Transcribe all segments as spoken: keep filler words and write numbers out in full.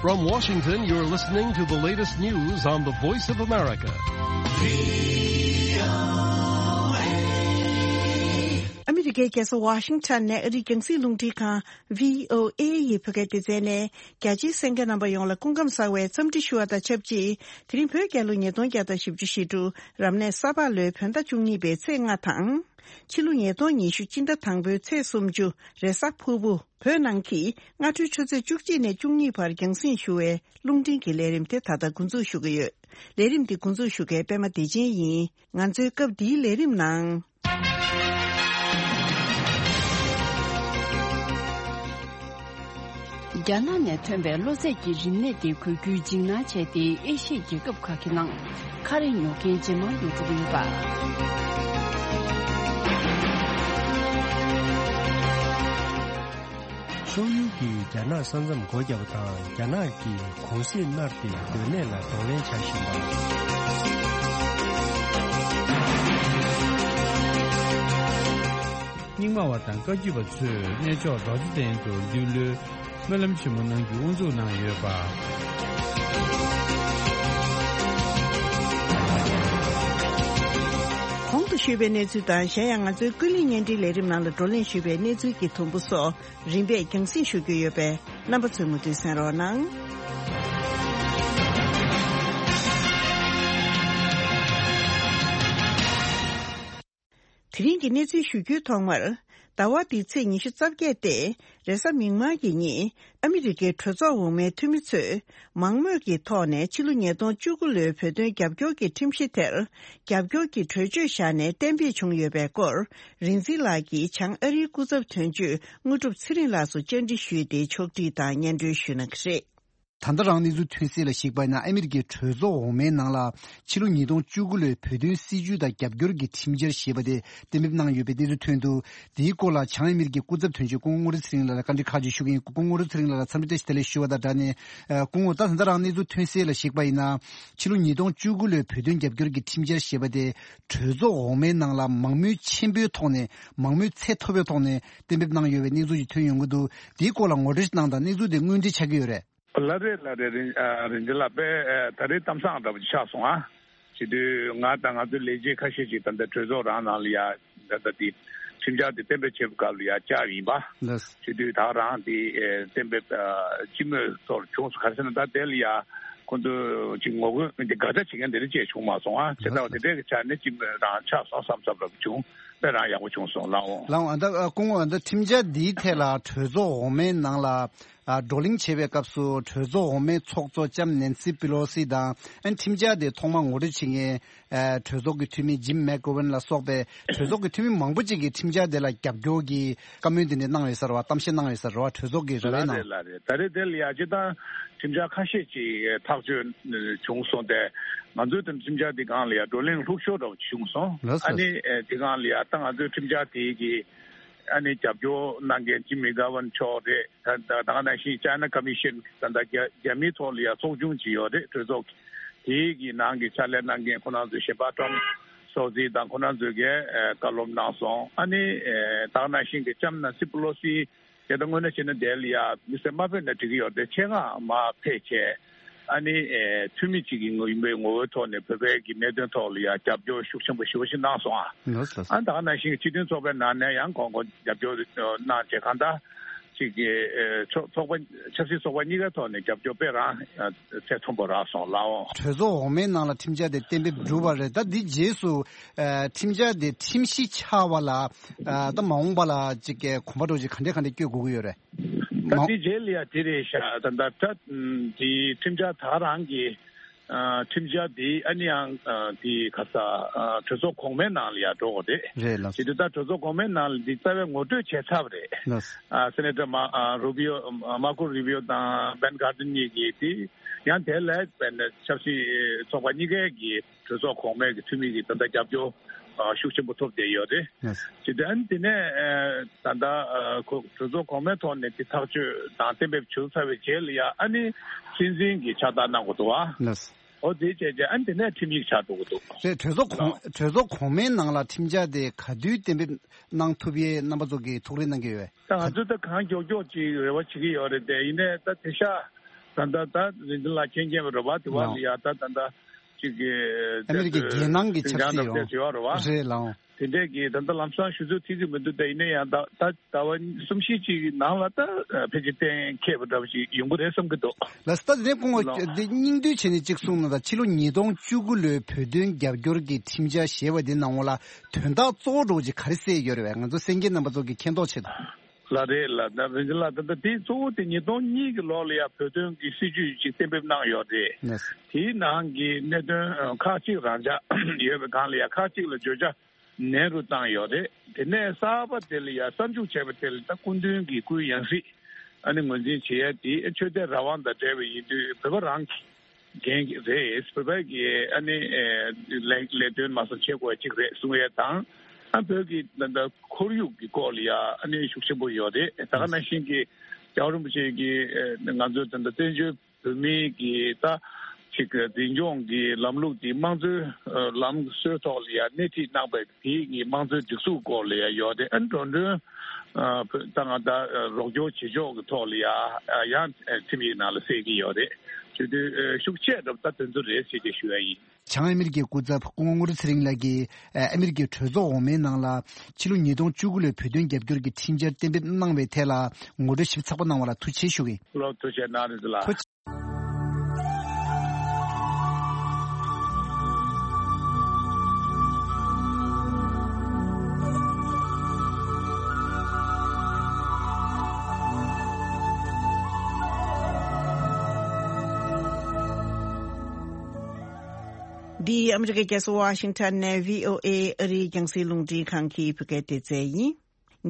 From Washington, you're listening to the latest news on the Voice of America. ཨ་མི་རི་ཀའི་རྒྱལ་ས་ཝ་ཤིང་ཊོན་ནས་ཨ་རིའི་རྒྱང་སྲིང་རླུང་འཕྲིན་ཁང་བྷི་ཨོ་ཨེ་ཡི་བོད་སྐད་སྡེ་ཚན་ནས། རྒྱ་ཆེའི་གསན་མཁན་རྣམ་པ་ཡོངས་ལ་སྐུ་ཁམས་བཟང་བའི་འཚམས་འདྲི་ཞུ་བ་དང་ཆབས་ཅིག་དེ་རིང་བོད་རྒྱལ་ལོ་ཉིས་སྟོང་བརྒྱ་དང་བཞི་བཅུ་ཞེ་དྲུག་རབ་གནས་ས་ཕག་ལོའི་བོད་ཟླ་བཅུ་གཉིས་པའི་ཚེས་ལྔ་དང་། ཕྱི་ལོ་ཉིས་སྟོང་ཉི་ཤུ་སྤྱི་ཟླ་དང་པོའི་ཚེས་སུམ་ཅུ་རེས་གཟའ་ཕུར་བུ། བོད་ནང་གི་སྔ་དྲོའི་ཆུ་ཚོད་བཅུ་གཅིག་ནས་བཅུ་གཉིས་བར་རྒྱང་སྲིང་ཞུ་བའི་རླུང་འཕྲིན་གྱི་ལས་རིམ་དེ་ད་ལྟ་འགོ་འཛུགས་ཞུ་གི་ཡོད། ལས་རིམ་འདི་འགོ་འཛུགས་ཞུ་མཁན་པད་མ་བདེ་ཆེན་ཡིན། ང་ཚོའི་སྐབས་འདིའི་ལས་རིམ་ནང་། རྒྱ་ནག་ནས་ཐོན་པའི་གློ་ཚད་ཀྱི་རིམས་ནད་དེ་འགོས་རྒྱུའི་འཇིགས་སྣང་བྱས་ཏེ། ཨེ་ཤི་ཡའི་རྒྱལ་ཁབ་ཁག་གི་ནང་ཁ་རས་ཉོ་མཁན་ཇེ་མང་དུ་འགྲོ་གི་ཡོད་པ། ཤོག་ཡུལ་གྱིས་རྒྱ་ནག་ས་མཚམས་སྒོ་བརྒྱབ་པ་དང་། རྒྱ་ནག་གི་གུང་གསེང་སྔར་གྱི་སྡོད་གནས་ལ་གདོང་ལེན་བྱ་བཞིན་པ། རྙིང་མ་བ་དང་བཀའ་བརྒྱུད་པ་ཚོས་གནས་མཆོག་རྡོ་རྗེ་གདན་དུ་འདུལ་ལོའི་སྨོན་ལམ་ཆེན་མོ་གནང་རྒྱུ་དབུ་འཛུགས་གནང་ཡོད་པ། གོང་དུ་ཞུས་པའི་གནས་ཚུལ་དང་། གཞན་ཡང་ང་ཚོའི་ཀུན་གླེང་བརྙན་འཕྲིན་ལས་རིམ་ནང་ལ་བགྲོ་གླེང་ཞུས་པའི་གནས་ཚུལ་གྱི་དུམ་བུ་སོགས་རིམ་པས་རྒྱང་སྲིང་ཞུ་རྒྱུ་ཡོད་པས། རྣམ་པ་ཚོས་མུ་མཐུད་གསན་རོགས་གནང་། དེ་རིང་གི་གནས་ཚུལ་ཞུ་རྒྱུའི་ཐོག་མར། ཟླ་བ་འདིའི་ཚེས་ཉི་ཤུ་རྩ་བརྒྱད་སྟེ། རེས་གཟའ་མིག་དམར་གྱི་ཉིན། ཨ་མི་རི་ཀའི་གྲོས་ཚོགས་འོག་མའི་འཐུས་མི་ཚོས། མང་མོས་ཀྱི་ཐོག་ནས་ཕྱི་ལོ་ཉིས་སྟོང་བཅུ་དགུ་ལོའི་བོད་དོན་རྒྱབ་སྐྱོར་གྱི་ཁྲིམས་གཞི་དེར། རྒྱབ་སྐྱོར་གྱི་གྲོས་ཆོད་བཞག་ནས་གཏན་འབེབས་བྱུང་ཡོད་པའི་སྐོར། རིག་འཛིན་ལགས་ཀྱིས་བྱང་ཨ་རིའི་སྐུ་ཚབ་དོན་གཅོད་དངོས་གྲུབ་ཚེ་རིང་ལགས་སུ་བཅར་འདྲི་ཞུས་ཏེ། ཕྱོགས་སྒྲིག་དང་སྙན་སྒྲོན་ཞུས་གནང་གི་རེད། ད་ལྟ་རང་གནས་ཚུལ་ཐོན་གསལ་ལ་གཞིགས་པ་ཡིན་ན། ཨ་མི་རི་ཀའི་གྲོས་ཚོགས་འོག་མའི་ནང་ལ་ཕྱི་ལོ་ཉིས་སྟོང་བཅུ་དགུ་ལོའི་བོད་དོན་སྲིད་བྱུས་དང་རྒྱབ་སྐྱོར་གྱི་ཁྲིམས་འཆར་ཞེས་པ་དེ་གཏན་འབེབས་གནང་ཡོད་པའི་གནས་ཚུལ་ཐོན་འདུག་དེའི་སྐོར་ལ་བྱང་ཨ་མི་རི་ཀའི་སྐུ་ཚབ་དོན་གཅོད་སྐུ་ངོ་དངོས་གྲུབ་ཚེ་རིང་ལགས་ལ་བཀའ་འདྲི་ཁག་ཅིག་ཞུ་གི་ཡིན། སྐུ་ངོ་དངོས་གྲུབ་ཚེ་རིང་ལགས་ལ་འཚམས་འདྲི་བཀྲ་ཤིས་བདེ་ལེགས་ཞུ་བ་དང་སྦྲགས་ནས། ཨ། སྐུ་ངོ། ད་ད་ལྟ་རང་གནས་ཚུལ་ཐོན་གསལ་ལ་གཞིགས་པ་ཡིན་ན། ཕྱི་ལོ་ཉིས་སྟོང་བཅུ་དགུ་ལོའི་བོད་དོན་རྒྱབ་སྐྱོར་གྱི་ཁྲིམས་འཆར་ཞེས་པ་དེ་གྲོས་ཚོགས་འོག་མའི་ནང་ལ་མང་མོས་ཆེན་པོའི་ཐོག་ནས། མང་མོས་ཚད་མཐོ་བའི་ཐོག་ནས་གཏན་འབེབས་གནང་ཡོད་པའི་གནས་ཚུལ་ཞིག་ཐོན་ཡོང་གི་འདུག་དེའི་སྐོར་ལ་ངོ་སྤྲོད་ཞིག་གནང་དང་། གནས་ཚུལ་དེ་དངོས་འབྲེལ་ཆགས་ཀྱི་ཡོད་རེད། ལགས་རེད། ལགས་རེད། རིན། ཨ། རིན་ཆེན་ལགས། དཔེ། ཨ། ད་རེས་གཏམ་བཟང་འདྲ་པོ་ཅིག་ཆགས་སོང་ཨ། བྱེད་དུས་ང་དང་ང་ཚོའི་ལས་བྱེད་ཁ་ཤས་ཅིག་ད་ལྟ་གྲོས་ཚོགས་རང་ནང་ལ་ཡ། ད་ལྟ་དེ་ཁྲིམས་འཆར་དེ་གཏན་འབེབས་བྱེད་པའི་སྐབས་ལ་ཡ་བཅར་ཡིན་པ། ལགས། བྱེད་དུས་ད་རང་དེ། ཨེ། གཏན་འབེབས། ཨ། སྤྱི་མོས་ཐོག་བྱུང་སོང་། ག་རེ་ཟེར་ན། ད་དེ་ལ་ཡ་ཁོང་ཚོ་ཅིག་ངོ་རྒོལ་དེ་དགག་བྱ་བྱེད་མཁན་དེ་འདྲ་ཅིག་བྱུང་མ་སོང་ཨ། བྱས་ཙང་དེ་འདྲའི་ཆ་ནས་སྤྱི་མོས་རང་ཆགས་སོང་བསམ་བསམ་འདྲ་པོ་བྱུང་། དཔེ་རང་ཡག་པོ་བྱུང་སོང་། ལགས་འོང་། ལགས་འོང་། ཨ། ད། ཨ། སྐུ་ངོ། ཨ། ད་ཁྲིམས་འཆར་འདིའི་ཐད་ལ་གྲོས་ཚོགས་འོག་མའི་ནང་ལ། ཨ། བགྲོ་གླེང་བྱེད་པའི་སྐབས་སུ་གྲོས་ཚོགས་འོག་མའི་ཚོགས་གཙོ་ལྕམ་ནེན་སི་པི་ལོ་སི་དང་། ཨ། ཁྲིམས་འཆར་དེ་ཐོག་མར་ངོ་སྤྲོད་བྱེད་མཁན། ཨ། གྲོས་ཚོགས་ཀྱི་འཐུས་མི་ཇིམ་མེག་གོ་ཝན་ལ་སོགས་པའི་གྲོས་ཚོགས་ཀྱི་འཐུས་མི་མང་པོ་ཅིག་གིས་ཁྲིམས་འཆར་དེ་ལ་རྒྱབ་སྐྱོར་གྱི་བཀའ་མོལ་དེ་འདྲ་གནང་ཡོད་ས་རེད་བ། གཏམ་བཤད་གནང་ཡོད་ས་རེད་བ། གྲོས་ཚོགས་ཀྱི་ར་བའི་ནང་། ལགས་རེད། ལགས་རེད། ད་རེས་དེ་ལ་ཡ་སྤྱིར་བཏང་ཁྲིམས་འཆར་ཁ་ཤས་ཅིག་ཐག་གཅོད་བྱུང་སོང་སྟེ། ང་ཚོས་དེ་ཁྲིམས་འཆར་དེ་སྒང་ལ་ཡ་བགྲོ་གླེང་ལྷུག་ཤོས་འདྲ་བོ་བྱུང་སོང་། ལགས་སོ། ཨ་ནི། ཨེ། དེ་སྒང་ལ་ཡ་ད་ང་ཚོའི་ཁྲིམས་འཆར་དེ་གི། ཨ་ནི་རྒྱབ་སྐྱོར་གནང་མཁན་ཇིམ་མེག་གོ་ཝན་མཆོག་རེད། ད་ད་ག་ནང་བཞིན་ཅའི་ན་ཀོ་མི་ཤན། ད་ལྟ་རྒྱ། རྒྱ་མིའི་ཐོག་ལ་ཡ་ཚོགས་ཆུང་ཅིག་ཡོད་རེད། གྲོས་ཚོགས་དེའི་གི་ནང་གི་ཕྱག་ལས་གནང་མཁན་ཁོང་རྣམ་ཚོས་གཞན་པ་ཀྲང་སོ་ཙི་དང་ཁོང་རྣམ་ཚོས་གི། ཨེ། བཀའ་སློབ་གནང་སོང་། ཨ་ནི། ཨེ། ད་ག་ནང་བཞིན་གི་ལྕམ་ནེན་སི་པི་ལོ་སི་དེ་ད་དངོས་གནས་བྱས་ན་དེ་ལ་ཡ་དམིགས་བསལ་མ་ཕེབས་ན་འགྲིག་གི་ཡོད་རེད། ཆེད་མངགས་མར་ཕེབས་བྱས། ཨ་ནི། ཨེ། འཐུས་མི་གཅིག་གི་ངོ་ཡིན་པའི་ངོ་བོའི་ཐོག་ནས་བོད་པའི་གི་གནད་དོན་ཐོག་ལ་ཡང་རྒྱབ་སྐྱོར་ཤུགས་ཆེན་པོ་ཞེ་པོ་ཞིག་གནང་སོང་ཨ། ལགས་སོ། ཨ། ད་ག་ནང་བཞིན་སྤྱི་མཐུན་ཚོགས་པའི་ནང་ནས་ཡང་ཁོང་ཁོང་རྒྱབ་སྐྱོར་གནང་བྱས། གང་ལྟར་ཅིག་གི། ཨེ། ཚོགས། ཚོགས་པ། ཆབ་སྲིད་ཚོགས་པ་གཉིས་ཀའི་ཐོག་ནས་རྒྱབ་སྐྱོར་དཔེ་རང་ཚད་མཐོན་པོ་རག་སོང་། ལགས་འོང་། གྲོས་ཚོགས་འོག་མའི་ནང་ལ་ཁྲིམས་འཆར་དེ་གཏན་འབེབས་གྲུབ་པ་རེད། ད་འདི་རྗེས་སུ། ཨེ། ཁྲིམས་འཆར་དེ་ཁྲིམས་གཞི་ཆགས་པ་ལ། ཨེ། ད་མ་འོངས་པ་ལ་ཅིག་གི་གོམ་པ་འགྲོ་ཅིག་ག་འདྲས་ག་འདྲས་སྐྱོད་དགོས་ཀྱི་ཡོད་རེད། ད་དེ་རྗེས་ལ་ཡ་དེ་རེད་ཤག་ད་ད་ད་དེ་ཁྲིམས་འཆར་ད་རང་གི། ཨ། ཁྲིམས་འཆར་དེ་ཨ་ནི་ཡང་། ཨ། དེ་ག་ས། ཨ། གྲོས་ཚོགས་གོང་མའི་ནང་ལ་ཡ་འགྲོ་དགོས་རེད། རེད་ལགས། དེ་དུས་ད་གྲོས་ཚོགས་གོང་མའི་ནང་ལ་འདི་རྩ་བའི་ངོ་སྤྲོད་བྱས་ཚར་བ་རེད། ལགས། ཨ། སེ་ནེ་ཊར་མ། ཨ། རུ་བི་ཡོ། ཨ། མར་ཀོ་རུ་བི་ཡོ་དང་བན་གྷར་ཌེན་གཉིས་ཀྱིས་དེ། ཡང་དེ་ལ་དཔེར་ན་ཆབ་སྲིད་ཚོགས་པ་གཉིས་ཀའི་གི་གྲོས་ཚོགས་གོང་མའི་གི་འཐུས་མི་གི་ད་ལྟ་རྒྱབ་སྐྱོར། ཨ། ཤུགས་ཆེན་པོ་ཐོབ་བསྡད་ཡོད་རེད། ལགས། དེ་དུས་ཨ་ནི་དེ་ནས། ཨ། ད་ལྟ། ཨ། ཁོ་གྲོས་ཚོགས་གོང་མའི་ཐོག་ནས་དེ་ཐག་གཅོད་དང་གཏན་འབེབས་བྱུང་ཚར་བའི་རྗེས་ལ་ཡ་ཨ་ནི་སྲིད་འཛིན་གྱིས་ཕྱག་རྟགས་གནང་དགོས་འདུག་ཨ། ལགས། འོ་དེ་བྱས་རྗེས་ཨ་ནི་དེ་ནས་ཁྲིམས་ཡིག་ཆགས་འགྲོ་གི་འདུག། རེད། གྲོས་ཚོགས་གོང་། ལགས། གྲོས་ཚོགས་གོང་མའི་ནང་ལ་ཁྲིམས་འཆར་དེ་ག་དུས་གཏན་འབེབས་གནང་ཐུབ་ཡས་རྣམ་པ་ཚོ་གིས་ཐུགས་རེ་གནང་གི་ཡོད། ད་ང་ཚོས་ད་གང་མགྱོགས་མགྱོགས་ཅིག་རེ་བ་བྱེད་ཀྱི་ཡོད་རེད་དེ། ཡིན་ནའི་ད་དེང་སང་ ད་ལྟ་ད་རིན་ཆེན་ལགས་མཁྱེན་མཁྱེན་པ་རེད་པ། དེ་བ་ལ་ཡ་ད་ད་ལྟ་ཅིག་གི་ཨ་མི་རི་ཀའི་རྒྱལ་ནང་གི་ཆབ་སྲིད་ཡོད་རེད་པ། རེད་ལགས། དེ་འདྲས་ཀྱི་ད་ལྟ་ལམ་སང་ཞུ་ཚོད་ཐིག་གི་མི་འདུག་ད་ཡིན་ན་ཡང་ད་ད་ཟླ་བ་གསུམ་བཞི་ཅིག་གི་ནང་ལ་ད་ཕལ་ཆེར་གཏན་འཁེལ་བ་འདྲ་བ་ཞིག་ཡོང་གི་རེད་བསམ་གྱི་འདུག་ལགས་སོ། ད་དེ་ནས་སྐུ་ངོ་འདི་སྙིང་བསྡུས་བྱས་ནས་གཅིག་གསུངས་ན། ད་ཕྱི་ལོ་ཉིས་སྟོང་བཅུ་དགུ་ལོའི་བོད་དོན་རྒྱབ་སྐྱོར་གྱི་ཁྲིམས་འཆར་ཞེས་པ་འདི་ནང་ལ་དོན་དག་གཙོ་བོ་འདྲ་བོ་ཅིག་ག་རེ་གསལ་ཡོད་རེད་པས། ང་ཚོ་གསན་མཁན་རྣམ་པ་ཚོ་གི་མཁྱེན་རྟོགས་ཆེད་དུ། ལགས་རེད་ལགས། ད་རིན་ཆེན་ལགས་ད་ལྟ་དེ་གཙོ་བོ་དེ་ཉིས་སྟོང་གཉིས་ཀྱི་ལོ་ལ་ཡང་བོད་དོན་གྱི་སྲིད་ཇུས་ཅིག་གཏན་འབེབས་གནང་ཡོད་རེད། ལགས་སོ། དེའི་ནང་གི་གནད་དོན་ཁག་ཅིག་རང་འཇགས་ཡོད་པའི་སྒང་ལ་ཡང་ཁག་ཅིག་ལ་བརྗོད་བྱ་ནན་རུ་བཏང་ཡོད་རེད། དེ་ནས་གསར་པ་དེ་ལ་ཡང་གསར་འཇུག་བྱས་པ་དེ་ལ་ད་སྐུ་མདུན་གྱི་སྐུའི་ཡང་སྲིད་ཨ་ནི་ངོས་འཛིན་བྱེད་ཡ་དེ་ཆོས་དད་རང་དབང་དང་འབྲེལ་བ་ཡིན་དུས་བོད་པ་རང་གི་འགན་རེད། བོད་པ་གི་ཨ་ནི་ལས་ལས་དོན་མ་སོང་བྱེད་དགོས་ཡ་གཅིག་རེད་གསུང་ཡ་དང་། ཨ་བོད་ཀྱི་ད་ལྟ་ཁོར་ཡུག་གི་སྐོར་ལ་ཡ་ཨ་ནི་ཤུགས་ཆེན་པོ་ཡོད་རེད། ད་ག་ནང་བཞིན་གྱི་རྒྱལ་བ་རིན་པོ་ཆེ་གི་ང་ཚོའི་ད་ལྟ་བཙན་བྱོལ་བོད་མིའི་གི་ད་ཅིག་འཛིན་སྐྱོང་གི་ལམ་ལུགས་དེ་དམངས་གཙོའི་ལམ་སྲོལ་ཐོག་ལ་ཡ་སྣེ་ཁྲིད་གནང་བའི་དེའི་གི་དམངས་གཙོའི་སྒྲིག་འཛུགས་སྐོར་ལ་ཡ་ཡོད་དེ། ཨ་ནི་འགྲོ་གྲོན་ད་ང་ད་རོགས་སྐྱོར་བྱེད་ཕྱོགས་ཀྱི་ཐོག་ལ་ཡ་ཡང་ཁྲིམས་ཡིག་ནང་ལ་གསལ་གྱི་ཡོད་རེད། བྱེད་དུས་ཤུགས་ཆེ་རབ་ད་དོན་ཚོ་རེད་ཟེར་ཏེ་ཞུ་ཡ་ཡིན། བྱང་ཨ་མི་རི་ཀའི་སྐུ་ཚབ་སྐུ་ངོ་ངུ་རུ་ཚེ་རིང་ལགས་ཀྱིས་ཨ་མི་རི་ཀའི་གྲོས་ཚོགས་འོག་མའི་ནང་ལ་ཕྱི་ལོ་ཉིས་སྟོང་བཅུ་དགུ་ལོའི་བོད་དོན་རྒྱབ་སྐྱོར་གྱི་ཁྲིམས་འཆར་གཏན་འབེབས་གནང་བའི་ཐད་ལ་ངོ་སྤྲོད་ཞིབ་ཚགས་པོ་གནང་བ་ལ་ཐུགས་རྗེ་ཆེ་ཞུ་གི་ཡིན། ལགས་ཐུགས་རྗེ་གནང་རིན་ཆེ་ལགས། ཐུགས་རྗེ་ཆེ། འདི་ཨ་མི་རི་ཀའི་རྒྱལ་ས་ཝ་ཤིང་ཊོན་ནས་བྷི་ཨོ་ཨེ་ཨ་རིའི་རྒྱང་སྲིང་རླུང་འཕྲིན་ཁང་གི་བོད་སྐད་སྡེ་ཚན་ཡིན།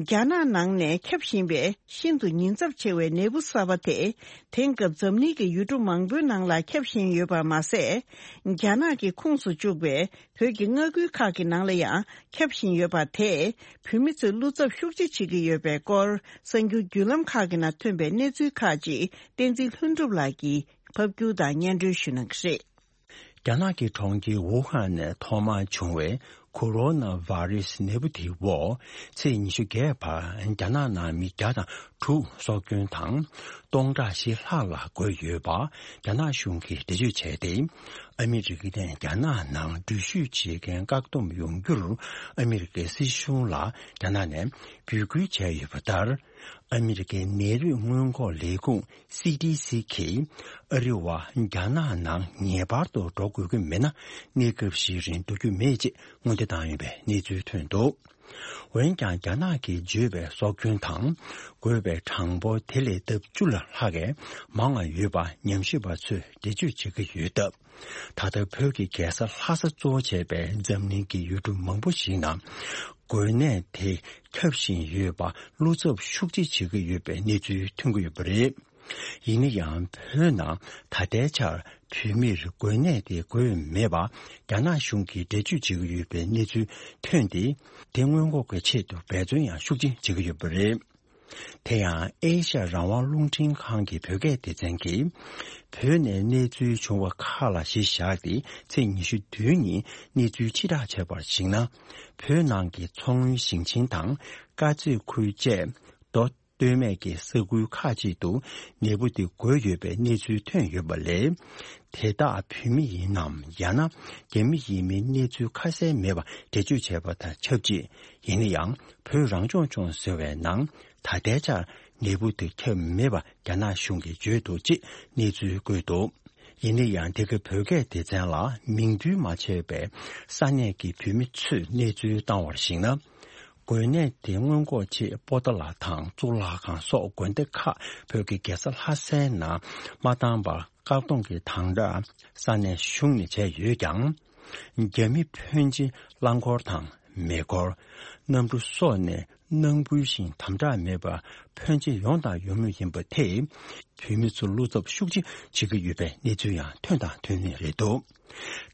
རྒྱ་ནག་ནང་ནས་ཁྱབ་བཞིན་པའི་ཤིན་ཏུ་ཉེན་ཚབས་ཆེ་བའི་ནད་འབུ་གསར་པ་དེ། དེང་སྐབས་འཛམ་གླིང་གི་ཡུལ་གྲུ་མང་པོའི་ནང་ལ་ཁྱབ་བཞིན་ཡོད་པ་མ་ཟད། རྒྱ་ནག་གི་ཁོངས་སུ་བཅུག་པའི་བོད་ཀྱི་མངའ་ཁུལ་ཁག་གི་ནང་ལ་ཡང་ཁྱབ་བཞིན་ཡོད་པ་དེས་བོད་མི་ཚོའི་བློ་འཚབ་ཤུགས་ཆེ་བྱེད་ཀྱི་ཡོད་པའི་སྐོར། གསར་འགྱུར་བརྒྱུད་ལམ་ཁག་གི་ནང་ཐོན་པའི་གནས་ཚུལ་ཁག་ཅིག་བསྟན་འཛིན་ལྷུན་གྲུབ་ལགས་ཀྱིས་ཕབ་སྒྱུར་དང་སྙན་སྒྲོན་ཞུ་གནང་གི་རེད། རྒྱ་ནག་གི་གྲོང་ཁྱེར་ཝུ་ཧན་ནས་ཐོག་མར་བྱུང་བའི་ཁོ་རོ་ན་ཝ་རི་སི་ནད་འབུ་དེའི་འོག་ཚེས་ཉི་ཤུ་བརྒྱད་བར་རྒྱ་ནག་ནང་མི་བརྒྱ་དང་དྲུག་སྲོག་སྐྱོན་དང་། སྟོང་ཕྲག་བཞི་ལྷག་ལ་འགོས་ཡོད་པ་རྒྱ་ནག་གཞུང་གིས་འགྲེལ་བརྗོད་བྱས་ཏེ། ཨ་མི་རི་ཀ་ནས་རྒྱ་ནག་ནང་འགྲུལ་བཞུད་བྱེད་མཁན་བཀག་སྡོམ་ཡོང་རྒྱུར་ཨ་མི་རི་ཀའི་སྲིད་གཞུང་ལ་རྒྱ་ནག་ནས་འབོད་སྐུལ་བྱས་ཡོད་པ་ལྟར། ཨ་མི་རི་ཀའི་ནད་རིགས་སྔོན་འགོག་ལས་ཁུངས་སི་ཌི་སི་གིས་ཨ་རི་བ་རྒྱ་ནག་ནང་ངེས་པར་དུ་འགྲོ་དགོས་ཀྱི་མེད་ན། གནས་སྐབས་ཤིག་རིང་འགྲོ་རྒྱུ་མེད་ཅེས་སྔོན་འདེད་བཏང་ཡོད་པའི་གནས་ཚུལ་ཐོན་འདུག་འོན་ཀྱང་རྒྱ་ནག་གིས་བརྗོད་པའི་སྲོག་སྐྱོན་དང་འགོས་པའི་གྲངས་འབོར་དེ་ལས་ལྡབ་བཅུ་ལ་ལྷག་གིས་མང་བ་ཡོད་པ་ཉམས་ཞིབ་པ་ཚོས་འགྲེལ་བརྗོད་བྱེད་ཀྱི་ཡོད་སྟབས། ད་ལྟ་བོད་ཀྱི་རྒྱལ་ས་ལྷ་ས་གཙོ་བོ་བྱས་པའི་འཛམ་གླིང་གི་ཡུལ་གྲུ་མང་པོ་ཞིག་ནང་འགོས་ནད་དེ་ཁྱབ་བཞིན་ཡོད་པ་བློ་འཚབ་ཤུགས་ཆེ་བྱེད་ཀྱི་ཡོད་པའི་གནས་ཚུལ་ཐོན་གྱི་ཡོད་པ་རེད། ཡིན་ན་ཡང་བོད་ནང་ད་ལྟའི་ཆར་བོད་མིར་འགོས་ནད་དེ་འགོས་མེད་པ་རྒྱ་ནག་གཞུང་གིས་འགྲེལ་བརྗོད་བྱེད་ཀྱི་ཡོད་པའི་གནས་ཚུལ་ཐོན་ཏེ། དེ་སྔོན་འགོག་གི་ཆེད་དུ་འབད་བརྩོན་ཡང་ཤུགས་ཆེན་བྱེད་ཀྱི་ཡོད་པ་རེད། དེ་ཡང་ཨེ་ཤ་ཡ་རང་དབང་རླུང་འཕྲིན་ཁང་གི་བོད་སྐད་སྡེ་ཚན་གྱིས། བོད་ནས་གནས་ཚུལ་བྱུང་བ་ཁག་ལ་གཞི་བཞག་སྟེ་ཚེས་ཉི་ཤུ་བདུན་ཉིན་གནས་ཚུལ་ཕྱིར་བསྒྲགས་བྱས་པར་གཞིགས་ན། བོད་ནང་གི་མཚོ་སྔོན་ཞིང་ཆེན་དང་དཀར་མཛེས་ཁུལ་བཅས་མདོ་སྟོད་སྨད་ཀྱི་ས་ཁུལ་ཁག་ཅིག་ཏུ་ནད་འབུ་དེ་འགོས་ཡོད་པའི་གནས་ཚུལ་ཐོན་ཡོད་པ་ལས། དེ་དག་བོད་མི་ཡིན་ནམ་ཡང་ན་རྒྱ་མི་ཡིན་མིན་གནས་ཚུལ་ཁ་གསལ་མེད་པ་འགྲེལ་བརྗོད་བྱས་པ་དང་ཆབས་ཅིག་ཡིན་ན་ཡང་བོད་རང་སྐྱོང་ལྗོངས་ཟེར་བའི་ནང་ད་ལྟའི་ཆར་ནད་འབུ་དེ་ཁྱབ་མེད་པ་རྒྱ་ནག་གཞུང་གིས་བརྗོད་འདུག་ཅེས་གནས་ཚུལ་བཀོད་འདུག་ཡིན་ན་ཡང་འདི་ག་བོད་སྐད་སྡེ་ཚན་ལ་མིང་འདོན་མ་བྱས་པའི་ས་གནས་ཀྱི་བོད་མི་ཚོས་གནས་ཚུལ་བཏང་བར་གཞིགས་ན། འགོས་ནད་དེ་སྔོན་འགོག་ཆེད་པོ་ཏཱ་ལ་དང་གཙུག་ལག་ཁང་སོགས་དགོན་སྡེ་ཁག་བོད་ཀྱི་རྒྱལ་ས་ལྷ་སའི་ནང་མ་བཏང་བར་བཀག་སྡོམ་གྱི་དམ་དྲག་ས་གནས་གཞུང་ནས་བྱས་ཡོད་ཀྱང་། རྒྱ་མི་ཕོན་ཆེ་རླངས་འཁོར་དང་མེ་འཁོར། གནམ་གྲུ་སོགས་ནས་གནང་འབུལ་ཞིང་དམ་དྲག་མེད་པར་ཕོན་ཆེ་ཡོང་དང་ཡོང་མུས་ཡིན་པ་དེས་བོད་མི་ཚོ་བློ་འཚབ་ཤུགས་ཆེ་བྱེད་ཀྱི་ཡོད་པའི་གནས་ཚུལ་ཡང་ཐོན་དང་ཐོན་ནི་རེད་འདུག་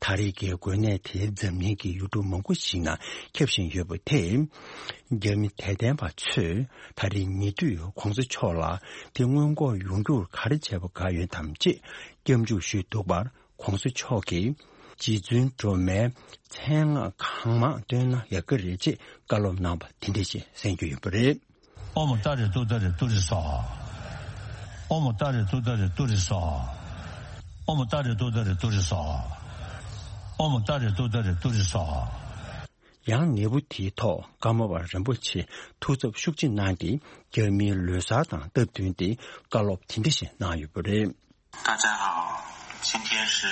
ད་རེས་ཀྱི་འགོས་ནད་དེ་འཛམ་གླིང་གི་ཡུལ་གྲུ་མང་པོ་ཞིག་ནང་ཁྱབ་བཞིན་ཡོད་པ་དེས། རྒྱ་མི་དད་ལྡན་པ་ཚོས་ད་རེས་ཉེ་དུས་གོང་ས་མཆོག་ལ་དེ་སྔོན་འགོག་ཡོང་རྒྱུར་ག་རེ་བྱས་པ་དགའ་ཡོད་དམ་ཅེས་སྐྱབས་འཇུག་ཞུས་འདུག་པར། གོང་ས་མཆོག་གིས་རྗེ་བཙུན་སྒྲོལ་མའི་མཚན་སྔགས་གང་མང་བཏོན་ན་ཡག་གི་རེད་ཅེས་བཀའ་སློབ་གནང་བ་དེ་འདྲ་ཞིག་གསན་རྒྱུ་ཡོད་པ་རེད། ཨོཾ་ཏཱ་རེ་ཏུཏྟཱ་རེ་ཏུ་རེ་སྭཱ་ཧཱ། ཨོཾ་ཏཱ་རེ་ཏུཏྟཱ་རེ་ཏུ་རེ་སྭཱ་ཧཱ། ཨོཾ་ཏཱ་རེ་ཏུཏྟཱ་རེ་ཏུ་རེ་སྭཱ་ཧཱ། ཨོཾ་ཏཱ་རེ་ཏུཏྟཱ་རེ་ཏུ་རེ་སྭཱ་ཧཱ། ཡང་ནད་འབུ་དེའི་ཐོག་ཀརྨ་པ་རིན་པོ་ཆེ་ཐུགས་འཚབ་ཤུགས་ཆེ་གནང་སྟེ། རྒྱ་མིའི་ལོ་གསར་དང་སྟབས་བསྟུན་ཏེ་བཀའ་སློབ་དེ་འདྲ་ཞིག་གནང་ཡོད་པ་རེད། 大家好，今天是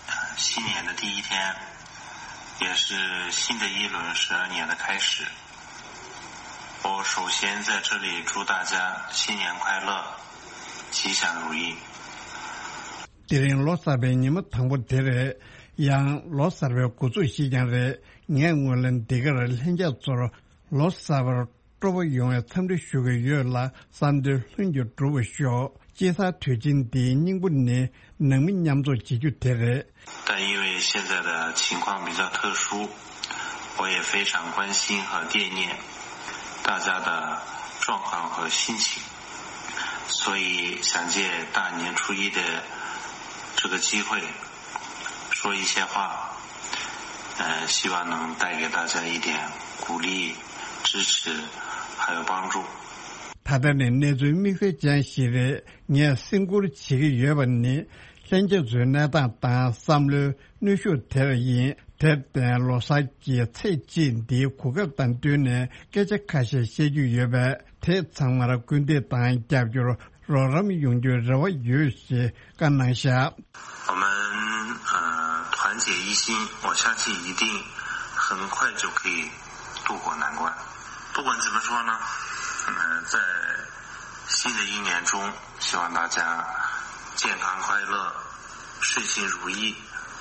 呃新年的第一天，也是新的一轮十二年的开始。我首先在这里祝大家新年快乐，吉祥如意。 དེ་རིང་ལོ་གསར་པའི་ཉི་མ་དང་པོ་དེ་རེད། ཡང་ལོ་གསར་པའི་འགོ་འཛུགས་ཤིག་ཀྱང་རེད། ངས་སྔོན་ལ་འདི་གར་ལྷན་རྒྱས་ཚོར་ལོ་གསར་པར་སྤྲོ་པོ་ཡོང་བའི་འཚམས་འདྲི་ཞུ་གི་ཡོད་ལ། བསམ་དོན་ལྷུན་གྱིས་འགྲུབ་པར་ཤོག་སྤྱི་ཟླ་དུས་ཆེན་འདིའི་སྙིང་པོ་ནི་ནང་མི་མཉམ་འཛོམས་བྱེད་རྒྱུ་དེ་རེད། 但因为现在的情况比较特殊，我也非常关心和惦念大家的状况和心情，所以想借大年初一的这个机会说一些话，呃，希望能带给大家一点鼓励、支持，还有帮助。 ད་ལྟ་ནི་གནས་ཚུལ་དམིགས་བསལ་ཅན་ཞིག་རེད། ངས་སེམས་ཁུར་བྱེད་ཀྱི་ཡོད་པ་ནི། ལྷན་རྒྱས་ཚོའི་གནས་སྟངས་དང་བསམ་བློའི་གནོན་ཤུགས་དེར་ཡིན། དེར་བརྟེན་ལོ་གསར་གྱི་ཚེས་གཅིག་འདིའི་གོ་སྐབས་དང་བསྟུན་ནས་སྐད་ཆ་ཁ་ཤས་བཤད་རྒྱུ་ཡོད་པས། དེ་ཚང་མར་སྐུལ་འདེད་དང་རྒྱབ་སྐྱོར། རོགས་རམ་ཡོང་རྒྱུའི་རེ་བ་ཡོད་ཞེས་བཀའ་གནང་བཞག 我们呃团结一心，我相信一定很快就可以度过难关。不管怎么说呢，嗯、在新的一年中，希望大家健康快乐，顺心如意，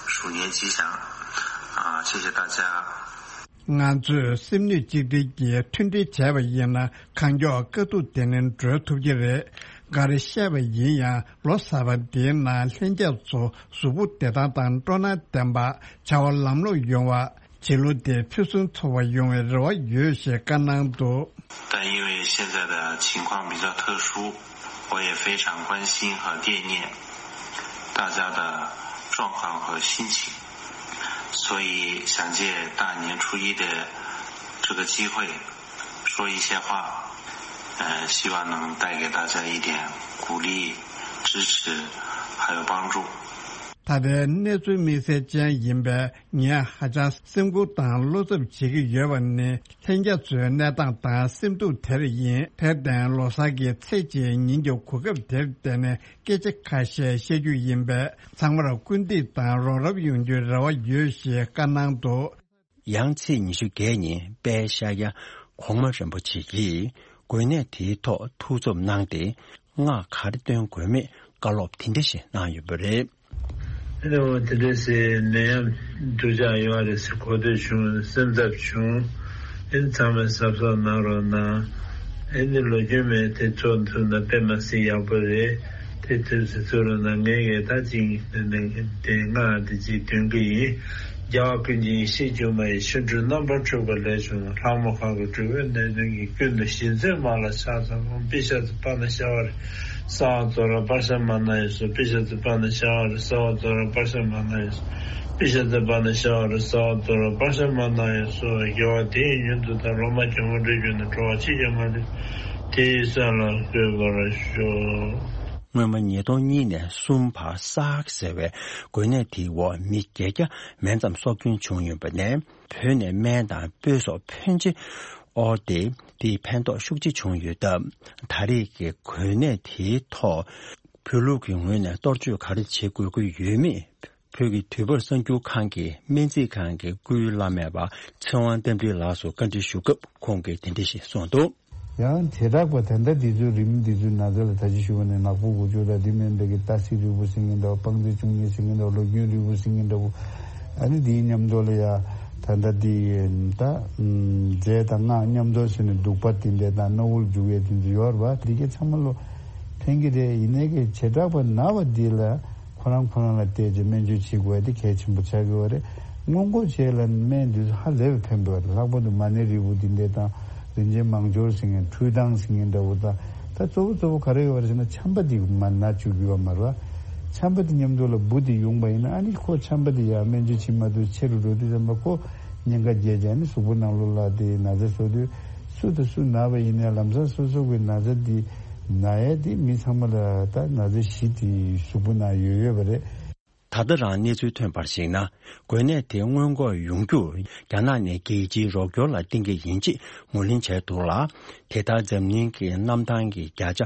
鼠年吉祥。啊，谢谢大家。 ང་ཚོས་སེམས་ནུས་གཅིག་སྒྲིལ་གྱིས་མཐུན་སྒྲིལ་བྱས་པ་ཡིན་ན། གང་མགྱོགས་དཀའ་སྡུག་དེ་ནས་སྒྲོལ་ཐུབ་ཀྱི་རེད། ག་རེ་བཤད་པ་ཡིན་ཡང་། ལོ་གསར་པ་འདིའི་ནང་ལྷན་རྒྱས་ཚོ་གཟུགས་པོ་བདེ་ཐང་དང་སྤྲོ་སྣང་ལྡན་པ། བྱ་བ་ལམ་ལྷོང་ཡོང་བ། བྱིས་བློ་དེ་ཕུན་སུམ་ཚོགས་པ་ཡོང་བའི་རེ་བ་ཡོད་ཞེས་བཀའ་གནང་འདུག 但因为现在的情况比较特殊，我也非常关心和惦念大家的状况和心情，所以想借大年初一的这个机会，说一些话，呃，希望能带给大家一点鼓励、支持，还有帮助。 ད་ལྟའི་གནས་ཚུལ་དམིགས་བསལ་ཅན་ཡིན་པས། ངས་ཧ་ཅང་སེམས་ཁུར་དང་བློ་འཚབ་བྱེད་ཀྱི་ཡོད་པ་ནི། ལྷན་རྒྱས་ཚོའི་གནས་སྟངས་དང་སེམས་སྡུག་དེར་ཡིན། དེར་བརྟེན་ལོ་གསར་གྱི་ཚེས་གཅིག་ཉིན་གྱི་གོ་སྐབས་དེར་བརྟེན་ནས་སྐད་ཆ་ཁ་ཤས་བཤད་རྒྱུ་ཡིན་པས། ཚང་མར་སྐུལ་འདེད་དང་རོགས་རམ་ཡོང་རྒྱུའི་རེ་བ་ཡོད་ཞེས་བཀའ་གནང་འདུག་ཡང་ཚེས་ཉི་ཤུ་བརྒྱད་ཉིན་དཔལ་ཤཱཀྱ་གོང་མ་རིན་པོ་ཆེ་གིས་འགོས་ནད་དེའི་ཐོག་ཐུགས་འཚབ་གནང་སྟེ། སྔགས་ག་རེ་འདོན་དགོས་མེད་བཀའ་སློབ་དེ་འདྲ་ཞིག་གནང་ཡོད་པ་རེད། ཨེ་ནི་འོ་དེ་འདྲ་ཟེར་ནད་ཡམས་འདུ་འཇགས་ཡོང་བ་རེད་ཟེར་གོ་ཐོས་བྱུང་། སེམས་འཚབ་བྱུང་། ཨེ་ནི་ཚང་མས་གཟབ་གཟབ་གནང་རོགས་གནང་། ཨེ་ནི་ལོ་རྒྱུས་མེད་དེ་ཚོ་ཐུབ་ན་དཔེ་མ་སྲིད་ཡག་པོ་རེད། དེ་ཐུབ་ཟེར་ཚུར་རོགས་གནང་། ངས་ངས་ད་ཅིག་དེ་སྔགས་དེ་ཅིག་འདོན་གི་ཡིན། རྒྱལ་བ་ཀུན་མཁྱེན་ཡེ་ཤེས་སྒྱུ་མ་ཡི། ཆོ་འཕྲུལ་རྣམ་པར་འཕྲུལ་པ་ལས་བྱུང་བ། ལྷ་མོ་ཁ་དགུ་གྲུ་པའི་གནས་དོན་གྱི། ཀུན་ཏུ་ཞི་མཛད་མ་ལ་ཕྱག་འཚལ་ལོ། པི་ཤ་ཙི་པ་ན་ཤ་བ་རི། ས་བ་ཙོ་ར་པ་ཤ་མ་ན་ཡེ་སོ། པི་ཤ་ཙི་པ་ན་ཤ་བ་རི། ས་བ་ཙོ་ར་པ་ཤ་མ་ན་ཡེ་སོ། པི་ཤ་ཙི་པ་ན་ཤ་བ་རི། ས་བ་ཙོ་ར་པ་ཤ་མ་ན་ཡེ་སོ། དགེ་བ་དེ་ཡི་མྱུར་དུ་བདག་སློབ་མ་གྱུར་པར་འགྲོ་གྱུར་ནས། འགྲོ་བ་ཕྱི་ཁྱབ་མ་ལུས་དེ་ཡི་སྲོག་ལ་འགོད་པར་ཤོག་སྔོན་མ་ཉིས་སྟོང་གཉིས་ནས་གསུམ་བར་སཱར་ཟེར་བའི་འགོས་ནད་དེའི་འོག་མི་བརྒྱད་བརྒྱ་མན་ཙམ་སྲོག་སྐྱོན་བྱུང་ཡོད་པ་ནས། བོད་ནས་སྨན་དང་སྤོས་སོགས་ཕོན་ཆེ་དབོར་ཏེ། དེས་ཕན་ཐོགས་ཤུགས་ཆེ་བྱུང་ཡོད་སྟབས། ད་རེས་ཀྱི་འགོས་ནད་དེའི་ཐོག་བོད་ལུགས་ཀྱི་ངོས་ནས་གཏོར་བཅོས་ག་རེ་བྱེད་དགོས་ཀྱི་ཡོད་མེད། བོད་ཀྱི་དུས་བབ་གསར་འགྱུར་ཁང་གི་སྨན་རྩིས་ཁང་གི་སྐུའི་བླ་སྨན་པ་ཚེ་དབང་རྟ་མགྲིན་ལགས་སུ་བཀའ་འདྲི་ཞུ་སྐབས། ཁོང་གིས་དེ་འདྲ་ཞིག་གསུངས་འདུག་ཡང་བྱེ་བྲག་པ་ད་ལྟ་འདི་ཚོའི་རིམས་འདི་ཚོའི་ན་ཚ་ལ་ད་ཅི་ཞུ་བ་ནས་ནག་པོ་དགུ་བཅུ་དང་འདི་མིན་པའི་གི་ཏ་སི་རིལ་བུ་ཟེར་མཁན་འདྲ་བོ། སྤང་རྩི་བཅུ་གཉིས་ཟེར་མཁན་འདྲ་བོ། ལོ་རྒྱུས་རིལ་བུ་ཟེར་མཁན་འདྲ་བོ། ཨ་ནི་འདིའི་མཉམ་དུ་ལ་ཡ་ད་ལྟ་འདི་ད་རྫས་དང་སྔགས་མཉམ་དུ་བྱས་ནས་བདུག་པ་དེ་འདྲས་དང་སྣ་བུག་ལ་བྱུག་ཡས་དེ་ཚོ་ཡོད་རེད་པ། འདི་གས་ཚང་མ་ལོ་ཕན་གྱི་རེད། ཡིན་ནའི་གི་བྱེ་བྲག་པ་ན་བ་འདི་ལ། ཁོ་རང་ཁོ་རང་ལ་བལྟས་རྗེས་སྨན་བཅོས་བྱེད་དགོས་ཡ་དེ་གལ་ཆེན་པོ་ཆགས་ཀྱི་ཡོད་རེད། སྔོན་འགོག་བྱེད་ལ་སྨན་འདི་ཚོ་ཧ་ལས་པའི་ཕན་པ་རེད། ལྷག་པར་དུ་མ་ཎི་རིལ་བུ་འདི་འདྲས་དང་། རིན་ཆེན་མང་སྦྱོར་ཟེར་མཁན། ཁྲུས་གདང་ཟེར་མཁན་འདྲ་བོ་དང་། ད་གཙོ་བོ་གཙོ་བོ་ག་རེ་ཡོད་རེད་ཟེར་ན། ཆམ་པ་འདི་མར་ན་བཅུག་གི་ཡོད་མ་རེད་པ། ཆམ་པ་འདི་མཉམ་དུ་ལ་འབུ་འདི་ཡོང་པ་ཡིན་ན། ཨ་ནི་ཁོ་ཆམ་པ་འདི་ཡ་སྨན་བཅོས་བྱེད་མ་ཐུབ་ཆེ་རུ་འགྲོ་དུས་ཙམ་པ། ཁོ་ཉེན་ཁ་རྒྱས་རྗེས་ནི་གཟུགས་པོ་ནང་ལོགས་ལ་དེ་ན་ཚ་བཟོ་དུས། སུ་དང་སུ་ན་བ་ཡིན་ནའི་ལམ་སང་སོ་སོ་གི་ན་ཚ་འདི། ན་ཡས་དེ་མི་ཚང་མ་ལ་ད་ན་ཚ་བཞི་དེ་གཟུགས་པོ་ནང་ཡོད་ཡོད་པ་རེད། ད་ལྟ་རང་གནས་ཚུལ་ཐོན་པར་གཞིགས་ན། འགོས་ནད་དེ་སྔོན་འགོག་ཡོང་རྒྱུར་རྒྱ་ནག་ནས་རྒྱལ་སྤྱིའི་རོགས་སྐྱོར་ལ་བརྟེན་གྱི་ཡིན་ཅེས་ངོས་ལེན་བྱས་འདུག་ལ། དེ་ལྟར་འཛམ་གླིང་གི་གནམ་ཐང་གི་བརྒྱ་ཆ་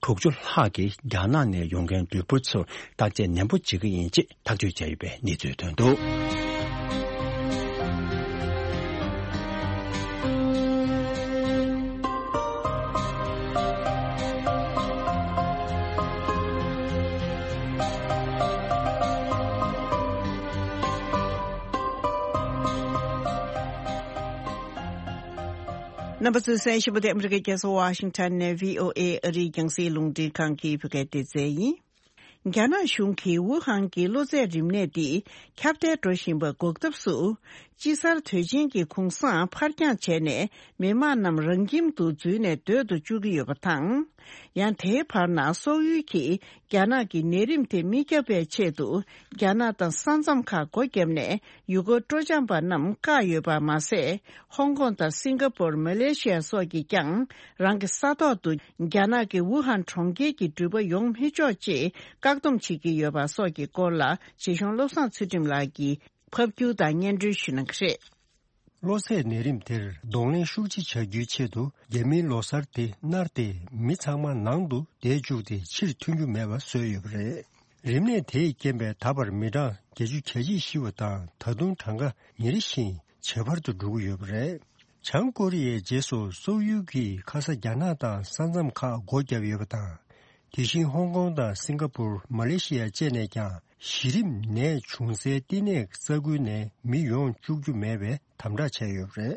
དྲུག་ཅུ་ལྷག་གིས་རྒྱ་ནག་ནས་ཡོང་མཁན་ལུས་པོ་ཚོར་བརྟག་དཔྱད་ནན་པོ་བྱེད་ཀྱི་ཡིན་ཅེས་ཐག་གཅོད་བྱས་ཡོད་པའི་གནས་ཚུལ་ཐོན་འདུག། རྣམ་པ་ཚོས་གསན་བཞིན་པ་དེ་ཨ་མི་རི་ཀའི་རྒྱལ་ས་ཝ་ཤིང་ཊོན་ནས་བྷི་ཨོ་ཨེ་ཨ་རིའི་རྒྱང་སྲིང་རླུང་འཕྲིན་ཁང་གི་བོད་སྐད་སྡེ་ཚན་ཡིན། རྒྱ་ནག་གཞུང་གིས་ཝུ་ཧན་གྱི་གློ་ཚད་རིམས་ནད་འདི་ཁྱབ་གདལ་འགྲོ་བཞིན་པ་འགོག་ཐབས་སུ། དཔྱིད་གསར་དུས་ཆེན་གྱི་གུང་སེང་ཕར་འགྱངས་བྱས་ནས་མི་མང་རྣམས་རང་ཁྱིམ་དུ་འཛུལ་ནས་སྡོད་དུ་བཅུག་གི་ཡོད་པ་དང་། ཡང་དེའི་བར་ན་སོག་ཡུལ་གྱིས་རྒྱ་ནག་གི་ནད་རིམས་དེ་མི་ཁྱབ་པའི་ཆེད་དུ་རྒྱ་ནག་དང་ས་མཚམས་ཁག་སྒོ་བརྒྱབ་ནས་ཡུལ་སྐོར་སྤྲོ་འཆམ་པ་རྣམས་བཀག་ཡོད་པ་མ་ཟད། ཧོང་ཀོང་དང་སིང་ག་པོར། མ་ལེ་ཤི་ཡ་སོགས་ཀྱིས་ཀྱང་རང་གི་ས་ཐོག་ཏུ་རྒྱ་ནག་གི་ཝུ་ཧན་གྲོང་ཁྱེར་གྱི་འགྲུལ་པ་ཡོང་མི་ཆོག་ཅེས་བཀག་སྡོམ་བྱེད་ཀྱི་ཡོད་པ་སོགས་ཀྱི་སྐོར་ལ་རྗེ་གཞུང་བློ་བཟང་ཚུལ་ཁྲིམས་ལགས་ཀྱིས་ཕབ་སྒྱུར་དང་སྙན་སྒྲོན་ཞུ་གནང་གི་རེད། གློ་ཚད་ནད་རིམས་དེར་གདོང་ལེན་ཤུགས་ཆེ་བྱ་རྒྱུའི་ཆེད་དུ། རྒྱ་མིའི་ལོ་གསར་དེ་གནར་ཏེ་མི་ཚང་མ་ནང་དུ་བསྡད་བཅུག་སྟེ་ཕྱིར་ཐོན་རྒྱུ་མེད་པ་བཟོས་ཡོད་པ་རེད། རིམས་ནད་དེས་རྐྱེན་པས་ད་བར་མི་གྲངས་བརྒྱད་ཅུ་གྱ་གཅིག་ཤི་བ་དང་། ད་དུང་གྲངས་ཀ་ཉིན་རེ་བཞིན་ཇེ་འཕར་དུ་འགྲོ་གི་ཡོད་པ་རེད། བྱང་ཀོ་རི་ཡའི་རྗེས་སུ་སོག་ཡུལ་གྱིས་ཁ་ས་རྒྱ་ནག་དང་ས་མཚམས་ཁག་སྒོ་བརྒྱབ་ཡོད་པ་དང་། དེ་བཞིན་ཧོང་ཀོང་དང་སིང་ག་པུར། མ་ལེ་ཤི་ཡ་བཅས་ནས་ཀྱང་གཞི་རིམ་ནད་བྱུང་སའི་བསྟི་གནས་ས་ཁུལ་ནས་མི་ཡོང་བཅུག་རྒྱུ་མེད་པའི་དམ་དྲག་བྱས་ཡོད་པ་རེད།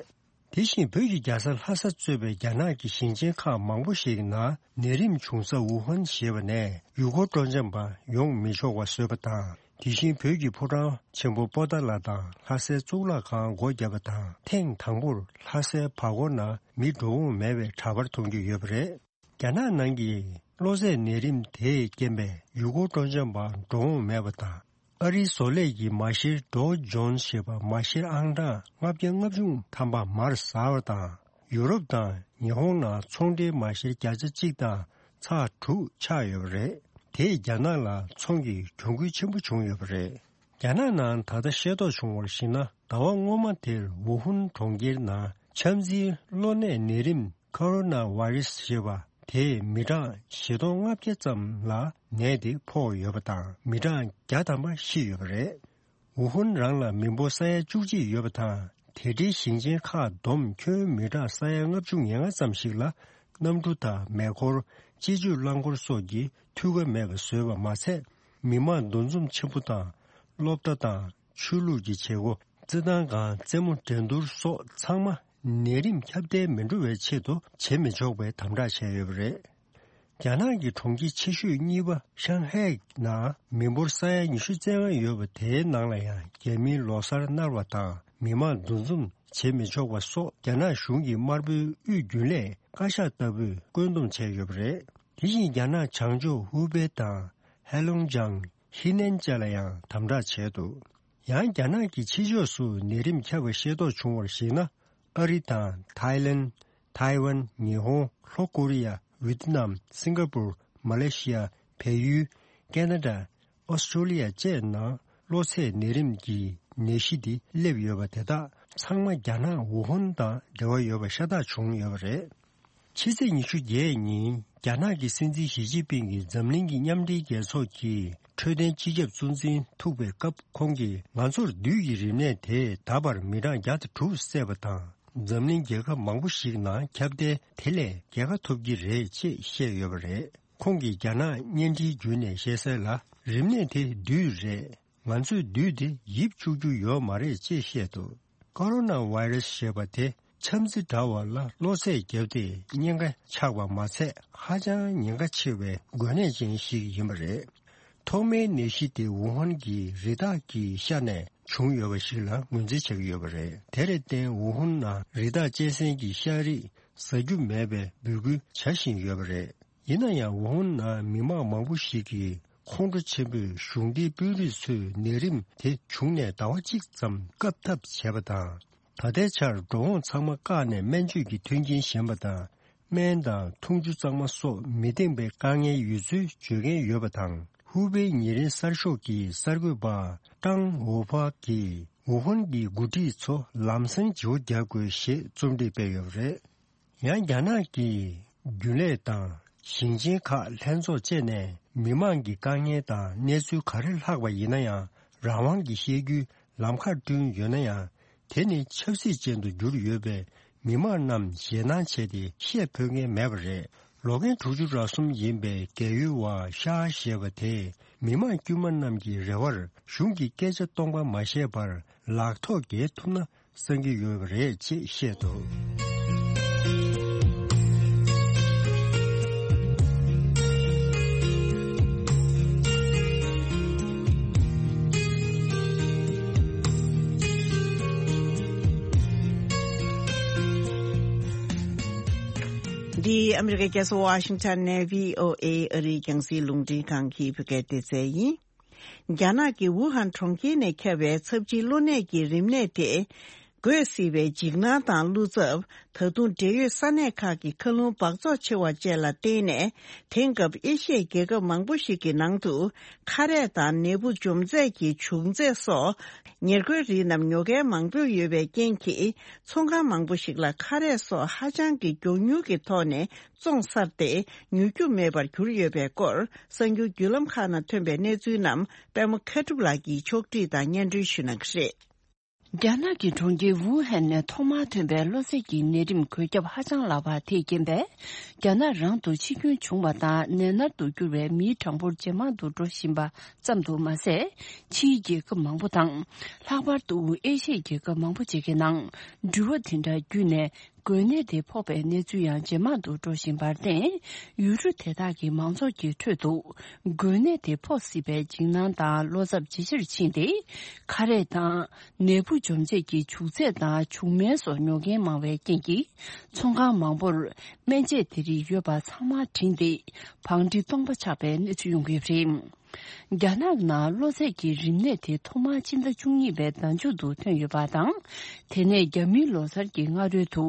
དེ་བཞིན་བོད་ཀྱི་རྒྱལ་ས་ལྷ་ས་གཙོས་པའི་རྒྱ་ནག་གི་ཞིང་ཆེན་ཁག་མང་པོ་ཞིག་ནང་ནད་རིམས་བྱུང་ས་ཝུ་ཧན་ཞེས་པ་ནས་ཡུལ་སྐོར་སྤྲོ་འཆམ་པ་ཡོང་མི་ཆོག་པ་བཟོས་པ་དང་། དེ་བཞིན་བོད་ཀྱི་ཕོ་བྲང་ཆེན་པོ་པོ་ཏཱ་ལ་དང་ལྷ་སའི་གཙུག་ལག་ཁང་སྒོ་བརྒྱབ་པ་དང་། ཐེངས་དང་པོར་ལྷ་སའི་བར་སྐོར་ནང་མི་འགྲོ་འོང་མེད་པའི་དྲ་པར་མཐོང་རྒྱུ་ཡོད་པ་རེད། རྒྱ་ནག་ནང་གི་གློ་ཚད་ནད་རིམས་དེས་རྐྱེན་པས་ཡུལ་སྐོར་སྤྲོ་འཆམ་པ་འགྲོ་འོང་མེད་པ་དང་། ཨ་རིའི་བཟོ་ལས་ཀྱི་མ་ཤེར་ཌོ་ཇོན་ཞེས་པ་མ་ཤེར་ཨང་གྲངས་ལྔ་བརྒྱ་ལྔ་བཅུ་ཐམ་པ་མར་ཟགས་པ་དང་། ཡུ་རོབ་དང་ཉི་ཧོང་ནང་ཚོང་འབྲེལ་མ་ཤེར་བརྒྱ་ཆ་གཅིག་དང་ཚེག་དྲུག་ཆག་ཡོད་པ་རེད། དེས་རྒྱ་ནག་ལ་ཚོང་གི་གྱོང་གུན་ཆེན་པོ་བྱུང་ཡོད་པ་རེད། རྒྱ་ནག་ནང་ད་ལྟ་ཤེས་རྟོགས་བྱུང་བར་གཞིགས་ན། ཟླ་བ་སྔོན་མ་དེར་ཝུ་ཧུན་གྲོང་ཁྱེར་ནང་ཆམ་ཚིལ་གློ་ནད་ནད་རིམས་ཁོ་རོ་ན་ཝའི་རུ་སི་ཞེས་པ་དེས་མི་གྲངས་བཞི་སྟོང་ལྔ་བརྒྱ་ཙམ་ལ་ནད་དེ་ཕོག་ཡོད་པ་དང་། མི་གྲངས་བརྒྱ་ཐམ་པ་ཤི་ཡོད་པ་རེད། ཝུ་ཧུན་རང་ལ་མི་འབོར་ས་ཡ་བཅུ་གཅིག་ཡོད་པ་དང་། དེ་འབྲེལ་ཞིང་ཆེན་ཁག་བསྡོམས་ཁྱོན་མི་གྲངས་ས་ཡ་ལྔ་བཅུ་ང་ལྔ་ཙམ་ཞིག་ལ་གནམ་གྲུ་དང་མེ་འཁོར། སྤྱི་སྤྱོད་རླངས་འཁོར་སོགས་ཀྱི་འཐུས་ཀ་མེད་པ་བཟོས་པ་མ་ཚད། མི་མང་འདུ་འཛོམས་ཆེན་པོ་དང་། སློབ་གྲྭ་དང་ཆོས་ལུགས་ཀྱི་བྱེད་སྒོ། རྩེད་ཐང་སྒང་རྩེད་མོ་འགྲན་བསྡུར་སོགས་ཚང་མ་ནད་རིམས་ཁྱབ་གདལ་མི་འགྲོ་བའི་ཆེད་དུ་བྱེད་མི་ཆོག་པའི་དམ་དྲག་བྱས་ཡོད་པ་རེད། རྒྱ་ནག་གི་གྲོང་ཁྱེར་ཆེ་ཤོས་གཉིས་པ་ཤང་ཧའེ་ནང་མི་འབོར་ས་ཡ་ཉི་ཤུ་རྩ་ལྔ་ཡོད་པ་དེའི་ནང་ལ་ཡང་རྒྱ་མིའི་ལོ་གསར་གནར་བ་དང་མི་མང་འདུ་འཛོམས་བྱེད་མི་ཆོག་པ་སོགས་རྒྱ་ནག་གཞུང་གིས་དམར་པོའི་དབུས་རྒྱུན་ལས་བཀའ་ཤག་ལྟ་བུས་བཀོད་འདོམས་བྱས་ཡོད་པ་རེད། དེ་བཞིན་རྒྱ་ནག་བྱང་ཕྱོགས་ཧུའུ་པེ་དང་ཧེ་ལུང་ཅང་། ཧི་ནན་བཅས་ལ་ཡང་དམ་དྲག་བྱས་འདུག། ཡང་རྒྱ་ནག་གི་ཕྱི་ཕྱོགས་སུ་ནད་རིམས་ཁྱབ་པ་ཤེས་རྟོགས་བྱུང་བར་གཞིགས་ན། ཨ་རི་དང་ཐའི་ལེན། ཐའེ་ཝན། ཉི་ཧོང་། ལྷོ་ཀོ་རི་ཡ། ཝི་ཏི་ནམ། སིང་ག་པུར། མ་ལེ་ཤི་ཡ། བལ་ཡུལ། ཁེ་ན་ཌ། ཨོ་སི་ཀྲོ་ལི་ཡ་བཅས་ནང་གློ་ཚད་ནད་རིམས་ཀྱི་ནད་གཞི་འདི་སླེབས་ཡོད་པ་དེ་དག་ཚང་མ་རྒྱ་ནག་ཝུ་ཧུན་དང་འབྲེལ་བ་ཡོད་པ་ཤ་སྟག་བྱུང་ཡོད་པ་རེད། ཕྱི་ཚེས་ཉི་ཤུ་བརྒྱད་ཉིན་རྒྱ་ནག་གི་སྲིད་འཛིན་ཞི་ཅིན་ཕིང་གིས་འཛམ་གླིང་གི་མཉམ་འབྲེལ་རྒྱལ་ཚོགས་ཀྱི་འཕྲོད་བསྟེན་སྤྱི་ཁྱབ་གཙོ་འཛིན་ཐུག་པའི་སྐབས། ཁོང་གིས་ང་ཚོར་བདུད་ཀྱི་རིམས་ནད་དེས་ད་བར་མི་གྲངས་བརྒྱ་དང་དྲུག་བསད་པ་དང་། འཛམ་གླིང་རྒྱལ་ཁབ་མང་པོ་ཞིག་ནང་ཁྱབ་གདལ་དེ་ལས་རྒྱལ་ཁ་ཐོབ་ཀྱི་རེད་ཅེས་བཤད་ཡོད་པ་རེད། ཁོང་གིས་རྒྱ་ནག་བརྙན་འཕྲིན་བརྒྱུད་ནས་བཤད་གསལ་ལ། རིམས་ནད་དེ་བདུད་རེད། ང་ཚོས་བདུད་དེ་ཡིབ་བཅུག་རྒྱུ་ཡོད་མ་རེད་ཅེས་བཤད་འདུག། ཀོ་རོ་ན་ཝའི་རུ་སི་ཞེས་པ་དེ་ཆམ་ཚིལ་འདྲ་བ་ལ་གློ་ཚད་བརྒྱབ་སྟེ་གཉན་ཁ་ཆག་པ་མ་ཚད། ཧ་ཅང་ཉེན་ཁ་ཆེ་བའི་འགོས་ནད་ཅན་ཞིག་ཡིན་པ་རེད། ཐོག་མའི་ནད་གཞི་དེ་ཝུ་ཧན་གྱི་རི་དྭགས་ཀྱི་ཤ་ནས་བྱུང་ཡོད་པ་ཞིག་ལ་ངོས་འཛིན་བྱེད་ཀྱི་ཡོད་པ་རེད། དེར་བརྟེན་ཝུ་ཧན་ནང་རི་དྭགས་གཅན་གཟན་གྱི་ཤ་རིགས་ཟ་རྒྱུ་མེད་པའི་འབོད་སྐུལ་བྱ་བཞིན་ཡོད་པ་རེད། ཡིན་ན་ཡང་ཝུ་ཧན་ནང་མི་མང་མང་པོ་ཞིག་གིས་ཁོང་ཁྲོ་ཆེན་པོས་གཞུང་འབྲེལ་དཔོན་རིགས་ཚོས་ནད་རིམས་དེ་བྱུང་ནས་ཟླ་བ་གཅིག་ཙམ་བཀབ་ཐབས་བྱས་པ་དང་། ད་ལྟའི་ཆར་འགྲོ་འོང་ཚང་མ་བཀག་ནས་སྨན་བཅོས་ཀྱི་མཐུན་རྐྱེན་ཞན་པ་དང་ སྨན་དང་འཐུང་ཆུ་གཙང་མ་སོགས་མི་འདང་པའི་དཀའ་ངལ་ཡོད་ཚུལ་བརྗོད་མཁན་ཡོད་པ་དང་། ཧུའུ་པེའི་ཉེ་རིང་གསར་ཤོག་གི་གསར་འགོད་པ་ཀྲང་ཝུའུ་ཧྥ་གིས་ཝུ་ཧན་གྱི་འགོ་ཁྲིད་ཚོ་ལམ་སང་བརྗེ་པོ་རྒྱག་དགོས་ཞེས་རྩོམ་སྒྲིག་སྤེལ་ཡོད་པ་རེད། ཡང་རྒྱ་ནག་གི་རྒྱུན་ལས་དང་ཞིང་ཆེན་ཁག་ལྷན་ཚོགས་བཅས་ནས་མི་མང་གི་དཀའ་ངལ་དང་གནས་ཚུལ་ག་རེ་ལྷག་པ་ཡིན་ན་ཡང་། རང་དབང་གིས་བཤད་རྒྱུའི་ལམ་ཁ་བསྐྲུན་ཡོད་ན་ཡང་། དེ་ནི་ཆབ་སྲིད་ཅན་དུ་གྱུར་ཡོད་པས། མི་མང་རྣམས་ཞེད་སྣང་བྱས་ཏེ་བཤད་ཕོད་མཁན་མེད་པ་རེད། ལོ་རྒན་དྲུག་ཅུ་རེ་གསུམ་ཡིན་པའི་རྒས་ཡོལ་བ་ཤ་ཞེས་པ་དེས། མི་མང་དཀྱུས་མ་རྣམས་ཀྱི་རེ་བར་གཞུང་གིས་སྐད་ཆ་སྟོང་པ་མ་བཤད་པར། ལག་ཐོགས་རྒྱལ་ཐུབ་ན་བསམ་གྱི་ཡོད་པ་རེད་ཅེས་བཤད་འདུག། འདི་ཨ་མི་རི་ཀའི་རྒྱལ་ས་ཝ་ཤིང་ཊོན་ནས་བྷི་ཨོ་ཨེ་ཨ་རིའི་རྒྱང་སྲིང་རླུང་འཕྲིན་ཁང་གི་བོད་སྐད་སྡེ་ཚན་ཡིན། རྒྱ་ནག་གི་ཝུ་ཧན་གྲོང་ཁྱེར་ནས་ཁྱབ་པའི་ཚབས་ཆེའི་གློ་ནད་ཀྱི་རིམས་ནད་དེ་འགོས་སྲིད་པའི་འཇིགས་སྣང་དང་བློ་འཚབ། ད་དུང་འབྲེལ་ཡོད་ས་གནས་ཁག་གི་མཁའ་རླུང་འབག་བཙོག་ཆེ་བ་བཅས་ལ་བརྟེན་ནས། དེང་སྐབས་ཨེ་ཤི་ཡའི་རྒྱལ་ཁབ་མང་པོ་ཞིག་གི་ནང་དུ་ཁ་རས་དང་ནད་འབུ་འཇོམས་རྫས་ཀྱི་བྱུག་རྫས་སོགས་ཉེར་མཁོའི་རིགས་རྣམས་ཉོ་མཁན་མང་པོ་ཡོད་པའི་རྐྱེན་གྱིས། ཚོང་ཁང་མང་པོ་ཞིག་ལ་ཁ་རས་སོགས་ཧ་ཅང་གི་མགྱོགས་མྱུར་གྱི་ཐོག་ནས་བཙོང་ཚར་ཏེ་ཉོ་རྒྱུ་མེད་པར་གྱུར་ཡོད་པའི་སྐོར། གསར་འགྱུར་བརྒྱུད་ལམ་ཁག་ནང་ཐོན་པའི་གནས་ཚུལ་རྣམས་པད་མ་མཁས་གྲུབ་ལགས་ཀྱིས་ཕྱོགས་སྒྲིག་དང་སྙན་སྒྲོན་ཞུ་གནང་གི་རེད། རྒྱ་ནག་གི་གྲོང་ཁྱེར་ཝུ་ཧན་ནས་ཐོག་མར་ཐོན་པའི་གློ་ཚད་ཀྱི་ནད་རིམས་འགོས་ཁྱབ་ཧ་ཅང་ལགས་པ་དེས་རྐྱེན་པས། རྒྱ་ནག་རང་དུ་འཆི་སྐྱོན་བྱུང་བ་དང་ནད་མནར་དུ་གྱུར་བའི་མིའི་གྲངས་འབོར་ཇེ་མང་དུ་འགྲོ་བཞིན་པ་ཙམ་དུ་མ་ཟད། ཕྱིའི་རྒྱལ་ཁབ་མང་པོ་དང་། ལྷག་པར་དུ་ཨེ་ཤི་ཡའི་རྒྱལ་ཁབ་མང་པོ་ཅིག་གི་ནང་། འགྲུལ་བ་དེ་འདྲ་བརྒྱུད་ནས། འགོས་ནད་དེ་ཕོག་པའི་གནས་ཚུལ་ཡང་ཇེ་མང་དུ་འགྲོ་བཞིན་པར་བརྟེན། ཡུལ་གྲུ་དེ་དག་གི་མང་ཚོགས་ཀྱི་ཁྲོད་དུ། འགོས་ནད་དེ་ཕོག་སྲིད་པའི་འཇིགས་སྣང་དང་བློ་འཚབ་ཇེ་ཆེར་ཕྱིན་ཏེ། ཁ་རས་དང་། ནད་འབུ་འཇོམས་བྱེད་ཀྱི་བྱུག་རྫས་དང་བྱུག་སྨན་སོགས་ཉོ་མཁན་མང་བའི་རྐྱེན་གྱིས། ཚོང་ཁང་མང་པོར། སྨན་དཔྱད་དེ་རིགས་ཡོད་པ་ཚང་མ་བྲིན་ཏེ། བང་སྒྲིག་སྟོང་པ་ཆགས་པའི་གནས་ཚུལ་ཡོང་གི་ཡོད་པ་རེད། རྒྱ་ནག་ནང་གློ་ཚད་ཀྱི་རིམས་ནད་དེ་ཐོག་མར་སྤྱི་ཟླ་བཅུ་གཉིས་པའི་ཟླ་མཇུག་ཏུ་ཐོན་ཡོད་པ་དང་། དེ་ནས་རྒྱ་མིའི་ལོ་གསར་གྱི་སྔ་རོལ་དུ་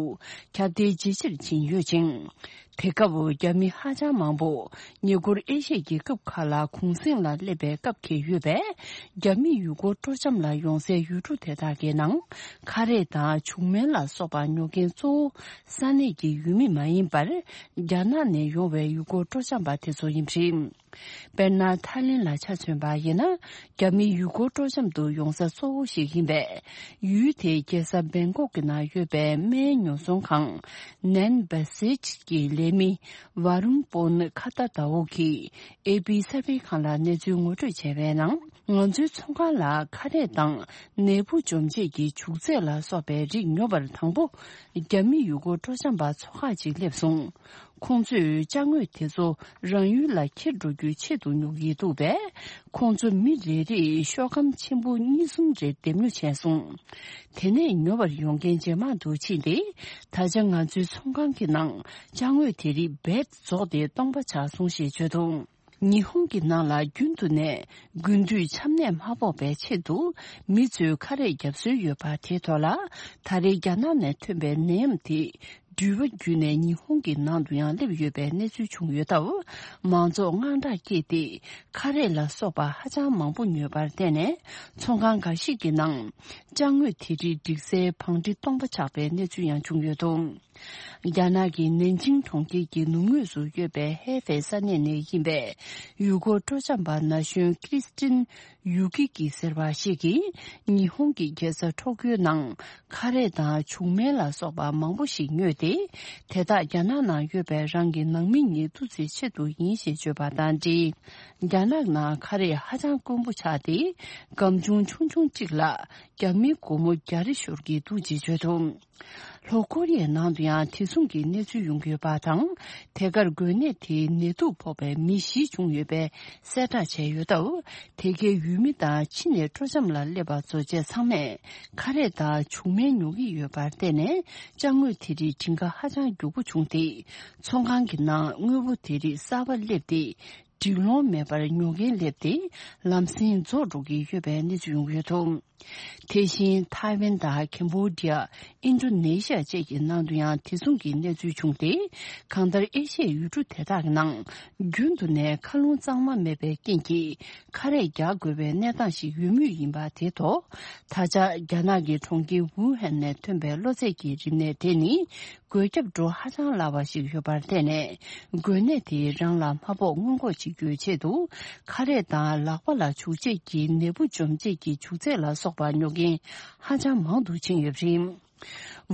ཁྱབ་གདལ་ཇེ་ཆེར་ཕྱིན་ཡོད་ཅིང་། དེ་སྐབས་རྒྱ་མི་ཧ་ཅང་མང་པོ་ཉེ་འཁོར་ཨེ་ཤི་ཡའི་རྒྱལ་ཁབ་ཁག་ལ་གུང་གསེང་ལ་སླེབས་པའི་སྐབས་འཁེལ་ཡོད་པས། རྒྱ་མི་ཡུལ་སྐོར་སྤྲོ་འཆམ་ལ་ཡོང་སའི་ཡུལ་གྲུ་དེ་དག་གི་ནང་ཁ་རས་དང་བྱུག་སྨན་ལ་སོགས་པ་ཉོ་མཁན་གཙོ་བོ་ས་གནས་ཀྱི་ཡུལ་མི་མ་ཡིན་པར། རྒྱ་ནག་ནས་ཡོང་བའི་ཡུལ་སྐོར་སྤྲོ་འཆམ་པ་དེ་ཚོ་ཡིན་པ་རེད། དཔེར་ན། ཐའི་ལེན་ལ་ཆ་མཚོན་པ་ཡིན་ན། རྒྱ་མི་ཡུལ་སྐོར་སྤྲོ་འཆམ་དུ་ཡོང་ས་གཙོ་བོ་ཞིག་ཡིན་པས། ཡུལ་དེའི་རྒྱལ་ས་བེང་ཀོག་གི་ནང་ཡོད་པའི་སྨན་ཉོ་ཚོང་ཁང་། ནན་བ་སེ་ཅི་གི་ལས་མི། ཝ་རུན་པོན་ཁ་ཏ་ཏའོ་གིས་ཨེ་པི་གསར་སྤེལ་ཁང་ལ་གནས་ཚུལ་ངོ་སྤྲོད་བྱས་པའི་ནང་། ང་ཚོའི་ཚོང་ཁང་ལ་ཁ་རས་དང་། ནད་འབུ་འཇོམས་བྱེད་ཀྱི་བྱུག་རྫས་ལ་སོགས་པའི་རིགས་ཉོ་བར་དང་པོ། རྒྱ་མི་ཡུལ་སྐོར་སྤྲོ་འཆམ་པ་ཚོ་ཁག་ཅིག་སླེབས་སོང་། ཁོང་ཚོས་ཅ་དངོས་དེ་ཚོ་རང་ཡུལ་ལ་འཁྱེར་འགྲོ་རྒྱུའི་ཆེད་དུ་ཉོ་གི་འདུག་པས། ཁོང་ཚོ་མི་རེ་རེས་ཤོག་སྒམ་ཆེན་པོ་གཉིས་གསུམ་རེ་འདེམས་ཉོ་བྱས་སོང་། དེ་ནས་ཉོ་བར་ཡོང་མཁན་ཇེ་མང་དུ་ཕྱིན་ཏེ། ད་ཆ་ང་ཚོའི་ཚོང་ཁང་གི་ནང་ཅ་དངོས་དེ་རིགས་རྦད་རྫོགས་ཏེ་སྟོང་པ་ཆགས་སོང་ཞེས་བརྗོད་འདུག། ཉི་ཧོང་གི་ནང་ལ་རྒྱུན་དུ་ནས་དགུན་དུས་ཆམ་ནད་མ་ཕོག་པའི་ཆེད་དུ་མི་ཚོས་ཁ་རས་བརྒྱབ་སྲོལ་ཡོད་པ་དེའི་ཐོག་ལ། ད་རེས་རྒྱ་ནག་ནས་ཐོན་པའི་ནད་ཡམས་དེ་འགྲུལ་པ་བརྒྱུད་ནས་ཉི་ཧོང་གི་ནང་དུ་ཡང་སླེབས་ཡོད་པའི་གནས་ཚུལ་བྱུང་ཡོད་སྟབས། མང་ཚོགས་དངངས་སྐྲག་སྐྱེས་ཏེ། ཁ་རས་ལ་སོགས་པ་ཧ་ཅང་མང་པོ་ཉོས་པར་བརྟེན་ནས། ཚོང་ཁང་འགའ་ཞིག་གི་ནང་ཅ་དངོས་དེ་རིགས་སྒྲིག་སའི་བང་སྒྲིག་སྟོང་པ་ཆགས་པའི་གནས་ཚུལ་ཡང་བྱུང་ཡོད་འདུག། རྒྱ་ནག་གི་ནན་ཅིང་གྲོང་ཁྱེར་གྱི་ནུབ་ངོས་སུ་ཡོད་པའི་ཧེ་ཧྥེ་ས་གནས་ནས་ཡིན་པའི་ཡུལ་སྐོར་སྤྲོ་འཆམ་པ་ན་གཞོན་ཀྲིས་ཏིན་ཡུ་ཀི་ཀི་ཟེར་བ་ཞིག་གིས། ཉི་ཧོང་གི་རྒྱལ་ས་ཊོ་ཀིའོ་ནང་ཁ་རས་དང་བྱུག་སྨན་ལ་སོགས་པ་མང་པོ་ཞིག་ཉོས་ཏེ། དེ་དག་རྒྱ་ནག་ནང་ཡོད་པའི་རང་གི་ནང་མི་གཉིས་ཐུག་རྩིས་ཆེད་དུ་ཡིན་ཞེས་བརྗོད་པ་དང་འབྲེལ། རྒྱ་ནག་ནང་ཁ་རས་ཧ་ཅང་དཀོན་པོ་ཆགས་ཏེ། སྒམ་ཆུང་ཆུང་ཆུང་གཅིག་ལ་རྒྱ་མིའི་སྒོར་མོ་བརྒྱ་རེ་ཤོར་གྱི་འདུག་ཅེས་བརྗོད་འདུག། ལྷོ་ཀོ་རི་ཡའི་ནང་དུ་ཡང་དེ་མཚུངས་ཀྱི་གནས་ཚུལ་ཡོང་གི་ཡོད་པ་དང་། དེ་གར་འགོས་ནད་དེའི་ནད་དུག་ཕོག་པའི་མི་བཞི་བྱུང་ཡོད་པའི་གསལ་བསྒྲགས་བྱས་ཡོད་སྟབས། དེ་གའི་ཡུལ་མི་དང་ཕྱི་ནས་སྤྲོ་འཆམ་ལ་སླེབས་པ་ཚོ་བཅས་ཚང་མས་ཁ་རས་དང་བྱུག་སྨན་ཉོ་གི་ཡོད་པར་བརྟེན་ནས། ཅ་དངོས་དེ་རིགས་སྒྲིག་ག་ཧ་ཅང་མགྱོགས་པོ་བྱུང་སྟེ། ཚོང་ཁང་གི་ནང་དངོས་པོ་དེ་རིགས་གསར་པ་སླེབས་ཏེ། འགྲིག་ལོང་མེད་པར་ཉོ་མཁན་སླེབས་ཏེ་ལམ་སེང་རྫོགས་འགྲོ་གི་ཡོད་པའི་གནས་ཚུལ་ཡོང་གི་ཡོད་འདུག་དེ་བཞིན་ཐའེ་ཝན་དང་ཁེམ་བྷོ་ཌི་ཡ། ཨིན་ཌོ་ནེ་ཤི་ཡ་བཅས་ཀྱི་ནང་དུ་ཡང་དེ་མཚུངས་ཀྱི་གནས་ཚུལ་བྱུང་སྟེ། གང་ལྟར་ཨེ་ཤི་ཡའི་ཡུལ་གྲུ་དེ་དག་གི་ནང་རྒྱུན་དུ་ནས་མཁའ་རླུང་གཙང་མ་མེད་པའི་རྐྱེན་གྱིས། ཁ་རས་རྒྱག་དགོས་པའི་གནས་སྟངས་ཤིག་ཡོད་མུས་ཡིན་པ་དེའི་ཐོག་ད་ཆ་རྒྱ་ནག་གི་གྲོང་ཁྱེར་ཝུ་ཧན་ནས་ཐོན་པའི་གློ་ཚད་ཀྱི་རིམས་ནད་དེ་ནི། འགོས་ཁྱབ་འགྲོ་ཧ་ཅང་སླ་བ་ཞིག་ཡོད་པར་བརྟེན་ནས། འགོས་ནད་དེས་རང་ལ་མ་ཕོག་སྔོན་འགོག་བྱེད་རྒྱུའི་ཆེད་དུ། ཁ་རས་དང་ལག་པ་ལ་བྱུག་བྱེད་ཀྱི་ནད་འབུ་འཇོམས་བྱེད་ཀྱི་བྱུག་རྫས་ལ་སོགས་པ་ཉོ་མཁན་ཧ་ཅང་མང་དུ་ཕྱིན་ཡོད་པ་རེད།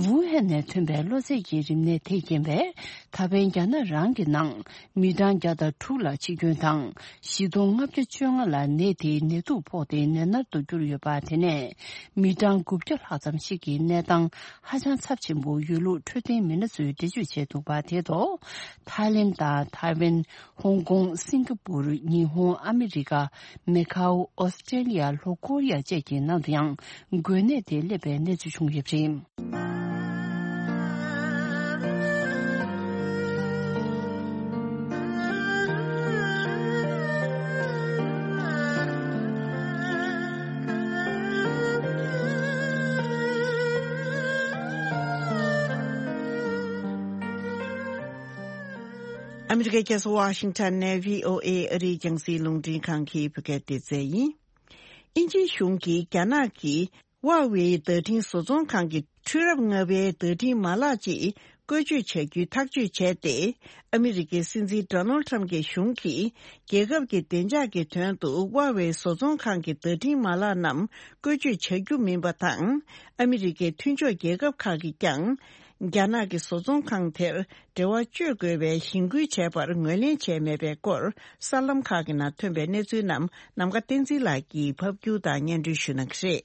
ཝུ་ཧན་ནས་ཐོན་པའི་གློ་ཚད་ཀྱི་རིམས་ནད་དེས་རྐྱེན་པས། ད་ཕན་རྒྱ་ནག་རང་གི་ནང་མི་གྲངས་བརྒྱ་དང་དྲུག་ལ་འཆི་སྐྱོན་དང་། བཞི་སྟོང་ལྔ་བརྒྱ་བཅོ་ལྔ་ལ་ནད་དེའི་ནད་དུག་ཕོག་སྟེ་ནད་མནར་དུ་གྱུར་ཡོད་པ། དེ་ནས་མི་གྲངས་དགུ་བརྒྱ་ལྷག་ཙམ་ཞིག་གི་གནས་སྟངས་ཧ་ཅང་ཚབས་ཆེན་པོ་ཡོད་ལུགས་འཕྲོད་བསྟེན་མི་སྣ་ཚོས་འགྲེལ་བརྗོད་བྱས་འདུག་པ། དེའི་ཐོག་ཐའི་ལེན་དང་ཐའེ་ཝན། ཧོང་ཀོང་། སིང་ག་པུར། ཉི་ཧོང་། ཨ་མི་རི་ཀ། མེ་ཁའོ། ཨོ་སི་ཀྲེ་ལི་ཡ། ལྷོ་ཀོ་རི་ཡ་བཅས་ཀྱི་ནང་དུ་ཡང་འགོས་ནད་དེ་སླེབས་པའི་གནས་ཚུལ་བྱུང་ཡོད་པ་རེད། ཨ་མི་རི་ཀའི་རྒྱལ་ས་ཝ་ཤིང་ཊོན་ནས་བྷི་ཨོ་ཨེ་ཨ་རིའི་རྒྱང་སྲིང་རླུང་འཕྲིན་ཁང་གི་བོད་སྐད་སྡེ་ཚན་ཡིན། དབྱིན་ཇིའི་གཞུང་གིས་རྒྱ་ནག་གི་ཧྭ་ཝེ་བརྡ་འཕྲིན་བཟོ་ཚོང་ཁང་གི་འཕྲུལ་རབས་ལྔ་པའི་བརྡ་འཕྲིན་མ་ལག་ཅིག་བཀོལ་སྤྱོད་བྱ་རྒྱུའི་ཐག་གཅོད་བྱས་ཏེ། ཨ་མི་རི་ཀའི་སྲིད་འཛིན་ཌོ་ནལ་ཁྲམ་གྱི་གཞུང་གིས་རྒྱལ་ཁབ་ཀྱི་བདེ་འཇགས་ཀྱི་དོན་དུ་ཧྭ་ཝེ་བཟོ་ཚོང་ཁང་གི་བརྡ་འཕྲིན་མ་ལག་རྣམས་བཀོལ་སྤྱོད་བྱ་རྒྱུ་མིན་པ་དང་། ཨ་མི་རི་ཀའི་མཐུན་ཕྱོགས་རྒྱལ་ཁབ་ཁག་གིས་ཀྱང་། རྒྱ་ནག་གི་བཟོ་ཚོང་ཁང་དེར་འབྲེལ་བ་གཅོད་དགོས་པའི་གཞེན་སྐུལ་བྱས་པར་ངོས་ལེན་བྱས་མེད་པའི་སྐོར་གསར་ལམ་ཁག་གི་ནང་ཐོན་པའི་གནས་ཚུལ་རྣམས་ནམ་མཁའ་བསྟན་འཛིན་ལགས་ཀྱིས་ཕབ་སྒྱུར་དང་སྙན་སྒྲོན་ཞུ་གནང་གི་རེད།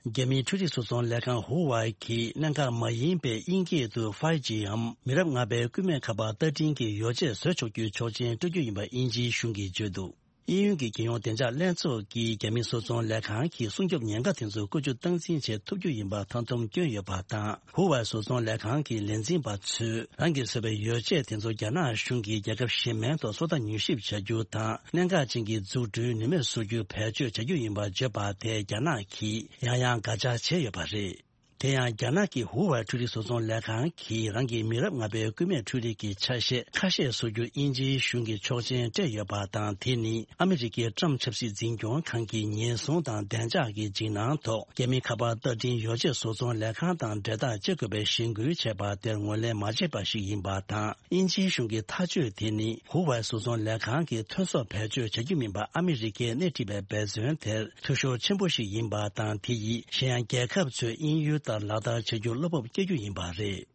རྒྱ་མིའི་འཕྲུལ་རིག་བཟོ་ཚོང་ལས་ཁང་ཧུ་ཝའེ་གིས་གནད་འགག་མ་ཡིན་པའི་དབྱིན་སྐད་དུ་ཕའི་ཇི་འམ་མི་རབས་ལྔ་པའི་སྐུད་མེད་ཁ་པར་བརྡ་འཕྲིན་གྱི་ཡོ་བྱད་བཟོ་ཆོག་རྒྱུའི་ཆོག་མཆན་སྤྲོད་རྒྱུ་ཡིན་པ་དབྱིན་ཇིའི་གཞུང་གིས་བརྗོད་འདུག་དབྱིན་ཡུལ་གྱི་རྒྱལ་ཡོངས་བདེ་འཇགས་ལྷན་ཚོགས་ཀྱིས་རྒྱ་མིའི་བཟོ་ཚོང་ལས་ཁང་གི་སྲུང་སྐྱོབ་ཉེན་ཁ་དེ་ཚོ་བཀོལ་སྤྱོད་སྟངས་འཛིན་བྱེད་ཐུབ་རྒྱུ་ཡིན་པར་མཐའ་སྡོམ་བསྐྱོན་ཡོད་པ་དང་། ཧུ་ཝའེ་བཟོ་ཚོང་ལས་ཁང་གི་ལས་འཛིན་པ་ཚོས་རང་གིས་བཟོས་པའི་ཡོ་བྱད་དེ་ཚོ་རྒྱ་ནག་གཞུང་གིས་རྒྱལ་ཁབ་གཞན་མའི་ཐོག་སོ་ལྟ་མྱུལ་ཞིབ་བྱ་རྒྱུ་དང་། གནད་འགག་ཅན་གྱི་འཛུགས་སྐྲུན་ནུས་མེད་བཟོ་རྒྱུ་བེད་སྤྱོད་བྱ་རྒྱུ་ཡིན་པར་བརྗོད་པ་དེ་རྒྱ་ནག་གིས་ཡང་ཡང་འགག་རྒྱག་བྱས་ཡོད་པ་རེད། དེ་ཡང་རྒྱ་ནག་གི་ཧུ་ཝའེ་འཕྲུལ་རིག་བཟོ་ཚོང་ལས་ཁང་གིས་རང་གི་མི་རབས་ལྔ་པའི་སྐུད་མེད་འཕྲུལ་རིག་གི་ཆ་ཤས་ཁ་ཤས་བཟོ་རྒྱུར་དབྱིན་ཇིའི་གཞུང་གིས་ཆོག་མཆན་སྤྲད་ཡོད་པ་དང་། དེ་ནི་ཨ་མི་རི་ཀའི་ཀྲམ་ཆབ་སྲིད་འཛིན་སྐྱོང་ཁང་གི་ཉེན་སྲུང་དང་བདེ་འཇགས་ཀྱི་འཇིགས་སྣང་ཐོག་རྒྱ་མིའི་ཁ་པར་བརྡ་འཕྲིན་ཡོ་བྱད་བཟོ་ཚོང་ལས་ཁང་དང་འབྲེལ་ཐག་བཅད་དགོས་པའི་གཞེན་སྐུལ་བྱས་པ་དེར་ངོས་ལེན་མ་བྱས་པ་ཞིག་ཡིན་པ་དང་། དབྱིན་ཇིའི་གཞུང་གི་ཐག་གཅོད་དེ་ནི་ཧུ་ཝའེ་བཟོ་ཚོང་ལས་ཁང་གིས་ཐོན་ཟོག་བེད་སྤྱོད་བྱ་རྒྱུ་མིན་པ་ཨ་མི་རི་ཀས་སྣེ་ཁྲིད་པའི་འབད་བརྩོན་དེར་འཐུས་ཤོར་ཆེན་པོ་ཞིག་ཡིན་པ་དང་། དེ་ཡིས་གཞན་ཡང་རྒྱལ་ཁབ་ཚོས་དབྱིན་ཡུལ་ལྟར་ལག་བསྟར་བྱ་རྒྱུར་བློ་སྤོབས་སྐྱེ་རྒྱུ་ཡིན་པ་རེད།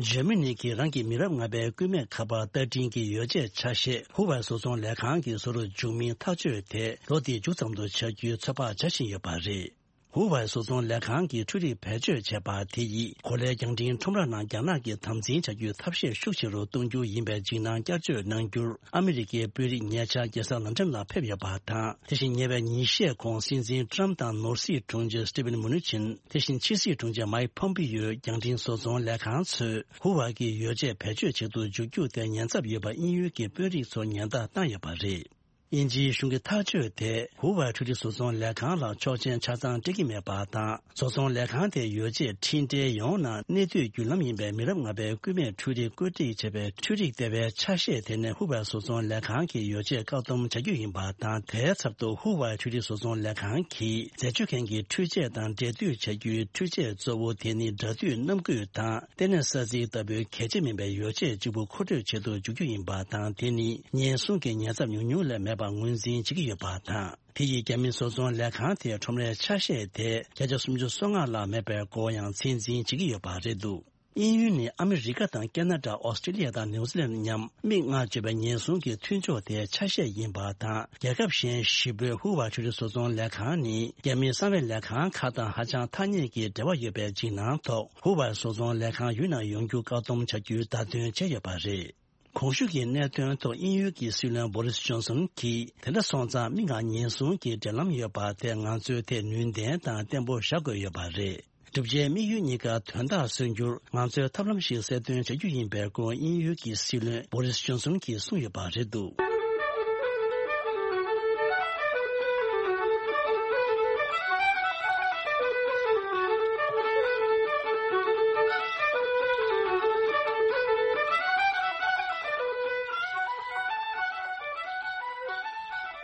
འཇར་མ་ནི་གིས་རང་གི་མི་རབས་ལྔ་པའི་སྐུད་མེད་ཁ་པར་བརྡ་འཕྲིན་གྱི་ཡོ་བྱད་ཆ་ཤས་ཧུ་ཝའེ་བཟོ་ཚོང་ལས་ཁང་གིས་བཟོ་རུ་འཇུག་མིན་ཐག་གཅོད་དེ་ལོ་འདིའི་མཇུག་ཙམ་དུ་བྱ་རྒྱུའི་ཚོད་དཔག་བྱ་བཞིན་ཡོད་པ་རེད། ཧུ་ཝའེ་བཟོ་ཚོང་ལས་ཁང་གིས་འཕྲུལ་རིག་བེད་སྤྱོད་བྱས་པ་དེ་ཡིས་གོ་ལའི་རྒྱང་འཕྲིན་ཁྲོམ་ར་ནང་རྒྱ་ནག་གིས་དམ་འཛིན་བྱ་རྒྱུའི་ཐབས་ཤེས་ཤུགས་ཆེ་རུ་གཏོང་རྒྱུ་ཡིན་པའི་འཇིགས་སྣང་བསྐྱར་བཅོས་གནང་རྒྱུར་ཨ་མི་རི་ཀའི་དཔོན་རིགས་ཉེ་ཆར་རྒྱལ་ས་ལན་ཀྲན་ལ་ཕེབས་ཡོད་པ་དང་། དེ་བཞིན་ཉེ་བའི་ཉིན་ཤས་གོང་སྲིད་འཛིན་ཀྲམ་དང་ནོར་སྲིད་དྲུང་ཆེ་སི་ཊི་ཝེན་མུ་ནུ་ཆིན། དེ་བཞིན་ཕྱི་སྲིད་དྲུང་ཆེ་མའིག་ཕོམ་པི་ཡོས་རྒྱང་འཕྲིན་བཟོ་ཚོང་ལས་ཁང་ཚོས་ཧུ་ཝའེ་གི་ཡོ་བྱད་བེད་སྤྱོད་བྱེད་དུ་འཇུག་རྒྱུ་དེ་ཉེན་ཚབས་ཡོད་པ་དབྱིན་ཡུལ་གྱི་དཔོན་རིགས་ཚོར་ཉེན་བརྡ་བཏང་ཡོད་པ་རེད། དབྱིན་ཇིའི་གཞུང་གི་ཐག་གཅོད་དེས་ཧུ་ཝའེ་འཕྲུལ་རིག་བཟོ་ཚོང་ལས་ཁང་ལ་ཆོག་མཆན་ཆ་ཚང་སྤྲད་ཀྱི་མེད་པ་དང་། བཟོ་ཚོང་ལས་ཁང་དེའི་ཡོ་བྱད་འཕྲིན་ཕྲན་ཡོངས་ནང་གནས་སྡོད་བརྒྱུད་ལམ་ཡིན་པའི་མི་རབས་ལྔ་པའི་སྐུད་མེད་འཕྲུལ་རིག་བཀོད་སྒྲིག་བྱས་པའི་འཕྲུལ་རིག་ལྟེ་བའི་ཆ་ཤས་དེ་ནས་ཧུ་ཝའེ་བཟོ་ཚོང་ལས་ཁང་གི་ཡོ་བྱད་བཀག་སྡོམ་བྱ་རྒྱུ་ཡིན་པ་དང་། དེའི་ཚབ་ཏུ་ཧུ་ཝའེ་འཕྲུལ་རིག་བཟོ་ཚོང་ལས་ཁང་གིས་འཛད་སྤྱོད་མཁན་གྱི་འཕྲུལ་ཆས་དང་འབྲེལ་མཐུད་བྱ་རྒྱུའི་འཕྲུལ་ཆས་གཙོ་བོ་དེ་ནི་སྒྲ་སྡུད་རྣམ་འགུལ་དང་། ལྟེ་གནས་ས་ཚིགས་ལྟ་བུའི་གལ་ཆེ་མིན་པའི་ཡོ་བྱད་གཅིག་པུ་མཁོ་སྤྲོད་བྱེད་དུ་འཇུག་རྒྱུ་ཡིན་པ་དང་། དེ་ནི་ཉེན་སྲུང་གི་ཉེན་ཚབས་ཉུང་ཉུང་ལས་མེད་པ་ངོས་འཛིན་བྱེད་ཀྱི་ཡོད་པ་དང་། དེ་ཡིས་རྒྱ་མི་བཟོ་ཚོང་ལས་ཁང་དེའི་ཁྲོམ་རའི་ཆ་ཤས་དེ་བརྒྱ་ཆ་སུམ་ཅུ་སོ་ལྔ་ལྷག་མེད་པའི་སྐོར་ཡང་ཚད་འཛིན་བྱེད་ཀྱི་ཡོད་པ་རེད་འདུག་དབྱིན་ཡུལ་ནི་ཨ་མི་རི་ཀ་དང་ཁེ་ན་ཌ། ཨོ་སི་ཀྲི་ལི་ཡ་དང་ནིའུ་ཛི་ལན་མཉམ་མིག་ལྔ་གཅོད་པའི་ཉེན་སྲུང་གི་མཐུན་ཕྱོགས་དེའི་ཆ་ཤས་ཡིན་པ་དང་། རྒྱལ་ཁབ་གཞན་བཞི་པོའི་ཧུ་ཝའེ་འཕྲུལ་རིག་བཟོ་ཚོང་ལས་ཁང་ནི་རྒྱ་མིའི་གསང་བའི་ལས་ཁང་ཁག་དང་ཧ་ཅང་ཐག་ཉེ་གི་འབྲེལ་བ་ཡོད་པའི་འཇིགས་སྣང་ཐོག་ཧུ་ཝའེ་བཟོ་ཚོང་ལས་ཁང་ཡུལ་ནང་ཡོང་རྒྱུ་བཀག་སྡོམ་བྱ་རྒྱུའི་བརྡ་སྟོན་བྱས་ཡོད་པ་རེད། གོང་ཞུས་ཀྱི་གནད་དོན་ཐོག་དབྱིན་ཡུལ་གྱི་སྲིད་བློན་བོ་རིས་ཇོན་སོན་གྱིས། དེ་འདྲ་སོང་ཙང་མིག་ལྔ་ཉེན་སྲུང་གི་འབྲེལ་ལམ་ཡོད་པ་དེ་ང་ཚོའི་ཐད་ནུས་ལྡན་དང་བརྟན་པོ་བཞག་དགོས་ཡོད་པ་རེད། བསྒྲུབ་བྱའི་དམིགས་ཡུལ་གཉིས་ཀ་དོན་དག་སོན་རྒྱུར་ང་ཚོས་ཐབས་ལམ་ཞིག་གསལ་སྟོན་བྱ་རྒྱུ་ཡིན་པའི་སྐོར་དབྱིན་ཡུལ་གྱི་སྲིད་བློན་བོ་རིས་ཇོན་སོན་གྱིས་གསུངས་ཡོད་པ་རེད་འདུག་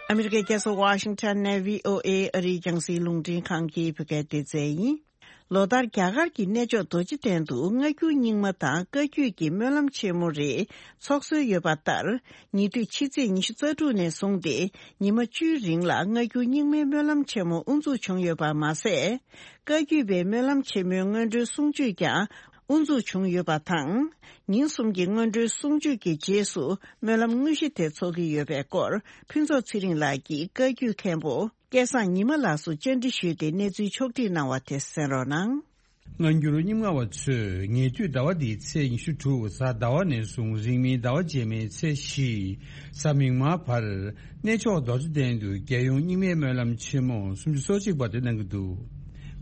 ཨ་མི་རི་ཀའི་རྒྱལ་ས་ཝ་ཤིང་ཊོན་ནས་བྷི་ཨོ་ཨེ་ཨ་རིའི་རྒྱང་སྲིང་རླུང་འཕྲིན་ཁང་གི་བོད་སྐད་སྡེ་ཚན་ཡིན། ལོ་ལྟར་རྒྱ་གར་གྱི་གནས་མཆོག་རྡོ་རྗེ་གདན་དུ་སྔ་འགྱུར་རྙིང་མ་དང་བཀའ་བརྒྱུད་ཀྱི་སྨོན་ལམ་ཆེན་མོ་རེ་འཚོགས་སྲོལ་ཡོད་པ་ལྟར། ཉེ་དུས་ཕྱི་ཚེས་ཉི་ཤུ་རྩ་དྲུག་ནས་བཟུང་སྟེ་ཉི་མ་བཅུའི་རིང་ལ་སྔ་འགྱུར་རྙིང་མའི་སྨོན་ལམ་ཆེན་མོ་དབུ་འཛུགས་བྱུང་ཡོད་པ་མ་ཟད། བཀའ་བརྒྱུད་པའི་སྨོན་ལམ་ཆེན་མོའི་སྔོན་འགྲོའི་གསུང་ཆོས་ཀྱང་དབུ་འཛུགས་བྱུང་ཡོད་པ་དང་། ཉིན་གསུམ་གྱི་སྔོན་འགྲོའི་གསུང་ཆོས་ཀྱི་རྗེས་སུ་སྨོན་ལམ་དངོས་གཞི་དེ་འཚོགས་ཀྱི་ཡོད་པའི་སྐོར། ཕུན་ཚོགས་ཚེ་རིང་ལགས་ཀྱིས་བཀའ་བརྒྱུད་མཁན་པོ་སྐལ་བཟང་ཉི་མ་ལགས་སུ་བཅར་འདྲི་ཞུས་ཏེ་གནས་ཚུལ་ཕྱོགས་བསྒྲིགས་གནང་བ་དེ་གསན་རོགས་གནང་། སྔ་འགྱུར་རྙིང་མ་བ་ཚོས་ཉེ་དུས་ཟླ་བ་འདིའི་ཚེས་ཉི་ཤུ་དྲུག་གཟའ་ཟླ་བ་ནས་བཟུང་རིང་མིན་ཟླ་བ་རྗེས་མའི་ཚེས་བཞི་གཟའ་མིག་དམར་བར་གནས་མཆོག་རྡོ་རྗེ་གདན་དུ་རྒྱལ་ཡོངས་རྙིང་མའི་སྨོན་ལམ་ཆེན་མོ་སུམ་ཅུ་སོ་གཅིག་པ་དེ་གནང་གི་འདུག་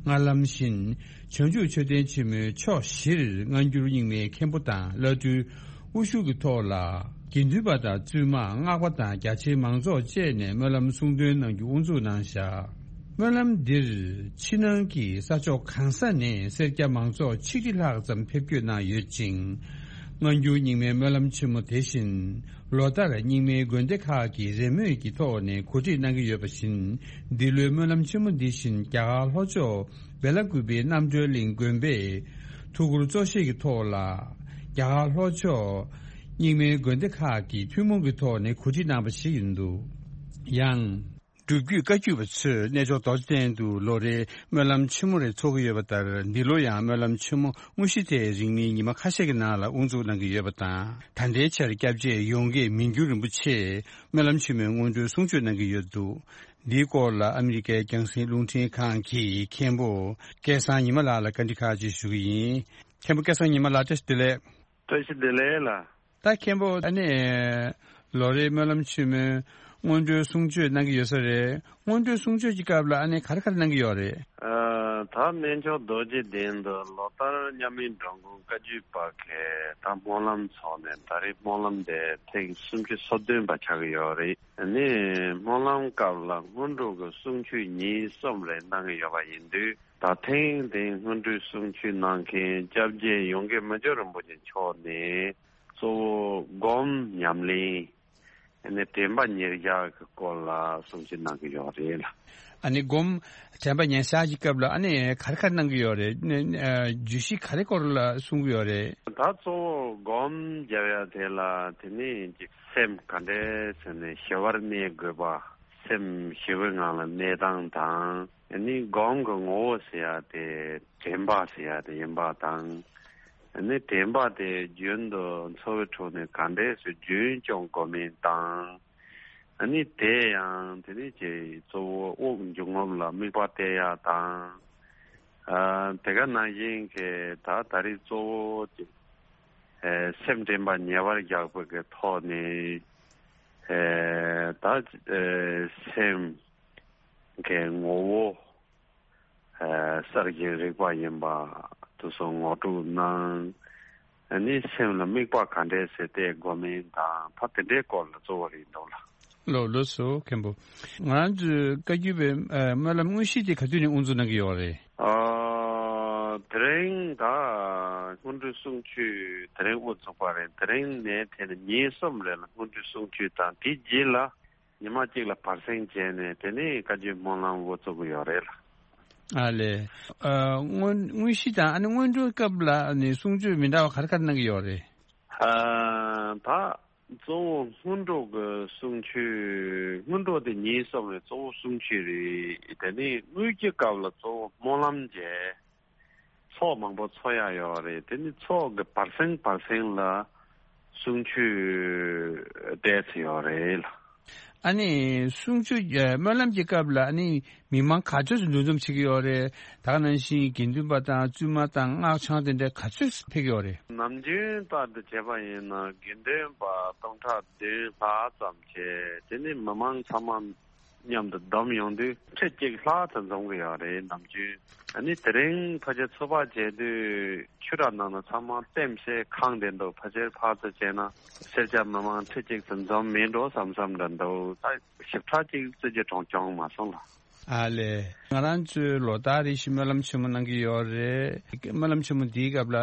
སྔར་ལམ་བཞིན་བྱང་ཆུབ་མཆོད་རྟེན་ཆེན་མོའི་ཕྱོགས་བཞིར་སྔ་འགྱུར་རྙིང་མའི་མཁན་པོ་དང་བླ་སྤྲུལ་དབུ་བཞུགས་ཀྱི་ཐོག་ལ། དགེ་འདུན་པ་དང་བཙུན་མ་སྔགས་པ་དང་རྒྱ་ཆེའི་མང་ཚོགས་བཅས་ནས་སྨོན་ལམ་གསུང་འདོན་གནང་རྒྱུ་དབུ་འཛུགས་གནང་བཞག་སྨོན་ལམ་འདིར་ཕྱི་ནང་གི་ས་ཕྱོགས་གང་ས་ནས་སེར་སྐྱ་མང་ཚོགས་ཆིག་ཁྲི་ལྷག་ཙམ་ཕེབས་སྐྱོད་གནང་ཡོད་ཅིང་། སྔ་འགྱུར་རྙིང་མའི་སྨོན་ལམ་ཆེན་མོ་དེ་བཞིན་ལོ་ལྟར་རྙིང་མའི་དགོན་སྡེ་ཁག་གི་རེས་མོས་ཀྱི་ཐོག་ནས་གོ་སྒྲིག་གནང་གི་ཡོད་པ་བཞིན། འདི་ལོའི་སྨོན་ལམ་ཆེན་མོ་འདི་བཞིན་རྒྱ་གར་ལྷོ་ཕྱོགས་བེ་ལ་ཀུ་པེའི་རྣམ་གྲོལ་གླིང་དགོན་པས་ཐུགས་ཁུར་གཙོ་བཞེས་ཀྱི་ཐོག་ལ། རྒྱ་གར་ལྷོ་ཕྱོགས་རྙིང་མའི་དགོན་སྡེ་ཁག་གིས་ཐུན་མོང་གི་ཐོག་ནས་གོ་སྒྲིག་གནང་བ་ཞིག་ཡིན་འདུག་ཡང་། སྒྲུབ་བརྒྱུད་བཀའ་བརྒྱུད་པ་ཚོས་གནས་མཆོག་རྡོ་རྗེ་གདན་དུ་ལོ་རེའི་སྨོན་ལམ་ཆེན་མོ་རེ་འཚོགས་ཀྱི་ཡོད་པ་ལྟར། འདི་ལོ་ཡང་སྨོན་ལམ་ཆེན་མོ་དངོས་གཞི་དེ་རིང་མིན་ཉི་མ་ཁ་ཤས་ཀྱི་ནང་ལ་དབུ་འཛུགས་གནང་གི་ཡོད་པ་དང་། ད་ལྟའི་ཆར་སྐྱབས་རྗེ་ཡོངས་དགེ་མི་འགྱུར་རིན་པོ་ཆེས་སྨོན་ལམ་ཆེན་མོའི་སྔོན་འགྲོའི་གསུང་ཆོས་གནང་གི་ཡོད་འདུག་འདིའི་སྐོར་ལ་ཨ་མི་རི་ཀའི་རྒྱང་སྲིང་རླུང་འཕྲིན་ཁང་གི་མཁན་པོ་སྐལ་བཟང་ཉི་མ་ལགས་ལ་བཀའ་འདྲི་ཁག་ཅིག་ཞུ་གི་ཡིན། མཁན་པོ་སྐལ་བཟང་ཉི་མ་ལགས་བཀྲ་ཤིས་བདེ་ལེགས། བཀྲ་ཤིས་བདེ་ལེགས་ལགས། ད་མཁན་པོ་ཨ་ནི་ལོ་རེའི་སྨོན་ལམ་ཆེན་མོའི་སྔོན་འགྲོའི་གསུང་ཆོས་གནང་གི་ཡོད་ས་རེད། སྔོན་འགྲོའི་གསུང་ཆོས་ཀྱི་སྐབས་ལ་ཨ་ནི་ག་རེ་ག་རེ་གནང་གི་ཡོད་རེད། ཨ། ད་གནས་མཆོག་རྡོ་རྗེ་གདན་དུ་ལོ་ལྟར་མཉམ་མེད་འགྲོ་མགོན་བཀའ་བརྒྱུད་པ་གིས་ད་སྨོན་ལམ་འཚོགས་ནས་ད་རེས་སྨོན་ལམ་དེ་ཐེངས་སུམ་ཅུ་སོ་བདུན་པ་ཆགས་ཀྱི་ཡོད་རེད། ཨ་ནི་སྨོན་ལམ་སྐབས་ལ་སྔོན་འགྲོ་གི་གསུང་ཆོས་ཉིན་གསུམ་རེ་གནང་གི་ཡོད་པ་ཡིན་དུས། ད་ཐེངས་འདིའི་སྔོན་འགྲོའི་གསུང་ཆོས་གནང་མཁན་སྐྱབས་རྗེ་ཡོངས་དགེ་མི་འགྱུར་རིན་པོ་ཆེ་མཆོག་ནས་གཙོ་བོ་སྒོམ་ཉམས་ལེན། ཨ་ནི་དྲན་པ་ཉེར་བཞག་གི་སྐོར་ལ་གསུང་ཆོས་གནང་གི་ཡོད་རེད་ལ། ཨ་ནི་སྒོམ་དྲན་པ་ཉེར་བཞག་གི་སྐབས་ལ་ཨ་ནི་ག་རེ་ག་རེ་གནང་གི་ཡོད་རེད། ཨ་ནི་ཨ་བརྗོད་གཞི་ག་རེ་སྐོར་ལ་གསུང་གི་ཡོད་རེད། ད་གཙོ་བོ་སྒོམ་རྒྱབ་ཡ་དེ་ལ་དེ་ནས་ཅིག་སེམས་ག་འདྲས་ཟེར་ནས་ཞི་བར་གནས་དགོས་པ། སེམས་ཞི་བའི་ངང་ལ་གནས་སྟངས་དང་། ཨ་ནི་སྒོམ་གྱི་ངོ་བོ་ཟེར་ཡ་དེ་དྲན་པ་ཟེར་ཡ་དེ་ཡིན་པ་དང་། ཨ་ནི་དྲན་པ་དེ་རྒྱུན་དུ་འཚོ་བའི་ཁྲོད་ནས་ག་འདྲས་སེ་རྒྱུན་སྐྱོང་དགོས་མིན་དང་། ཨ་ནི་དེ་ཡང་དེ་ནི་ཅིག་གཙོ་བོ་དབུགས་འབྱུང་རྔུབ་ལ་དམིགས་པ་གཏད་ཡ་དང་། ཨ། དེ་ག་ནང་བཞིན་གྱི་ད་ད་རེས་གཙོ་བོ་ཅིག་ཨེ་སེམས་དྲན་པ་ཉེ་བར་བཞག་པའི་གི་ཐོག་ནས་ཨེ་ད་ཨེ་སེམས་ཀྱི་ངོ་བོ་ཨེ་གསར་བཞེངས་རིག་པ་ཡིན་པ་དེ་ཚོ་ངོ་སྤྲོད་གནང་། ཨ་ནི་སེམས་ལ་དམིགས་པ་ག་འདྲས་སེ་གཏད་དགོས་མིན་དང་ད་དེ་འདྲའི་སྐོར་ལ་གཙོ་བོ་རེད་འདུག་ལ། ལགས་ལགས་སོ་མཁན་པོ། ང་རང་ཚོའི་བཀའ་བརྒྱུད་པའི་ཨ་སྨོན་ལམ་དངོས་གཞི་དེ་ག་དུས་ནས་དབུ་འཛུགས་གནང་གི་ཡོད་རེད། ཨ། དེ་རིང་ད་སྔོན་འགྲོའི་གསུང་ཆོས་དེ་རིང་དབུ་འཛུགས་པ་རེད། དེ་རིང་ནས་དེ་ནས་ཉིན་གསུམ་རེ་ལ་སྔོན་འགྲོའི་གསུང་ཆོས་དང་དེའི་རྗེས་ལ་ཉི་མ་གཅིག་ལ་བར་གསེང་བྱས་ནས་དེ་ནས་བཀའ་བརྒྱུད་སྨོན་ལམ་དབུ་བཙུགས་ཀྱི་ཡོད་རེད་ལ། ཨ་ལས། ཨ་སྔོན་དངོས་གཞི་དང་ཨ་ནི་སྔོན་འགྲོའི་སྐབས་ལ་ཨ་ནི་གསུང་ཆོས་མི་འདྲ་བ་ག་རེ་ག་རེ་གནང་གི་ཡོད་རེད། ཨ་ད་གཙོ་བོ་སྔོན་འགྲོ་གི་གསུང་ཆོས་སྔོན་འགྲོ་དེ་ཉིན་གསུམ་རེད། གཙོ་བོ་གསུང་ཆོས་རེད། དེ་ནས་དངོས་ཀྱི་སྐབས་ལ་གཙོ་བོ་སྨོན་ལམ་བྱས། ཚོགས་མང་པོ་འཚོགས་ཡ་ཡོད་རེད། དེ་ནི་ཚོགས་ཀྱི་བར་གསེང་བར་གསེང་ལ་གསུང་ཆོས་བལྟས་ཚེ་ཡོད་རེད་ལ། ཨ་ནི་གསུང་ཆོས་ཨ་སྨོན་ལམ་གྱི་སྐབས་ལ་ཨ་ནི་མི་མང་ག་ཚོད་ཙམ་འདུ་འཛོམས་བྱེད་ཀྱི་ཡོད་རེད། ད་ག་ནང་བཞིན་དགེ་འདུན་པ་དང་བཙུན་མ་དང་སྔགས་འཆང་དེ་འདྲ་ག་ཚོད་ཕེབས་ཀྱི་ཡོད་རེད། ནམ་རྒྱུན་ལྟར་དུ་བྱས་པ་ཡིན་ན་དགེ་འདུན་པ་སྟོང་ཕྲག་བདུན་ལྷག་ཙམ་བྱས། དེ་ནི་མི་མང་ཚང་མ་མཉམ་དུ་བསྡོམས་ཡོང་དུས་ཁྲི་གཅིག་ལྷག་ཙམ་འཛོམས་ཀྱི་ཡོད་རེད། ནམ་རྒྱུན་ཨ་ནི་དེ་རིང་ཕལ་ཆེར་ཚོགས་པ་བྱས་དུས་ཆུ་ར་ནང་ན་ཚང་མ་ལྟེམ་སེ་གང་བསྡད་འདུག་ཕལ་ཆེར་ཕར་ཚུར་བྱས་ན་སེར་སྐྱ་མི་མང་ཁྲི་གཅིག་ཙམ་འཛོམས་མེད་འགྲོ་བསམ་བསམ་འདྲ་འདུག་ད་ཞིབ་ཕྲ་གཅིག་རྩིས་རྒྱག་གྲོང་བྱུང་མ་སོང་ལ། ཨ་ལས། ང་རང་ཚོའི་ལོ་ལྟར་རེ་བཞིན་སྨོན་ལམ་ཆེན་མོ་གནང་གི་ཡོད་རེད། སྨོན་ལམ་ཆེན་མོ་འདིའི་སྐབས་ལ་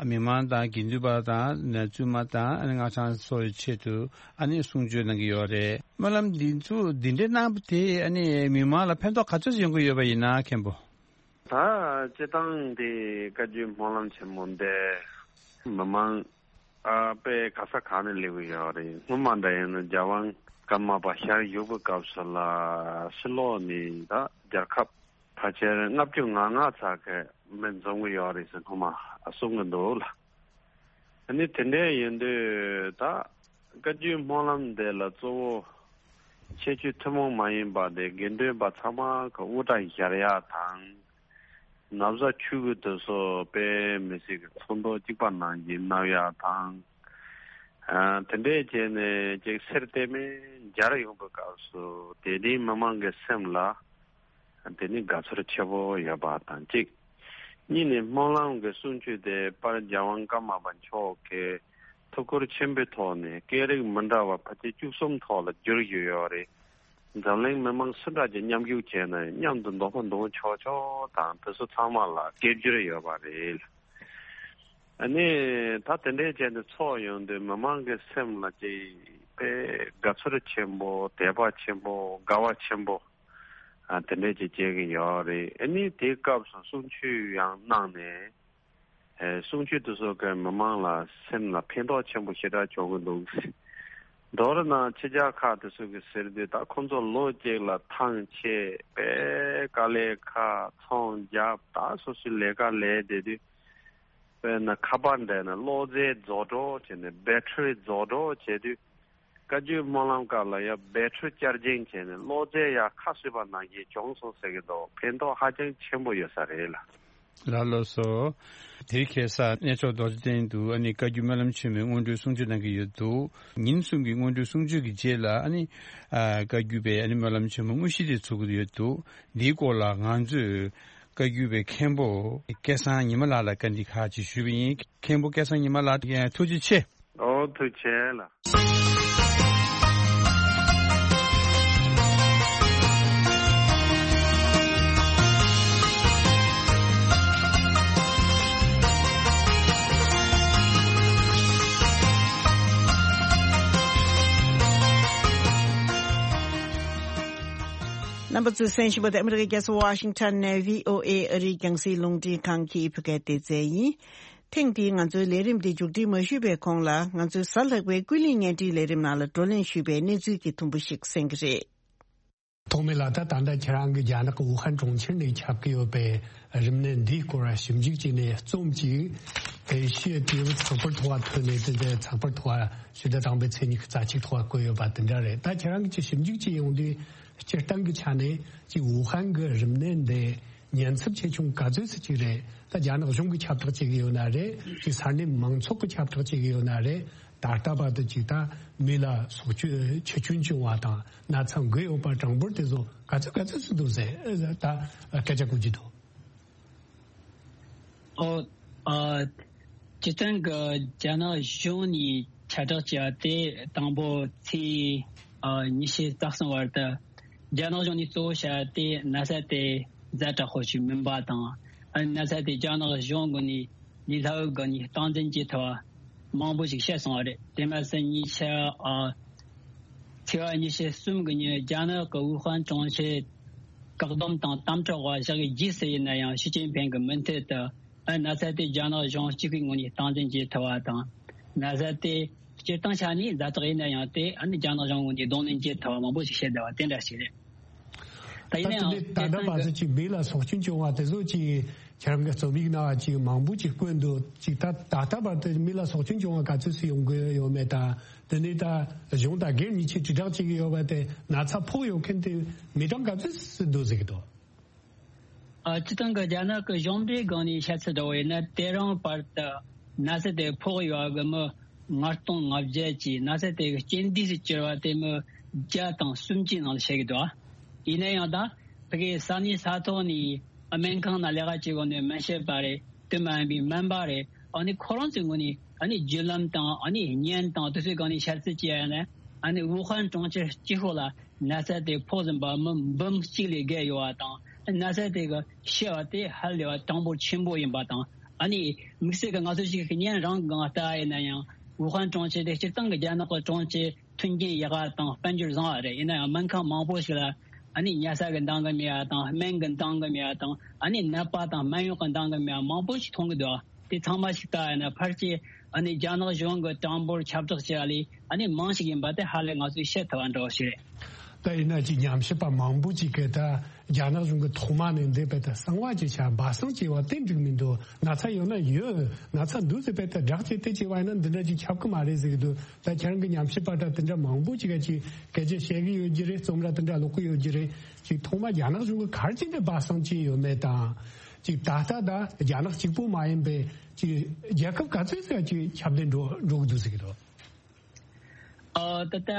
མི་མང་དང་དགེ་འདུན་པ་དང་བཙུན་མ་དང་ཨ་ནི་སྔགས་འཆང་ཚོའི་ཆེད་དུ་ཨ་ནི་གསུང་ཆོས་གནང་གི་ཡོད་རེད། སྨོན་ལམ་འདི་ཚོ་འདི་འདྲའི་གནང་བ་དེ་ཨ་ནི་མི་མང་ལ་ཕན་ཐོགས་ག་ཚོད་ཡོང་གི་ཡོད་པ་ཡིན་ན་མཁན་པོ། ད་སྤྱིར་བཏང་དེ་བཀའ་བརྒྱུད་སྨོན་ལམ་ཆེན་མོ་འདི་མི་མང་ཨ་དཔེ་ག་ས་ག་ནས་སླེབས་ཀྱི་ཡོད་རེད། སྔོན་མ་འདྲ་ཡིན་ན་རྒྱལ་དབང་ཀརྨ་པ་ཞལ་བཞུགས་པའི་སྐབས་སུ་ལ་ཕྱི་ལོགས་ནས་ད་རྒྱལ་ཁབ་ཕལ་ཆེར་ལྔ་བཅུ་ང་ལྔ་ཙམ་གྱི་མི་འཛོམས་ཀྱི་ཡོད་རེད་ཟེར་སྔོན་མ་གསུང་གི་འདུག་ལ། ཨ་ནི་དེ་འདྲ་ཡིན་དུས་ད་བཀའ་བརྒྱུད་སྨོན་ལམ་འདི་ལ་གཙོ་བོ་ཁྱད་ཆོས་ཐུན་མོང་མ་ཡིན་པ་དེ་དགེ་འདུན་པ་ཚང་མ་གི་དབུ་སྐྲ་བཞར་ཡག་དང་། ན་བཟའ་ཆོས་གོས་དེ་ཚོ་དཔེ་མི་སྲིད་ཀྱི་ཚོན་མདོག་གཅིག་པ་ནང་བཞིན་མནབ་ཡག་དང་། ཨ་དེ་འདྲས་བྱས་ནས་ཅིག་གསེར་དེ་མིན་སྦྱར་ཡོང་པའི་སྐབས་སུ་དེ་དེའི་མི་མང་གི་སེམས་ལ་དེ་ནི་དགའ་ཚོར་ཆེ་པོ་ཡོད་པ་དང་གཅིག་གཉིས་ནས་སྨོན་ལམ་གྱི་གསུང་ཆོས་དེ་དཔལ་རྒྱལ་དབང་ཀརྨ་པ་མཆོག་གིས་ཐུགས་ཁུར་ཆེན་པོའི་ཐོག་ནས་སྐད་རིགས་མི་འདྲ་བ་ཕལ་ཆེར་བཅུ་གསུམ་ཐོག་ལ་བསྒྱུར་ཡོད་ཡོད་རེད། འཛམ་གླིང་མི་མང་སུ་འདྲ་ཅིག་མཉམ་ཞུགས་བྱས་ན་མཉམ་དུ་འདོད་པ་འདོན་ཆོག་ཆོག་དང་དེ་ཚོ་ཚང་མ་ལ་སྐད་སྒྱུར་ཡོད་པ་རེད། ཨ་ནི་ད་དེ་འདྲའི་བྱས་ནས་ཚོགས་ཡོང་དུས་མི་མང་གི་སེམས་ལ་ཅིག་དཔེ་དགའ་ཚོར་ཆེན་པོ་དད་པ་ཆེན་པོ་དགའ་བ་ཆེན་པོ་ཨ་དེ་འདྲའི་ཅིག་བྱེད་ཀྱི་ཡོད་རེད། ཨ་ནི་དེའི་སྐབས་སུ་གསུང་ཆོས་ཡང་གནང་ནས། ཨེ་གསུང་ཆོས་དེ་ཚོ་གི་མི་མང་ལ་སེམས་ལ་ཕན་ཐོགས་ཆེན་པོ་ཞེ་དྲག་བྱུང་གི་འདུག་མདོར་ན་ཕྱི་རྒྱལ་ཁག་དེ་ཚོ་གི་ཟེར་དུས་ད་ཁོང་ཚོ་ལོ་གཅིག་ལ་ཐང་ཆད་པའི་དཀའ་ལས་ཁག་ཚོང་རྒྱབ་ད་སོ་སོའི་ལས་ཀ་ལས་བསྡད་དུས་དཔེར་ན་ཁ་པར་འདྲ་ན་གློག་རྫས་རྫོགས་འགྲོ་བྱས་ནས་བེ་ཊི་རི་རྫོགས་འགྲོ་བྱས་དུས། བཀའ་བརྒྱུད་སྨོན་ལམ་སྐབས་ལ་ཡང་བེ་ཊི་རི་ཆར་ཇིང་བྱས་ནས་གློག་རྫས་ཡར་ཁ་གསོས་པ་ནང་བཞིན་བྱུང་སོང་ཟེར་གྱི་འདུག་ཕན་ཐོགས་ཧ་ཅང་ཆེན་པོ་ཡོད་ས་རེད་ལ། ལགས་ལགས་སོ། དེ་རིང་ཁ་སང་གནས་མཆོག་རྡོ་རྗེ་གདན་དུ་ཨ་ནི་བཀའ་བརྒྱུད་སྨོན་ལམ་ཆེན་མོའི་སྔོན་འགྲོའི་གསུང་ཆོས་གནང་གི་ཡོད་འདུག་ཉིན་གསུམ་གྱི་སྔོན་འགྲོའི་གསུང་ཆོས་ཀྱི་རྗེས་ལ་ཨ་ནི་ཨ་བཀའ་བརྒྱུད་པའི་ཨ་ནི་སྨོན་ལམ་ཆེན་མོ་དངོས་གཞི་དེ་ཚུགས་ཀྱི་ཡོད་འདུག་འདིའི་སྐོར་ལ་ང་ཚོས་བཀའ་བརྒྱུད་པའི་མཁན་པོ་སྐལ་བཟང་ཉི་མ་ལགས་ལ་བཀའ་འདྲི་ཁག་ཅིག་ཞུས་པ་ཡིན། མཁན་པོ་སྐལ་བཟང་ཉི་མ་ལགས་ཐུགས་རྗེ་ཆེ། ཨོ་ཐུགས་རྗེ་ཆེ་ལགས། རྣམ་པ་ཚོས་གསན་བཞིན་པ་དེ་ཨ་མི་རི་ཀའི་རྒྱལ་ས་ཝ་ཤིང་ཊོན་ནས་བྷི་ཨོ་ཨེ་ཨ་རིའི་རྒྱང་སྲིང་རླུང་འཕྲིན་ཁང་གི་བོད་སྐད་སྡེ་ཚན་ཡིན། ཐེངས་འདིའི་ང་ཚོའི་ལས་རིམ་འདི་མཇུག་སྒྲིལ་མ་ཞུས་པའི་གོང་ལ་ང་ཚོའི་གཟའ་ལྷག་པའི་ཀུན་གླེང་བརྙན་འཕྲིན་ལས་རིམ་ནང་ལ་བགྲོ་གླེང་ཞུས་པའི་གནས་ཚུལ་གྱི་ཐུང་པོ་ཞིག་གསན་གྱི་རེད། ཐོགས་མེད་ལགས། ད་ད་ལྟ་ཁྱེད་རང་གི་རྒྱ་ནག་གི་ཝུ་ཧན་གྲོང་ཁྱེར་ནས་ཁྱབ་ཀྱི་ཡོད་པའི་རིམས་ནད་འདིའི་སྐོར་ཞིབ་འཇུག་བྱས་ནས་རྩོམ་གཅིག་ཨེ་ཤི་ཡའི་དུས་བབ་ཚགས་པར་ཐོག་ཐོན་ནས་དེ་འདྲའི་ཚགས་པར་ཐོག་ཕྱི་ཟླ་དང་པོའི་ཚེས་ཉི་ཤུ་རྩ་གཅིག་ཐོག་བཀོད་ཡོད་པ་དེ་འདྲ་རེད། ད་ཁྱེད་རང་གིས་ཅིག་ཞིབ་འཇུག་བྱས་ཡོང་དུས་སྤྱིར་བཏང་གི་ཆ་ནས་ཅིག་ཝུ་ཧན་གྱི་རིམས་ནད་འདི་ཉེན་ཚབས་ཆེ་ཆུང་ག་ཚོད་ཙམ་ཅིག་རེད། ད་རྒྱ་ནག་གཞུང་གིས་ཁྱབ་བསྒྲགས་བྱེད་ཀྱི་ཡོད་ན་རེད། ཅིག་ས་གནས་མང་ཚོགས་ཀྱིས་ཁྱབ་བསྒྲགས་བྱེད་ཀྱི་ཡོད་ན་རེད། ད་ལྟ་བར་དུ་ཅིག་ད་མི་ལ་སྲོག་སྐྱོན་ཆེ་ཆུང་བྱུང་བ་དང་ན་ཚ་འགོས་ཡོད་པ་གྲངས་འབོར་དེ་ཚོ་ག་ཚོད་ག་ཚོད་ཙམ་འདུག་ཟེར་ད་སྐད་ཆ་གོ་རྒྱུ་འདུག་ཨོ། ཨ། སྤྱིར་བཏང་གི་རྒྱ་ནག་གཞུང་ནས་ཁྱབ་བསྒྲགས་བྱས་པ་དེ་དང་པོ་ཚེས་ཨ་ཉི་ཤུ་རྩ་གསུམ་བར་དུ་རྒྱ་ནག་གཞུང་ནས་གཙོ་བོ་བྱས་པ་དེ་ན་ཚ་དེ་ཛ་དྲག་པོ་ཞིག་མིན་པ་དང་། ཨ་ནི་ན་ཚ་དེ་རྒྱ་ནག་གཞུང་ངོས་ནས་ལས་སླ་བོའི་སྒོ་ནས་སྟངས་འཛིན་བྱེད་ཐུབ་པ་མང་པོ་ཞིག་བཤད་སོང་བ་རེད། དེ་མ་ཟད་ཉེ་ཆར་ཨ་ཚེས་པ་ཉི་ཤུ་གསུམ་གི་ཉིན་རྒྱ་ནག་གི་ཝུ་ཧན་གྲོང་ཁྱེར་བཀག་སྡོམ་དང་དམ་དྲག་འོག་བཞག་གི་རྗེས་སུ་ཡིན་ན་ཡང་ཞི་ཅིན་ཕིང་གི་མུ་མཐུད་དུ་ཨ་ན་ཚ་དེ་རྒྱ་ནག་གཞུང་གཅིག་པུའི་ངོས་ནས་སྟངས་འཛིན་བྱེད་ཐུབ་པ་དང་། ན་ཚ་དེ་སྤྱིར་བཏང་ཆ་ནས་ཛ་དྲག་ཡིན་ན་ཡང་དེ་ཨ་ནི་རྒྱ་ནག་གཞུང་ངོས་ནས་གདོང་ལེན་བྱེད་ཐུབ་པ་མང་པོ་ཞིག་བཤད་བསྡད་པ་དེ་འདྲ་ཞིག་རེད། ད་ཡིན་ད་ནའང་དེ་ད་ལྟ་བར་དུ་ཅིག་མི་ལ་སྲོག་སྐྱོན་བྱུང་བ་དེ་ཚོ་ཅིག་ཁྱེད་རང་གི་རྩོམ་ཡིག་ནང་ཅིག་མང་པོ་ཅིག་བཀོད་འདུག་ཅིག་ད་ད་ལྟ་བར་དུ་མི་ལ་སྲོག་སྐྱོན་བྱུང་བ་ག་ཚོད་ཙམ་ཡོང་གི་ཡོད་མེད་དང་། དེ་ནས་ད་གཞུང་དང་སྒེར་གཉིས་ཆ་དྲིལ་བསྒྲགས་བྱེད་ཀྱི་ཡོད་པ་དེ་ན་ཚ་ཕོག་ཡོད་མཁན་དེ་མི་གྲངས་ག་ཚོད་ཙམ་འདུག་ཟེར་གྱི་འདུག་ཨ། སྤྱིར་བཏང་གི་རྒྱ་ནག་གི་གཞུང་འབྲེལ་སྒང་ནས་བཤད་ཚུལ་འདྲ་བོ་ཡིན་ན། དེ་རིང་བར་དུ་ན་ཚ་དེ་ཕོག་ཡོད་པ་གི་མི་ལྔ་སྟོང་ལྔ་བརྒྱ་ཅིག་ན་ཚ་དེ་གི་རྐྱེན་འདས་སུ་གྱུར་བ་དེ་མི་བརྒྱ་དང་སུམ་ཅུའི་ནང་ལ་བཤད་ཀྱི་འདུག་ཡིན་ན་ཡང་ད་ཕ་གིའི་ས་གནས་ས་ཐོག་ནས་སྨན་ཁང་ནང་ལས་ཀ་བྱེད་དགོས་ནི་སྨན་ཞབས་པ་རེད། དེ་མ་ཡིན་པའི་སྨན་པ་རེད། ཨ་ནི་ཁོ་རང་ཚོའི་ངོས་ནས་ཨ་ནི་བརྒྱུད་ལམ་དང་ཨ་ནི་བརྙན་དང་དེ་ཚོའི་སྒང་ནས་བཤད་ཚུལ་བྱས་ཡོད་ན། ཨ་ནི་ཝུ་ཧན་གྲོང་ཁྱེར་གཅིག་པོ་ལ་ན་ཚ་དེ་ཕོག་ཟིན་པ་མི་འབུམ་གཅིག་ལས་བརྒལ་ཡོད་པ་དང་། ན་ཚ་དེ་གི་ཤི་བ་དེ་ཧ་ལས་པ་གྲངས་འབོར་ཆེན་པོ་ཡིན་པ་དང་། ཨ་ནི་དམིགས་བསལ་གྱི་ང་ཚོ་ཞིག་གི་ཉིན་རང་གི་ངང་ལྟ་བ་ཡིན་ན་ཡང་། ཝུ་ཧན་གྲོང་ཁྱེར་དེ་སྤྱིར་བཏང་གི་རྒྱ་ནག་གི་གྲོང་ཁྱེར་མཐུན་རྐྱེན་ཡག་པ་དང་དཔལ་འབྱོར་བཟང་བ་རེད། ཡིན་ན་ཡང་སྨན་ཁང་མང་པོ་ཞིག་ལ་ཨ་ནི་ཉལ་ས་གི་འདང་གི་མེད་པ་དང་། སྨན་གི་འདང་གི་མེད་པ་དང་། ཨ་ནི་ནད་པ་དང་སྨན་གཡོག་གི་འདང་གི་མེད་པ་མང་པོ་ཞིག་མཐོང་གི་འདུག། དེ་ཚང་མ་ཞིག་ལྟ་ཡིན་ན་ཕལ་ཆེར་ཨ་ནི་རྒྱ་ནག་གཞུང་གི་གྲངས་འབོར་ཁྱབ་བསྒྲགས་བྱས་པ་ལས་ཨ་ནི་མང་ཞིག་ཡིན་པ་དེ་ཧ་ལས་ང་ཚོས་བཤད་ཐུབ་པ་འདྲ་བོ་ཞིག་རེད། ད་ཡིན་ན་ཅིག་ཉམས་ཞིབ་པ་མང་པོ་ཅིག་གིས་ད་རྒྱ་ནག་གཞུང་གི་ཐོག་མ་ནས་འདི་བས་ད་གསང་བ་ཅིག་བྱ་སྦ་གསང་བྱས་པ་དེ་འགྲིག་མི་འདུག། ན་ཚ་ཡོད་ན་ཡོད། ན་ཚ་འདུག་ཟེར་བས་ད་བསྒྲགས་བྱས་དེ་བྱས་པ་ཡིན་ན་འདི་འདྲ་ཅིག་ཁྱབ་གི་མ་རེད་ཟེར་གི་འདུག། ད་ཁྱེད་རང་གི་ཉམས་ཞིབ་པ་འདྲ་དེ་འདྲ་མང་པོ་ཅིག་ག་ཅིག་སྐད་ཆ་བཤད་གི་ཡོད་ཀྱི་རེད། རྩོམ་ར་དེ་འདྲ་ཀློག་གི་ཡོད་ཀྱི་རེད། ཅིག་ཐོག་མ་རྒྱ་ནག་གཞུང་གི་ག་རེ་བྱས་འདི་སྦ་གསང་བྱས་ཡོད་མེད་དང་། ཅིག་ད་ལྟ་ད་རྒྱ་ནག་གཅིག་པོ་མ་ཡིན་པའི་ཅིག་རྒྱལ་ཁབ་ག་ཚོད་ཟེར་ཅིག་ཁྱབ་གདལ་འགྲོ་འགྲོ་གི་འདུག་ཟེར་གི་འདུག། ཨ། ད་ལྟ་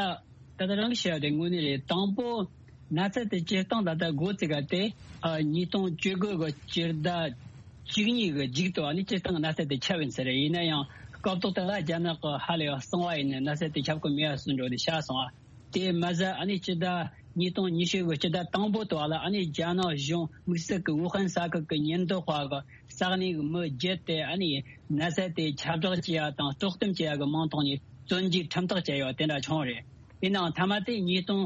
ད་ལྟ་རང་གི་བཤད་པ་དེ་དངོས་གནས་རེད། དང་པོ་ན་ཚ་དེ་སྤྱིར་བཏང་ད་ལྟ་འགོ་བཙུགས་ག་དེ་ཨ་ཉིས་སྟོང་བཅུ་དགུ་གི་སྤྱི་ཟླ་བཅུ་གཉིས་གི་མཇུག་ཏུ་ཨ་ནི་སྤྱིར་བཏང་གི་ན་ཚ་དེ་ཁྱབ་ཡིན་ས་རེད། ཡིན་ན་ཡང་སྐབས་ཐོག་དེ་ལ་རྒྱ་ནག་གི་ཧ་ལས་པ་གསང་བ་ཡིན་ནས་ན་ཚ་དེ་ཁྱབ་གི་མེད་པ་བཟོ་འགྲོ་དེ་ཆགས་སོང་བ། དེ་མ་ཟད་ཨ་ནི་སྤྱི་ཟླ་ཉིས་སྟོང་ཉི་ཤུ་གི་སྤྱི་ཟླ་དང་པོ་དུ་བ་ལ་ཨ་ནི་རྒྱ་ནག་གཞུང་དམིགས་བསལ་གྱི་ཝུ་ཧན་ས་ཁུལ་གྱི་ཉེན་རྟོག་པ་གི་ས་གནས་ཀྱི་མི་བརྒྱད་དེ་ཨ་ནི་ན་ཚ་དེ་ཁྱབ་བསྒྲགས་བྱེད་ཡ་དང་དཀྲོག་གཏམ་བྱེད་ཡ་གི་མིང་ཐོག་ནས་བཙོན་འཇུག་ཁྲིམས་ཐག་བཅད་ཡོད་དེ་འདྲ་བྱུང་རེད། ཡིན་ནའང་མཐའ་མ་དེ་ཉིས་སྟོང་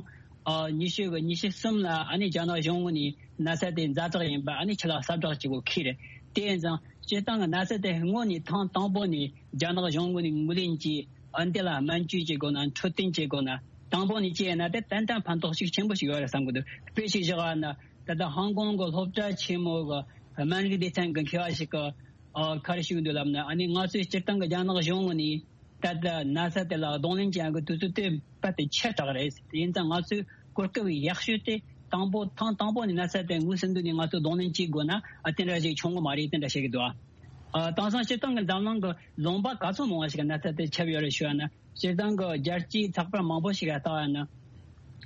ཉི་ཤུ་གི་ཉི་ཤུ་གསུམ་ལ་ཨ་ནི་རྒྱ་ནག་གཞུང་ངོས་ནས་ན་ཚ་དེ་ཛ་དྲག་ཡིན་པ་ཨ་ནི་ཕྱི་ལ་གསལ་བསྒྲགས་བྱེད་དགོས་ཁེལ་རེད། དེ་ཡིན་ཙང་སྤྱིར་བཏང་གི་ན་ཚ་དེ་སྔོན་ནས་ཐེངས་དང་པོ་ནས་རྒྱ་ནག་གཞུང་ངོས་ནས་ངོས་ལེན་གྱིས་ཨ་འདི་ལ་སྨན་བཅོས་བྱེད་དགོས་ན། འཕྲོད་བསྟེན་བྱེད་དགོས་ན། དང་པོ་ནས་བྱས་ན་དེ་ཏན་ཏན་ཕན་ཐོགས་ཤུགས་ཆེན་པོ་ཞིག་ཡོད་རེད་བསམ་གི་འདུག། དཔེ་ཞིག་བཞག་པ་ན་ད་ལྟ་ཧོང་ཀོང་གི་སློབ་གྲྭ་ཆེན་མོ་གི་སྨན་རིགས་སྡེ་ཚན་གྱི་མཁས་པ་ཞིག་གིས་ཨ་ག་རེ་ཞུ་གི་འདུག་ལབ་ན། ཨ་ནི་ང་ཚོས་སྤྱིར་བཏང་གི་རྒྱ་ནག་གཞུང་ངོས་ནས་ད་ལྟ་ན་ཚ་དེ་ལ་གདོང་ལེན་བྱེད་ཡག་གི་དུས་ཚོད་དེ་རྦད་དེ་ཆེ་དྲགས་རེད། ཡིན་ཙང་ང་ཚོས་གོ་སྐབས་ཡག་ཤོས་དེ་དང་པོ་ཐེངས་དང་པོ་ནས་ན་ཚ་དེ་ངོས་ཟིན་དུས་ནས་ང་ཚོས་གདོང་ལེན་བྱེད་དགོས་ན་ཨ་དེ་འདྲ་ཞིག་བྱུང་གི་མ་རེད། དེ་འདྲ་བཤད་ཀྱི་འདུག། ཨ་དེང་སང་སྤྱིར་བཏང་གི་འཛམ་གླིང་གི་ལུང་པ་ག་ཚོད་མང་བ་ཞིག་ན་ཚ་དེ་ཁྱབ་ཡོད་རེད་ཞུ་བ་ན། སྤྱིར་བཏང་གི་རྒྱལ་སྤྱིའི་ཚགས་པར་མང་པོ་ཞིག་ལ་ལྟ་བ་ན།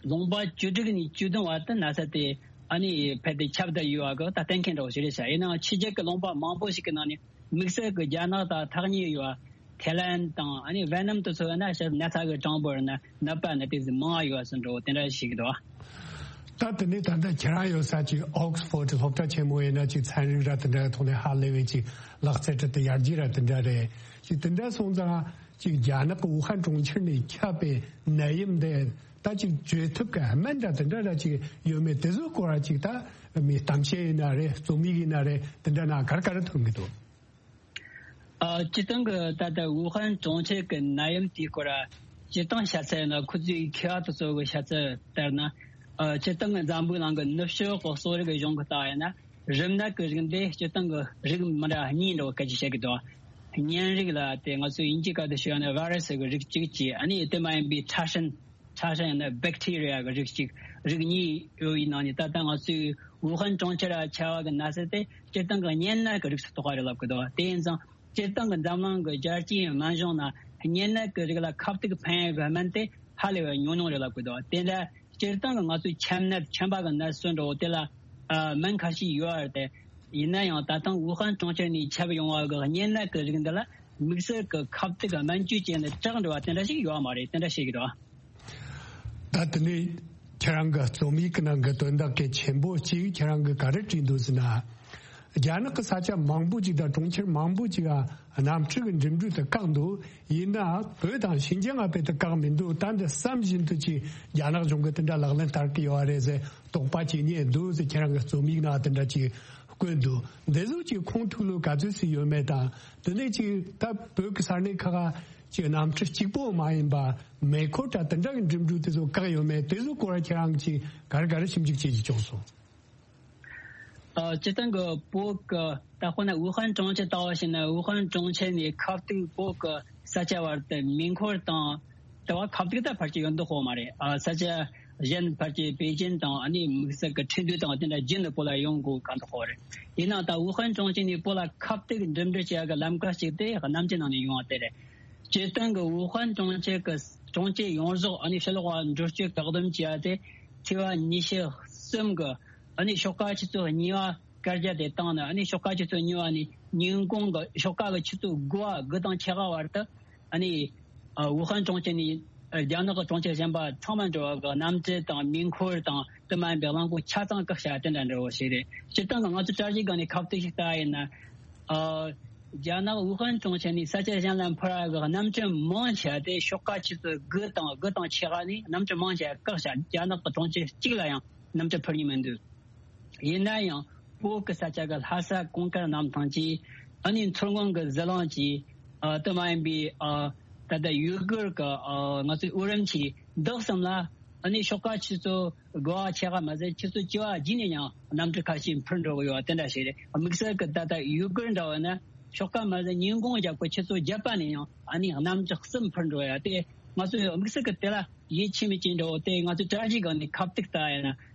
ལུང་པ་བཅུ་དྲུག་ནས་བཅུ་བདུན་བར་དུ་ན་ཚ་དེ་ཨ་ནི་རྦད་དེ་ཁྱབ་བསྡད་ཡོད་པ་གི་ད་གཏན་འཁེལ་འདྲ་བོ་ཞིག་རེད་ཤག། ཡིན་ནའང་ཕྱི་རྒྱལ་གྱི་ལུང་པ་མང་པོ་ཞིག་གི་ནང་ནས་དམིགས་བསལ་གྱི་རྒྱ་ནག་དང་ཐག་ཉེ་ཡོད་པ་ཐའི་ལན་དང་ཨ་ནི་ཝེ་ནམ་དུ་སོགས་ཡིན་ན་ཞབས་ན་ཚ་གི་གྲངས་འབོར་ན་ནད་པ་ན་དེ་ཙམ་མང་བ་ཡོད་པ་ཟེར་འདྲ་བོ་དེ་འདྲ་ཞིག་འདུག། ད་དེ་ནས་ད་ལྟ་ཁྱེད་རང་ཡོད་ས་ཅིག་ཨོག་སི་ཕོར་ཌི་སློབ་གྲྭ་ཆེན་མོ་ཡིན་ན་ཅིག་ཚན་རིག་ར་དེ་འདྲ་ཐོག་ནས་ཧ་ལས་པའི་ཅིག་ལག་རྩལ་ཁྲིད་དེ་ཡར་རྒྱས་ར་དེ་འདྲ་རེད། ཅིག་དེ་འདྲ་སོང་ཙང་ཅིག་རྒྱ་ནག་གི་ཝུ་ཧན་གྲོང་ཁྱེར་ནས་ཁྱབ་པའི་ནད་ཡམས་འདི་ད་ཅིག་བཅོས་ཐབས་ཀྱི་སྨན་འདྲ་དེ་འདྲ་ར་ཅིག་ཡོད་མེད་དེ་ཚོའི་སྐོར་ར་ཅིག་ད་མི་གཏམ་བཤད་ཡིན་ན་རེད། རྩོམ་ཡིག་ཡིན་ན་རེད། དེ་འདྲ་ན་ག་རེ་ག་རེ་ཐོན་གི་འདུག། ཨ། སྤྱིར་བཏང་གི་ད་ལྟ་ཝུ་ཧན་གྲོང་ཁྱེར་གྱི་ནད་ཡམས་དེའི་སྐོར་ལ་སྤྱིར་བཏང་བཤད་ཚར་ཡིན་ན། ཁོ་ཚོའི་མཁས་པ་དེ་ཚོ་གི་བཤད་ཚུལ་ལྟར་ན། ཨ། སྤྱིར་བཏང་གི་འཛམ་བུའི་གླིང་གི་ནུབ་ཕྱོགས་ཀྱི་གསོ་རིག་གི་གཞུང་གི་ལྟ་བ་ཡིན་ན། རིམས་ནད་ཀྱི་རིགས་འདི་སྤྱིར་བཏང་གི་རིགས་མི་འདྲ་གཉིས་འདྲ་བོ་སྐད་ཆ་བཤད་ཀྱི་འདུག། གཉན་རིགས་ལ་དེ་ང་ཚོས་དབྱིན་ཇིའི་སྐད་དུ་ཞུས་ན་ཝེ་རུ་སི་གི་རིགས་གཅིག་བྱས། ཨ་ནི་དེ་མ་ཡིན་པའི་ཕྲ་ཞིང་ཕྲ་ཞིང་ཡང་ན་བེག་ཊི་རི་ཡ་གི་རིགས་གཅིག། རིགས་གཉིས་ཡོད་པའི་ནང་ནས་ད་ལྟ་ང་ཚོའི་ཝུ་ཧན་གྲོང་ཁྱེར་ལ་ཁྱབ་པ་གི་ན་ཚ་དེ་སྤྱིར་བཏང་གི་གཉན་ནད་ཀྱི་རིགས་སུ་གཏོགས་པ་རེད་ལབ་ཀྱི་འདུག། དེ་ཡིན་ཙང་སྤྱིར་བཏང་གི་འཛམ་གླིང་གི་རྒྱལ་སྤྱིའི་སྨན་གཞུང་ནང་གཉན་ནད་ཀྱི་རིགས་ལ་ཁབ་ཏིག་ཕན་ཡག་གི་སྨན་དེ་ཧ་ལས་པའི་ཉུང་ཉུང་རེད་ལབ་ཀྱི་འདུག། དེ་འདྲ་སྤྱིར་བཏང་གི་ང་ཚོའི་ཆམ་ནད་ཆམ་པ་གི་ནད་སོགས་འདྲ་བོ་དེ་ལ་ཨ་སྨན་ཁ་ཤས་ཡོད་རེད་དེ། ཡིན་ན་ཡང་ད་ཐེངས་ཝུ་ཧན་གྲོང་ཁྱེར་ནས་ཁྱབ་ཡོང་བ་གི་གཉན་ནད་ཀྱི་རིགས་འདི་ལ་དམིགས་བསལ་གྱི་ཁབ་ཏིག་གི་སྨན་བཅོས་བྱས་ནས་དྲག་འགྲོ་བ་དེ་འདྲ་ཞིག་ཡོད་མ་རེད། དེ་འདྲ་བཤད་ཀྱི་འདུག། ད་དེ་ནས་ཁྱེད་རང་གི་རྩོམ་ཡིག་གི་ནང་གི་དོན་དག་གལ་ཆེན་པོ་གཅིག་ཁྱེད་རང་གིས་ག་རེ་བྲིས་འདུག་ཟེར་ན། རྒྱ་ནག་གི་ས་ཆ་མང་པོ་ཅིག་དང་གྲོང་ཁྱེར་མང་པོ་ཅིག་ག་གནམ་གྲུ་གི་འགྲིམ་འགྲུལ་དེ་བཀག་འདུག། ཡིན་ན་བོད་དང་ཤིན་ཅང་ང་དཔེ་དེ་བཀག་མི་འདུག། ད་འདི་བསམ་བཞིན་དུ་ཅིག་རྒྱ་ནག་གཞུང་གིས་དེ་འདྲ་ལག་ལེན་བསྟར་གི་ཡོད་རེད་ཟེར་དོགས་པ་བྱེད་ཉེན་འདུག་ཟེར་ཁྱེད་རང་གི་རྩོམ་ཡིག་ནང་དེ་འདྲ་ཅིག་བཀོད་འདུག། འདི་ཚོ་ཅིག་ཁུངས་ཐུག་ལུགས་ག་ཚོད་ཅིག་ཡོད་མེད་དང་། དེ་ནས་ཅིག་ད་བོད་ཀྱི་ས་གནས་ཁག་ག་ཅིག་གནམ་གྲུ་གཅིག་པོ་མ་ཡིན་པ་མེ་འཁོར་དང་དེ་འདྲ་གི་འགྲིམ་འགྲུལ་དེ་ཚོ་བཀག་ཡོད་མེད་དེ་ཚོ་སྐོར་ཁྱེད་རང་གིས་ག་རེ་ག་རེ་ཞིབ་འཇུག་བྱེད་ཀྱི་བྱུང་སོང་། ཨ། སྤྱིར་བཏང་གི་བོད་ཀྱི་ད་དཔེར་ན་ཝུ་ཧན་གྲོང་ཁྱེར་ལྟ་བ་ཞིག་ན། ཝུ་ཧན་གྲོང་ཁྱེར་ནས་ཁབ་ཏིག་བོད་ཀྱི་ས་ཆ་བར་དུ་མེ་འཁོར་དང་། དེ་བ་ཁབ་ཏིག་ད་ཕལ་ཆེར་ཡོང་མདོག་ཁ་པོ་མ་རེད། ཨ། ས་ཆ་གཞན་ཕལ་ཆེར་པེ་ཅིན་དང་ཨ་ནི་དམིགས་བསལ་གྱི་ཁྲིན་ཏུའུ་དང་དེ་འདྲ་བརྒྱུད་ནས་བོད་ལ་ཡོང་དགོས་ཁ་མདོག་ཁ་པོ་རེད། ཡིན་ནའང་ད་ཝུ་ཧན་གྲོང་ཁྱེར་ནས་བོད་ལ་ཁབ་ཏིག་འགྲིམ་འགྲུལ་བྱེད་ཡག་གི་ལམ་ཁ་ཞིག་དེ་གནམ་གྱི་ནང་ནས་ཡོང་བ་དེ་རེད། སྤྱིར་བཏང་གི་ཝུ་ཧན་གྲོང་ཁྱེར་གྱི་གྲོང་ཁྱེར་ཡོངས་རྫོགས་ཨ་ནི་ཕྱི་ལོགས་ལ་འགྲུལ་སྐྱོད་བཀག་སྡོམ་བྱས་ཏེ་ཐེ་བ་ཉི་ཤུ་གསུམ་གི་ཨ་ནི་ཤོག་ཁག་ཆུ་ཚོད་གཉིས་པ་བཀའ་རྒྱ་དེ་བཏང་ནས། ཨ་ནི་ཤོག་ཁག་ཆུ་ཚོད་གཉིས་པ་ནས་ཉིན་གུང་གི་ཤོག་ཁག་གི་ཆུ་ཚོད་དགུ་པ་དགུ་དང་ཕྱེད་ཀ་བར་དུ་ཨ་ནི་ཨ་ཝུ་ཧན་གྲོང་ཁྱེར་ནས་ རྒྱ་ནག་གི་གྲོང་ཁྱེར་གཞན་པ་ཚང་མ་འགྲོ་བ་གི་གནམ་གྲུ་དང་མེ་འཁོར་དང་དེ་མ་ཡིན་པའི་རླངས་འཁོར་ཆ་ཚང་བཀག་བྱ་དེ་འདྲ་འདྲ་བོ་ཞིག་རེད། སྤྱིར་བཏང་གི་ང་ཚོ་དྲ་རྒྱའི་སྒང་ནས་ཁ་གཏད་ཞིག་ལྟ་ཡིན་ན། ཨ། རྒྱ་ནག་ཝུ་ཧན་གྲོང་ཁྱེར་ནས་ས་ཆ་གཞན་ལ་འཕུར་བ་གི་གནམ་གྲུ་མང་ཆེ་བ་དེ་ཤོག་ཁག་ཆུ་ཚོད་དགུ་དང་དགུ་དང་ཕྱེད་ཀ་ནས་གནམ་གྲུ་མང་ཆེ་བ་བཀག་བྱ། རྒྱ་ནག་གི་གྲོང་ཁྱེར་གཅིག་ལ་ཡང་གནམ་གྲུ་འཕུར་མྱོང་མི་འདུག་ཡིན་ན་ཡང་བོད་ཀྱི་ས་ཆ་གི་ལྷ་ས་གངས་དཀར་གནམ་ཐང་གི། ཨ་ནི་མཚོ་སྔོན་གྱི་ཟི་ལིང་གི། ཨ། དེ་མ་ཡིན་པའི། ཨ། ད་ལྟ་ཡུ་གུར་གྱི། ཨ། ང་ཚོའི་ཨུ་རམ་གྱི་འདི་གསུམ་ལ། ཨ་ནི་ཤོག་ཁག་ཆུ་ཚོད་དགུ་པ་ཕྱེད་ཀ་མ་ཟད་ཆུ་ཚོད་བཅུ་པ་རྗེས་ནས་ཡང་གནམ་གྲུ་ཁ་ཤས་འཕུར་འགྲོ་གི་ཡོད་པ་དེ་འདྲ་ཞིག་རེད། དམིགས་བསལ་གྱི་ད་ལྟ་ཡུ་གུར་འདྲ་བོ་ན་ཤོག་ཁག་མ་ཟད་ཉིན་གུང་རྒྱབ་ཀྱི་ཆུ་ཚོད་བརྒྱད་པ་ནས་ཡང་ཨ་ནི་གནམ་གྲུ་གསུམ་འཕུར་འགྲོ་ཡ་དེ། ང་ཚོས་དམིགས་བསལ་གྱི་དེ་ལ་ཡིད་ཆེས་མེད་ཅིག་འགྲོ་དེ། ང་ཚོས་དྲ་རྒྱའི་སྒང་ནས་ཁ་གཏད་ལྟ་ཡ་ན།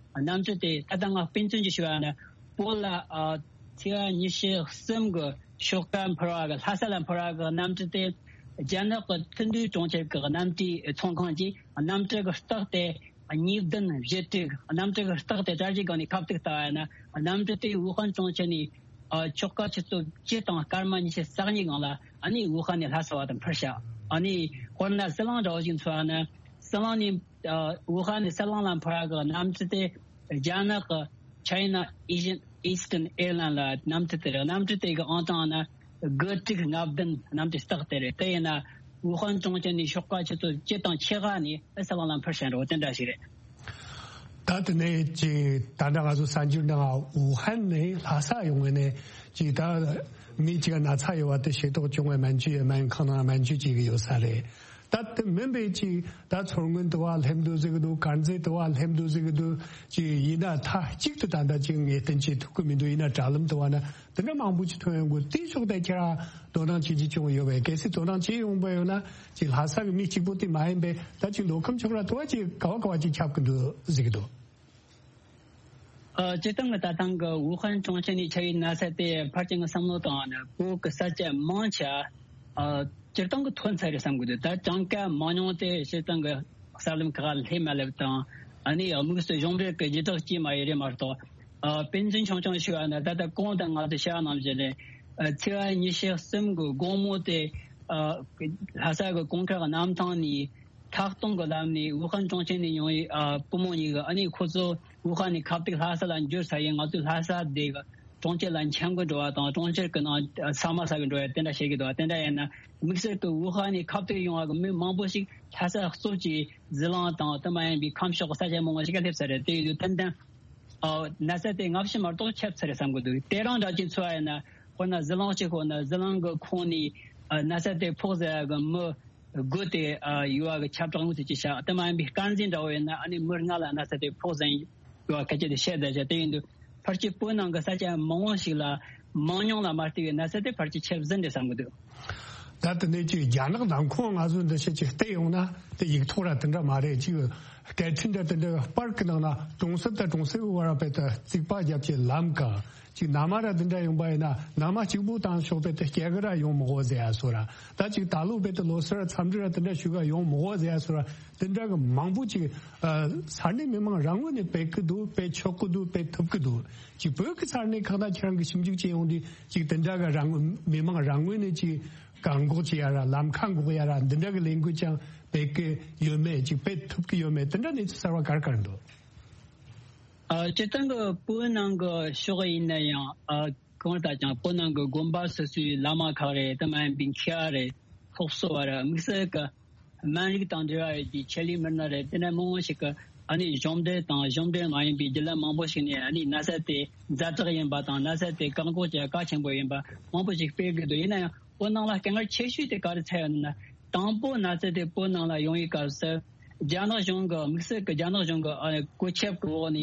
གནམ་གྲུ་དེ་ད་ལྟ་ང་དཔེ་མཚོན་གྱིས་ཞུ་བ་ན། བོད་ལ། ཨ། ཚེས་པ་ཉི་ཤུ་གསུམ་གི་ཤོག་ཁག་འཕུར་བ་གི་ལྷ་ས་ལ་འཕུར་བ་གི་གནམ་གྲུ་དེ། རྒྱ་ནག་གི་ཐུན་ཏུའུ་གྲོང་ཁྱེར་གི་གནམ་གྲུའི་ཚོང་ཁང་གིས་གནམ་གྲུ་གི་རྟགས་དེ་གཉིས་བདུན་བཞི་དྲུག་གནམ་གྲུ་གི་རྟགས་དེ་དྲ་རྒྱའི་སྒང་ནས་ཁ་གཏད་ལྟ་བ་ཡིན་ན། གནམ་གྲུ་དེ་ཝུ་ཧན་གྲོང་ཁྱེར་ནས། ཨ། ཆོག་ཁ་ཆུ་ཚོད་བཅུ་དང་སྐར་མ་ཉི་ཤུ་རྩ་གཉིས་སྒང་ལ་ཨ་ནི་ཝུ་ཧན་ནས་ལྷ་ས་བར་དུ་འཕུར་བྱ། ཨ་ནི་དཔེར་ན་ཟི་ལིང་འདྲ་བོ་ཞིག་མཚོན་ན། ཟི་ལིང་ནས། ཨ། ཝུ་ཧན་ནས་ཟི་ལིང་ལ་འཕུར་བ་གི་གནམ་གྲུ་དེ་རྒྱ་ནག་གི་China Eastern Eastern Airline ལ་གནམ་གྲུ་དེ་རེད། གནམ་གྲུ་དེ་གི་ཨང་གྲངས་ནི་དགུ་དྲུག་ལྔ་བདུན། གནམ་གྲུ་རྟགས་དེ་རེད། དེ་ཡིན་ན་ཝུ་ཧན་གྲོང་ཁྱེར་ནས་ཤོག་ཁག་ཆུ་ཚོད་བཅུ་དང་ཕྱེད་ཀ་ནས་ཟི་ལིང་ལ་འཕུར་བཞིན་འགྲོ་དེ་འདྲ་ཞིག་རེད། ད་དེ་ནས་ཅིག་ད་ལྟ་ང་ཚོ་གསར་འགྱུར་ནང་ཝུ་ཧན་ནས་ལྷ་ས་ཡོང་བའི་ནས་ཅིག་ད་མི་གཅིག་ན་ཚ་ཡོད་པ་དེ་ཤེས་རྟོགས་བྱུང་བའི་སྨན་བཅོས་ཡོད། སྨན་ཁང་ནང་སྨན་བཅོས་བྱེད་ཀྱི་ཡོད་ས་རེད། ད་དེ་མིན་པའི་ཅིག་ད་མཚོ་སྔོན་དུ་བ་སླེབས་འདུག་ཟེར་གི་འདུག་དཀར་མཛེས་དུ་བ་སླེབས་འདུག་ཟེར་གི་འདུག་ཅིག་ཡིན་ན་མཐའ་གཅིག་ཏུ་ད་ལྟ་ཅིག་ངེས་གཏན་བྱེད་ཐུབ་ཀྱི་མི་འདུག་ཡིན་ན་དྲ་ལམ་དུ་བ་ན་དེ་འདྲ་མང་པོ་ཅིག་ཐོན་ཡོང་གི། དེའི་ཕྱོགས་དེ་ཁྱེད་རང་དོ་སྣང་བྱེད་ཀྱི་བྱུང་ཡོད་པས། གལ་སྲིད་དོ་སྣང་བྱེད་ཡོང་པ་ཡོད་ན་ཅིག་ལྷ་ས་གི་མི་གཅིག་པོ་དེ་མ་ཡིན་པས་ད་ཅིག་མདོ་ཁམས་ཕྱོགས་ལ་དུ་བ་ཅིག་ག་བ་ག་བ་ཅིག་ཁྱབ་ཀྱི་འདུག་ཟེར་གི་འདུག་ཨ། སྤྱིར་བཏང་གི་ད་ཐེངས་ཀྱི་ཝུ་ཧན་གྲོང་ཁྱེར་ནས་ཁྱབ་པའི་ན་ཚ་དེ་ཕལ་ཆེར་ངའི་བསམ་བློ་བཏང་བ་ན་བོད་ཀྱི་ས་ཆ་མང་ཆེ་བ། ཨ། སྤྱིར་བཏང་གི་ཐོན་ཚར་རེད་བསམ་གི་འདུག་ད་གྲངས་ཀ་མང་ཉུང་དེ་སྤྱིར་བཏང་གི་གསར་ལམ་ཁག་ལ་སླེབས་མ་སླེབས་དང་། ཨ་ནི་དམིགས་སུ་གཞུང་འབྲེལ་གྱི་ལྗིད་རགས་ཅིག་མ་ཡིན་རེད་མ་གཏོགས། ཨ། དཔེ་མཚོན་ཆུང་ཆུང་ཞུ་བ་ན་ད་ལྟ་གོང་དུ་ང་ཚོས་བཤད་པ་ནང་བཞིན་རེད། ཨ། ཚེས་པ་ཉི་ཤུ་གསུམ་གི་དགོང་མོ་དེ། ཨ། ལྷ་ས་གི་གངས་དཀར་གནམ་ཐང་ནས། ཐག་སྟོང་གི་ལམ་ནས་ཝུ་ཧན་གྲོང་ཁྱེར་ནས་ཡོང་བའི། ཨ། བུ་མོ་གཉིས་ཀྱིས་ཨ་ནི་ཁོ་ཚོ་ཝུ་ཧན་ནས་ཁ་གཏད་ལྷ་ས་ལ་འབྱོར་ཚར་ཡིན། ང་ཚོས་ལྷ་ས་དེ་གི་གྲོང་ཁྱེར་ལ་འཁྱམ་གི་འགྲོ་བ་དང་གྲོང་ཁྱེར་གྱི་ནང་ཟ་མ་ཟ་གི་འགྲོ་བ་དེ་འདྲ་བྱེད་ཀྱི་འདུག་དེ་འདྲ་ཡིན་ན་དམིགས་བསལ་གྱི་ཝུ་ཧན་ནས་ཁ་གཏད་ཡོང་བ་གི་མི་མང་པོ་ཞིག་ལྷ་ས་གཙོས་ཀྱི་ཟི་ལིང་དང་དེ་མ་ཡིན་པའི་ཁམས་ཕྱོགས་ཀྱི་ས་ཆ་མང་པོ་ཞིག་ག་སླེབས་ཚར་རེད། དེ་ཡིན་དུས་ཏན་ཏན། ཨ། ན་ཚ་དེ་སྔ་ཕྱི་མ་གཏོགས་ཁྱབ་ཚར་རེད་བསམ་གི་འདུག་དེ་རང་འདྲ་ཅིག་མཚོན་པ་ཡིན་ན་དཔེར་ན་ཟི་ལིང་གཅིག་ཁོ་ན་ཟི་ལིང་གི་ཁོངས་ནས། ཨ། ན་ཚ་དེ་ཕོག་ཟེར་ཡ་གི་མི་དགུ་དེ། ཨ། ཡོད་པ་གི་ཁྱབ་བསྒྲགས་ཡོང་ཚུལ་ཅིག་བྱ། དེ་མ་ཡིན་པའི་དཀར་མཛེས་འདྲ་བོ་ཡིན་ན་ཨ་ནི་མི་ལྔ་ལ་ན་ཚ་དེ་ཕོག་ཟིན་ཡོད་པ་སྐད་ཆ་དེ་བཤད་བསྡད་བྱ། དེ་ཡིན་དུས་ཕལ་ཆེར་བོད་ནང་གི་ས་ཆ་མང་བོ་ཞིག་ལ་མང་ཉུང་ལ་མ་ལྟོས་པའི་ན་ཚ་དེ་ཕལ་ཆེར་ཁྱབ་ཟིན་རེད་བསམ་གི་འདུག་ད་དེ་ནས་ཅིག་རྒྱ་ནག་ནང་ཁོངས་ང་ཚོ་འདི་ཕྱི་ཅིག་བལྟས་ཡོང་ན་དེ་ཡིག་ཐོག་ར་དེ་འདྲ་མ་རེད། ཅིག་སྐད་འཕྲིན་འདྲ་དེ་འདྲ་པར་གི་ནང་ན་གྲོང་གསེབ་དང་གྲོང་གསེབ་བར་བས་ཏེ་རྩིག་པ་བརྒྱབ་ཀྱི་ལམ་ག་ཅིག་མནའ་མ་ར་དེ་འདྲ་ཡོང་པ་ཡིན་ན་མནའ་མ་གཅིག་པུ་བཏང་ཆོག་པས་ཏེ་སྐྱེལ་གི་ར་ཡོང་མི་དགོས་ཟེར་ཡ་སོ་ར། ད་ཅིག་ད་ལོ་བས་ཏེ་ལོ་སར་འཚམས་འདྲི་ར་དེ་འདྲ་ཞུ་ག་ཡོང་མི་དགོས་ཟེར་ཡ་སོ་ར། དེ་འདྲ་གི་མང་པོ་ཅིག་ཨ། ས་གནས་མི་མང་རང་ངོས་ནས་སྤེལ་གི་འདུག་སྤེལ་ཆོག་གི་འདུག་སྤེལ་ཐུབ་གི་འདུག་ཅིག་བོད་ཀྱི་ས་གནས་ཁག་ན་ཁྱེད་རང་གི་ཞིབ་འཇུག་བྱས་ཡོང་དུས་ཅིག་དེ་འདྲ་གི་རང་ངོས་མི་མང་རང་ངོས་ནས་ཅིག་བཀག་འགོག་བྱེད་ཡ་ར་ལམ་ཁ་འགོག་ཡ་ར་འདི་འདྲ་གི་ལས་འགུལ་ཀྱང་སྤེལ་གི་ཡོད་མེད། ཅིག་སྤེལ་ཐུབ་གི་ཡོད་མེད། དེ་འདྲ་གནས་ཚུལ་གསར་བ་ག་རེ་ག་རེ་འདུག་ཨ། སྤྱིར་བཏང་གི་བོད་ནང་གི་ཕྱོགས་ཡིན་ན་ཡང་། ཨ། གང་ལྟར་ཀྱང་བོད་ནང་གི་དགོན་པ་སོ་སོའི་བླ་མ་ཁག་རེད། དེ་མ་ཡིན་པའི་མཁས་པ་རེད། སློབ་གསོ་བ་རེད། དམིགས་བསལ་གྱི་སྨན་རིགས་དང་འབྲེལ་བ་ཡོད་པའི་ཆེད་ལས་མི་སྣ་རེད། དེ་འདྲ་མང་པོ་ཞིག་གིས་ཨ་ནི་གཞུང་འབྲེལ་དང་གཞུང་འབྲེལ་མ་ཡིན་པའི་བརྒྱུད་ལམ་མང་པོ་ཞིག་ནས་ཨ་ནི་ན་ཚ་དེ་ཛ་དྲག་ཡིན་པ་དང་ན་ཚ་དེ་བཀག་འགོག་བྱེད་གལ་ཆེན་པོ་ཡིན་པ་མང་པོ་ཞིག་སྤེལ་གི་འདུག་ཡིན་ན་ཡང་བོད་ནང་ལ་དཀའ་ངལ་ཆེ་ཤོས་དེ་ག་རེ་འཚོགས་ཡོད་ན། དང་པོ་ན་ཚ་དེ་བོད་ནང་ལ་ཡོང་བའི་སྐབས་སུ་རྒྱ་ནག་གཞུང་གི་དམིགས་བསལ་གྱི་རྒྱ་ནག་གཞུང་གི་ཨ་ནི་བཀོད་ཁྱབ་ཀྱི་འོག་ནས།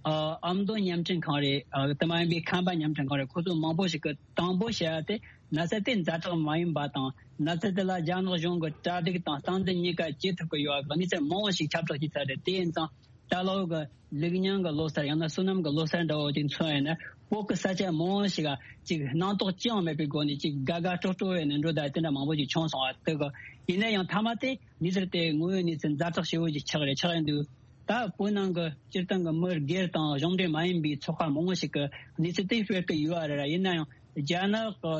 ཨ། ཨ་མདོ་བརྙན་འཕྲིན་ཁང་རེད། ཨ། དེ་མ་ཡིན་པའི་ཁམས་པ་བརྙན་འཕྲིན་ཁང་རེད། ཁོ་ཚོ་མང་པོ་ཞིག་གིས་དང་པོ་བཤད་ཡ་དེ་ན་ཚ་དེ་ཛ་དྲག་མ་ཡིན་པ་དང་ན་ཚ་དེ་ལ་རྒྱ་ནག་གཞུང་གི་གྲ་སྒྲིག་དང་སྟངས་འཛིན་གཉིས་ཀ་བྱེད་ཐུབ་ཀྱི་ཡོད་པ་གི་གནས་ཚུལ་མང་བོ་ཞིག་ཁྱབ་བསྒྲགས་བྱས་ཚར་རེད། དེ་ཡིན་ཙང་ད་ལོ་གི་ལེགས་ཉིན་གྱི་ལོ་གསར་ཡང་ན་བསོད་ནམས་ཀྱི་ལོ་གསར་འདྲ་བོ་དེ་མཚོན་ཡིན་ན་བོད་ཀྱི་ས་ཆ་མང་བོ་ཞིག་ག་ཅིག་སྣང་དོགས་ཅི་ཡང་མེད་པའི་སྒོ་ནས་ཅིག་དགའ་དགའ་སྤྲོ་སྤྲོ་བའི་ནས་འགྲོ་བསྡད་དེ་འདྲ་མང་པོ་ཞིག་བྱུང་སོང་བ་དེ་གི། ཡིན་ན་ཡང་མཐའ་མ་དེ་གནས་ཚུལ་དེ་དངོས་ཡོད་གནས་ཚུལ་ཛ་དྲག་ཞེ་བོ་ཞིག་ཆགས་རེད། ཆགས་ཡོང་དུས་ད་བོད་ནང་གི་སྤྱིར་བཏང་གི་མི་སྒེར་དང་གཞུང་འབྲེལ་མ་ཡིན་པའི་ཚོགས་པ་མང་བོ་ཞིག་གིས་གནས་ཚུལ་དེ་སྤེལ་གི་ཡོད་རེད། ཡིན་ན་ཡང་རྒྱ་ནག་གི་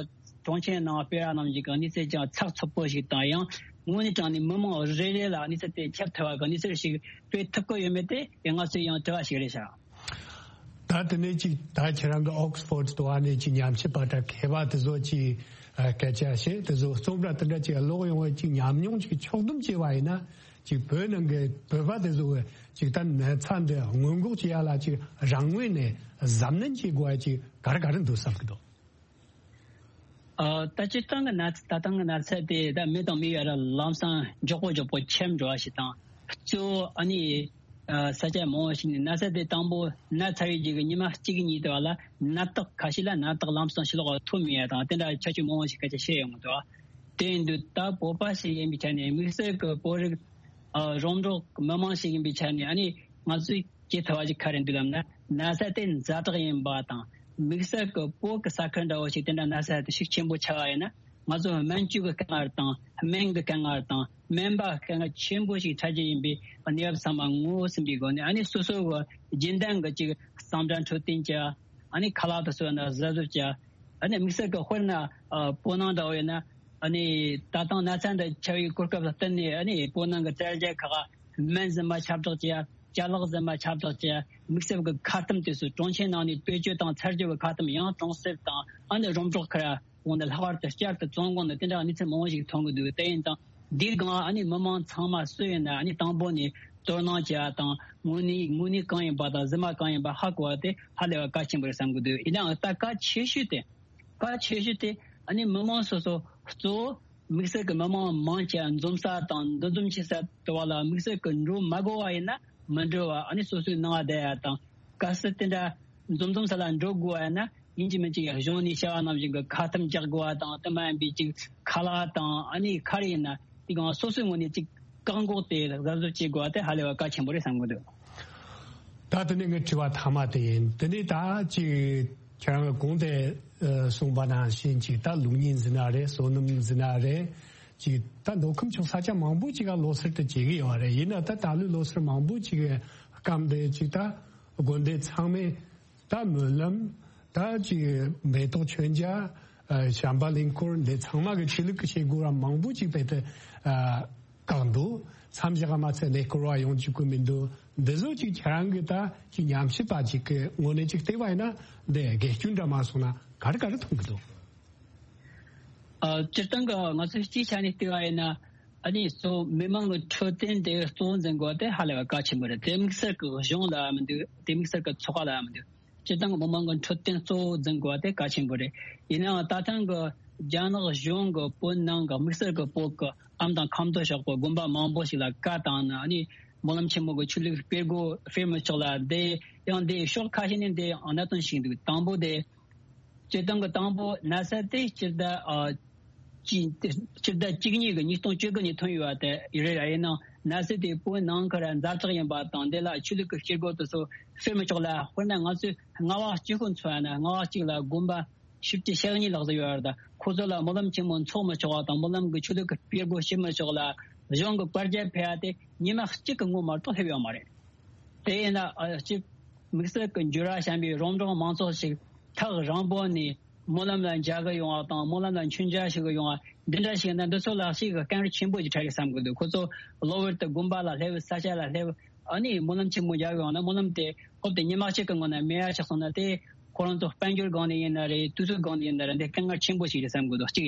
གྲོང་ཁྱེར་ནང་སྤེལ་བ་རྣམས་ཀྱི་གནས་ཚུལ་ཀྱང་ཚགས་ཚུད་པོ་ཞིག་དང་ཡང་ དངོས་གནས་དྲང་ནས་མི་མང་རེ་རེ་ལ་གནས་ཚུལ་དེ་ཁྱབ་ཐུབ་པ་གི་གནས་ཚུལ་ཞིག་སྤེལ་ཐུབ་ཀྱི་ཡོད་མེད་དེ་ང་ཚོའི་ཡང་དྲི་བ་ཞིག་རེད་ཤག་ད་དེ་ནས་ཅིག་ད་ཁྱེད་རང་གི་ཨོག་སི་ཕོར་དུ་བ་ནས་ཅིག་ཉམས་ཞིབ་པ་དང་མཁས་པ་དེ་ཚོ་ཅིག་ཨ་སྐད་ཆ་བཤད། དེ་ཚོ་རྩོམ་ར་དེ་འདྲ་ཅིག་ཀློག་ཡོང་བའི་ཅིག་ཉམས་མྱོང་ཅིག་ཕྱོགས་བསྡོམས་བྱས་པ་ཡིན་ན། ཅིག་བོད་ནང་གི་བོད་པ་དེ་ཚོ་ཅིག་ད་ན་ཚ་འདི་སྔོན་འགོག་བྱེད་ཡ་ལ་ཅིག་རང་ངོས་ནས་གཟབ་ནན་བྱེད་དགོས་ཡ་ཅིག་ག་རེ་ག་རེ་འདུག་བསམ་གི་འདུག་ཨ། ད་སྤྱིར་བཏང་གི་ན་ད་ལྟ་གི་ན་ཚ་དེ་ད་མི་དང་མི་བར་ལམ་སང་མགྱོགས་པོ་མགྱོགས་པོ་ཁྱབ་འགྲོ་བ་ཞིག་དང་། གཙོ་བོ་ཨ་ནི་ཨ་ས་ཆ་མང་བོ་ཞིག་ནས་ན་ཚ་དེ་དང་པོ་ན་ཚ་བའི་རྗེས་ཀྱི་ཉི་མ་གཅིག་གཉིས་དེ་བ་ལ་ནད་རྟགས་ཁ་ཤས་ལ་ནད་རྟགས་ལམ་སང་ཕྱི་ལོགས་ལ་ཐོན་མེད་ཡ་དང་དེ་འདྲ་ཁྱད་ཆོས་མང་བོ་ཞིག་སྐད་ཆ་བཤད་ཡོང་གི་འདུག་དེ་ཡིན་དུས་ད་བོད་པ་ཞིག་ཡིན་པའི་ཆ་ནས་དམིགས་བསལ་གྱི་བོད་རིགས་ཨ་རོང་འབྲོག་མི་མང་ཞིག་ཡིན་པའི་ཆ་ནས་ཨ་ནི་ང་ཚོས་བྱེད་ཐུབ་པ་ཞིག་ག་རེ་འདུག་ལབ་ན། ན་ཚ་དེ་ཛ་དྲག་ཡིན་པ་དང་དམིགས་བསལ་གྱི་བོད་ཀྱི་ས་ཁུལ་འདྲ་བོ་ཞིག་དེ་འདྲ་ན་ཚ་དེ་ཤུགས་ཆེན་པོ་ཆགས་པ་ཡིན་ན་ང་ཚོ་སྨན་བཅོས་ཀྱི་དཀའ་ངལ་དང་སྨན་གྱི་དཀའ་ངལ་དང་སྨན་པ་དཀའ་ངལ་ཆེན་པོ་ཞིག་འཕྲད་རྒྱུ་ཡིན་པའི་གནས་བབ་ཚང་མ་ངོ་ཟིན་པའི་སྒོ་ནས། ཨ་ནི་སོ་སོ་གི་རྒྱུན་ལྡན་གྱི་ཅིག་གཙང་སྦྲ་འཕྲོད་བསྟེན་བྱ། ཨ་ནི་ཁ་ལག་དེ་ཚོ་ན་གཟབ་གཟབ་བྱ། ཨ་ནི་དམིགས་བསལ་གྱི་དཔེར་ན་ཨ་སྤོ་ནང་འདྲ་བོ་ཡིན་ན། ཨ་ནི་ད་ཐེངས་ན་ཚ་འདི་ཆགས་པའི་གོ་སྐབས་ལ་བརྟེན་ནས་ཨ་ནི་སྤོ་ནང་གི་བཙལ་རྒྱལ་ཁག་ག་སྨན་རྫུན་མ་ཁྱབ་བསྒྲགས་བྱས། ཅ་ལག་རྫུན་མ་ཁྱབ་བསྒྲགས་བྱས། དམིགས་བསལ་གྱི་ཁ་ཐུམ་དེ་ཚོ་གྲོན་ཆེན་ནང་ནས་བེད་སྤྱོད་དང་ཚར་གཅོད་ཀྱི་ཁ་ཐུམ་ཡང་གྲོང་གསེབ་དང་ཨ་ནི་རོང་འབྲོག་ཁུལ་འོང་ནས་ལྷག་པར་དུ་བསྐྱར་དུ་བཙོང་དགོས་ནས་དེ་འདྲ་གནས་ཚུལ་མང་བོ་ཞིག་ཐོན་གྱི་འདུག་དེ་ཡིན་ཙང་འདིའི་སྒང་ཨ་ནི་མི་མང་ཚང་མ་སུ་ཡིན་ན་ཨ་ནི་དང་པོ་ནས་དོ་སྣང་བྱེད་ཡ་དང་དངོས་གནས་དངོས་གནས་གང་ཡིན་པ་དང་རྫུན་མ་གང་ཡིན་པ་ཧ་གོ་བ་དེ་ཧ་ལས་པ་གལ་ཆེན་པོ་རེད་བསམ་གྱི་འདུག་ཡིན་ནའང་ད་གལ་ཆེ་ཤོས་དེ། གལ་ཆེ་ཤོས་དེ་ཨ་ནི་མི་མང་སོ་སོ་གཙོ་བོ་དམིགས་བསལ་གྱི་མི་མང་མང་ཆེ་འཛོམས་ས་དང་འདུ་འཛོམས་བྱེད་ས་དེ་བ་ལ་དམིགས་བསལ་གྱི་འགྲོ་མ་དགོས་པ་ཡིན་ན་མི་འགྲོ་བ། ཨ་ནི་སོ་སོའི་ནང་བསྡད་ཡ་དང་། གལ་སྲིད་དེ་འདྲ་འཛོམས་འཛོམས་ས་ལ་འགྲོ་དགོས་པ་ཡིན་ན་ཡིན་གཅིག་མིན་གཅིག་གཞུང་ནས་བྱ་བ་ནང་བཞིན་གྱི་ཁ་ཐུམ་རྒྱག་དགོས་པ་དང་དེ་མ་ཡིན་པའི་ཅིག་ཁ་ལག་དང་ཨ་ནི་ག་རེ་ཡིན་ན་དེ་གང་སོ་སོའི་ངོས་ནས་ཅིག་བཀག་འགོག་དེ་གཟབ་གཟབ་བྱེད་དགོས་པ་དེ་ཧ་ལས་པ་གལ་ཆེན་པོ་རེད་བསམ་གྱི་འདུག་ད་དེ་ནས་ངའི་དྲི་བ་མཐའ་མ་དེ་ཡིན། དེ་ནས་ད་ཅིག་ཁྱེད་རང་གི་གོང་དེ་ཨ་གསུངས་པ་ནང་བཞིན་ཅིག་ད་ལུགས་གཉིས་འཛིན་ན་རེད། བསོད་ནམས་འཛིན་ན་རེད། ཅིག་ད་མདོ་ཁམས་ཕྱོགས་ས་ཆ་མང་པོ་ཅིག་ག་ལོ་སར་དུ་བྱེད་ཀྱི་ཡོད་རེད། ཡིན་ན་ད་ད་ལོའི་ལོ་སར་མང་པོ་ཅིག་གི་སྐབས་དེ་ཅིག་ད་དགོན་སྡེ་ཚང་མས་ད་སྨོན་ལམ། ད་ཅིག་མེ་ཏོག་མཆོད་མཇལ། ཨ་བྱམས་པ་གླིང་སྐོར་འདི་ཚང་མ་གི་ཆོས་ལུགས་ཀྱི་བྱེད་སྒོ་ར་མང་པོ་ཅིག་སྤེལ་ཏེ་ཨ་བཀག་འདུག་མཚམས་བཞག་མ་ཚད་ལས་སྐོར་བ་ཡོང་བཅུག་གི་མི་འདུག་འདི་ཚོ་ཅིག་ཁྱེད་རང་གི་ད་ཅིག་ཉམས་ཞིབ་པ་ཅིག་གི་ངོས་ནས་ཅིག་བལྟས་པ་ཡིན་ན་འདི་དགེ་སྐྱོན་འདྲ་མ་སོང་ན་ག་རེ་ག་རེ་མཐོང་གི་འདུག་ཨ་སྤྱིར་བཏང་གི་ང་ཚོས་སྤྱིའི་ཆ་ནས་བལྟས་པ་ཡིན་ན། ཨ་ནི་གཙོ་མི་མང་གི་འཕྲོད་བསྟེན་དེ་གཙོ་བོ་འཛིན་དགོས་པ་དེ་ཧ་ལས་པ་གལ་ཆེན་པོ་རེད། དེ་དམིགས་བསལ་གྱི་གཞུང་ལ་མི་འདུག་དེ་དམིགས་བསལ་གྱི་ཚོགས་པ་ལ་མི་འདུག་སྤྱིར་བཏང་གི་མི་མང་གི་འཕྲོད་བསྟེན་གཙོ་བོ་འཛིན་དགོས་པ་དེ་གལ་ཆེན་པོ་རེད། ཡིན་ནའང་ད་ཐེངས་ཀྱི་རྒྱ་ནག་གཞུང་གི་བོད་ནང་གི་དམིགས་བསལ་གྱི་བོད་ཀྱི་ཨམ་དང་ཁ་མདོ་ཕྱོགས་པའི་དགོན་པ་མང་པོ་ཞིག་ལ་བཀའ་བཏང་ནས་ཨ་ནི་སྨོན་ལམ་ཆེན་མོ་གི་ཆོས་ལུགས་སྤེལ་སྒོ་སྤེལ་མི་ཆོག་ལ། དེ་ཡང་དེ་ཕྱོགས་ཁ་ཤས་ནས་དེ་གནད་དོན་ཞིག་འདུག་དང་པོ་དེ་སྤྱིར་བཏང་གི་དང་པོ་ན་ཚ་དེ་སྤྱི་ཟླ་ཨ་གཅིག་སྤྱི་ཟླ་བཅུ་གཉིས་ཀྱི་ཉིས་སྟོང་བཅུ་དགུ་ནས་ཐོན་ཡོད་པ་དེ་ཡིན་རེད། ཡིན་ནའང་ན་ཚ་དེ་བོད་ནང་ཁུལ་ཛ་དྲག་ཡིན་པ་དང་དེ་ལ་ཆོས་ལུགས་ཀྱི་སྤྱི་སྒོ་དེ་ཚོ་སྤེལ་མི་ཆོག་ལ། དཔེར་ན་ང་ཚོས་རྔ་བ་གཅིག་པོ་མཚོན་ན་རྔ་བ་གཅིག་ལ་དགོན་པ་བཞི་བཅུ་ཞེ་གཉིས་ལྷག་ཙམ་ཡོད་རེད། ད་ཁོ་ཚོ་ལ་སྨོན་ལམ་ཆེན་མོ་འཚོགས་མི་ཆོག་པ་དང་སྨོན་ལམ་གྱི་ཆོས་ལུགས་ཀྱི་སྤེལ་སྒོ་བྱེད་མི་ཆོག་ལ། གཞུང་གི་བཀའ་རྒྱ་ཕེབས་པ་དེ་ཉི་མ་གཅིག་གི་སྔོན་མ་གཏོགས་སླེབས་ཡོད་མ་རེད། དེ་ཡིན་ན་ཨ་ཅིག་དམིགས་བསལ་གྱི་འགྱུར་བ་བྱུང་བའི་རོང་འབྲོག་མང་ཚོགས་ཤིག་ཐག་རིང་པོ་ནས་སྨོན་ལམ་ལ་མཇལ་གི་ཡོང་བ་དང་སྨོན་ལམ་ལ་མཆོད་མཇལ་ཞུ་གི་ཡོང་བ་འདི་འདྲ་ཞིག་ན་འདི་ཚོ་ལ་ཞིག་གི་དཀའ་ངལ་ཆེན་པོ་ཞིག་འཕྲད་ཀྱི་བསམ་གི་འདུག་ཁོ་ཚོ་གློ་བུར་དུ་དགོན་པ་ལ་སླེབས། ས་ཆ་ལ་སླེབས། ཨ་ནི་སྨོན་ལམ་ཆེན་མོ་མཇལ་གི་ཡོང་ན་སྨོན་ལམ་དེ་སྐབས་དེ་ཉི་མ་གཅིག་གི་སྔོན་ན་མེད་ཡ་ཆགས་སོང་ན་དེ་ཁོ་རང་ཚོ་དཔལ་འབྱོར་སྒང་ནས་ཡིན་ན་རེད། དུས་ཚོད་སྒང་ནས་ཡིན་ན་རེད། འདི་དཀའ་ངལ་ཆེན་པོ་ཞིག་རེད་བསམ་གི་འདུག་གཅིག་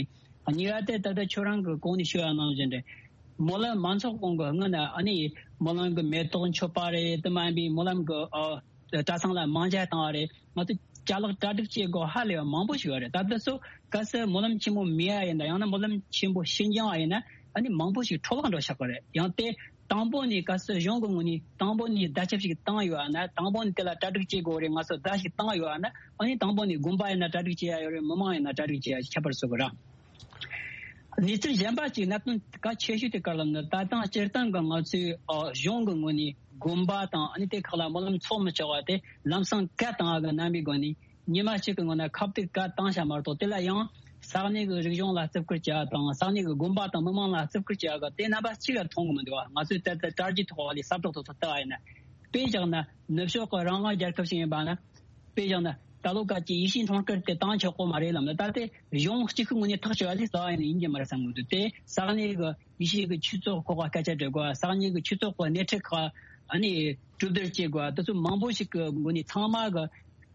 གཉིས་པ་དེ་ད་ལྟ་ཁྱོད་རང་གི་གོང་ནས་ཞུ་ཡ་ནང་བཞིན་རེད། སྨོན་ལམ་མ་འཚོགས་གོང་གི་སྔོན་ན་ཨ་ནི་སྨོན་ལམ་གྱི་མེ་ཏོག་མཆོད་པ་རེད། དེ་མ་ཡིན་པའི་སྨོན་ལམ་གྱི་ཨ་གྲྭ་ཚང་ལ་མང་ཇ་བཏང་བ་རེད། ང་ཚོ་ཅ་ལག་གྲ་སྒྲིག་བྱེད་དགོས་ཧ་ལས་པ་མང་པོ་ཞིག་ཡོད་རེད། ད་ལྟ་སུ་གལ་སྲིད་སྨོན་ལམ་ཆེན་མོ་མེད་ཡ་ཡིན་ན་ཡང་ན་སྨོན་ལམ་ཆེན་པོ་ཕྱི་འགྱངས་པ་ཡིན་ན་ཨ་ནི་མང་པོ་ཞིག་འཕྲོ་བརླག་འགྲོ་ཆགས་པ་རེད། ཡང་དེ་དང་པོ་ནས་གལ་སྲིད་གཞུང་གི་ངོས་ནས་དང་པོ་ནས་བརྡ་ཁྱབ་ཞིག་བཏང་ཡོད་ན། དང་པོ་ནས་དེ་ལ་གྲ་སྒྲིག་བྱེད་དགོས་རེད། ང་ཚོ་བརྡ་ཞིག་བཏང་ཡོད་ན་ཨ་ནི་དང་པོ་ནས་དགོན་པ་ཡིན་ན་གྲ་སྒྲིག་བྱེད་ཡ་ཡོད་རེད། མི་མང་ཡིན་ན་གྲ་སྒྲིག་བྱེད་ཡ་ཁྱད་པར་བཟོ་གི་རེད། གནས་ཚུལ་གཞན་པ་གཅིག་གནད་དོན་གལ་ཆེ་ཤོས་དེ་ག་རེ་ལབ་ན། ད་ཐེངས་སྤྱིར་བཏང་གི་ང་ཚོའི་ཨ་གཞུང་གི་ངོས་ནས་དགོན་པ་དང་ཨ་ནི་དེ་ཁག་ལ་སྨོན་ལམ་འཚོགས་མི་ཆོག་པ་དེ་ལམ་སང་བཀའ་བཏང་བ་གི་རྣམ་པའི་སྒོ་ནས་ཉི་མ་གཅིག་གི་སྔོན་ན་ཁ་གཏད་བཀའ་བཏང་བཞག་མ་གཏོགས། དེ་ལ་ཡང་ས་གནས་ཀྱི་རིག་གཞུང་ལ་བརྩི་བཀུར་བྱ་བ་དང་ས་གནས་ཀྱི་དགོན་པ་དང་མི་མང་ལ་བརྩི་བཀུར་བྱ་བ་གི་དེ་རྣམ་པ་གཅིག་ལ་མཐོང་གི་མི་འདུག་བ། ང་ཚོས་ད་ལྟ་དྲ་རྒྱའི་ཐོག་ལ་ས་བསྒྲགས་དེ་ཚོ་ལྟ་བ་ཡིན་ན། དཔེ་བཞག་ན་ནུབ་ཕྱོགས་ཀྱི་རང་དབང་རྒྱལ་ཁབ་ཞིག་ཡིན་པ་ན། དཔེ་བཞག་ན་ ད་ལོ་ག་ཅི་ཡེ་ཤུའི་འཁྲུངས་སྐར་དེ་བཏང་ཆོག་གོ་མ་རེད་ལབ་ན། ད་དེ་གཞུང་གཅིག་གི་ངོས་ནས་ཐག་གཅོད་ཡ་དེ་རྩ་བ་ཡིན་ན་ཡིན་གྱི་མ་རེད་བསམ་གི་འདུག་དེ་ས་གནས་གི་ཡེ་ཤུའི་གི་ཆོས་ཚོགས་ཁག་ག་སྐད་ཆ་བྲལ་དགོས། ས་གནས་གི་ཆོས་ཚོགས་ཁག་སྣེ་ཁྲིད་ཁག་ཨ་ནི་གྲོས་བསྡུར་བྱེད་དགོས། དེ་ཚོ་མང་པོ་ཞིག་གི་ངོས་ནས་ཚང་མ་གི་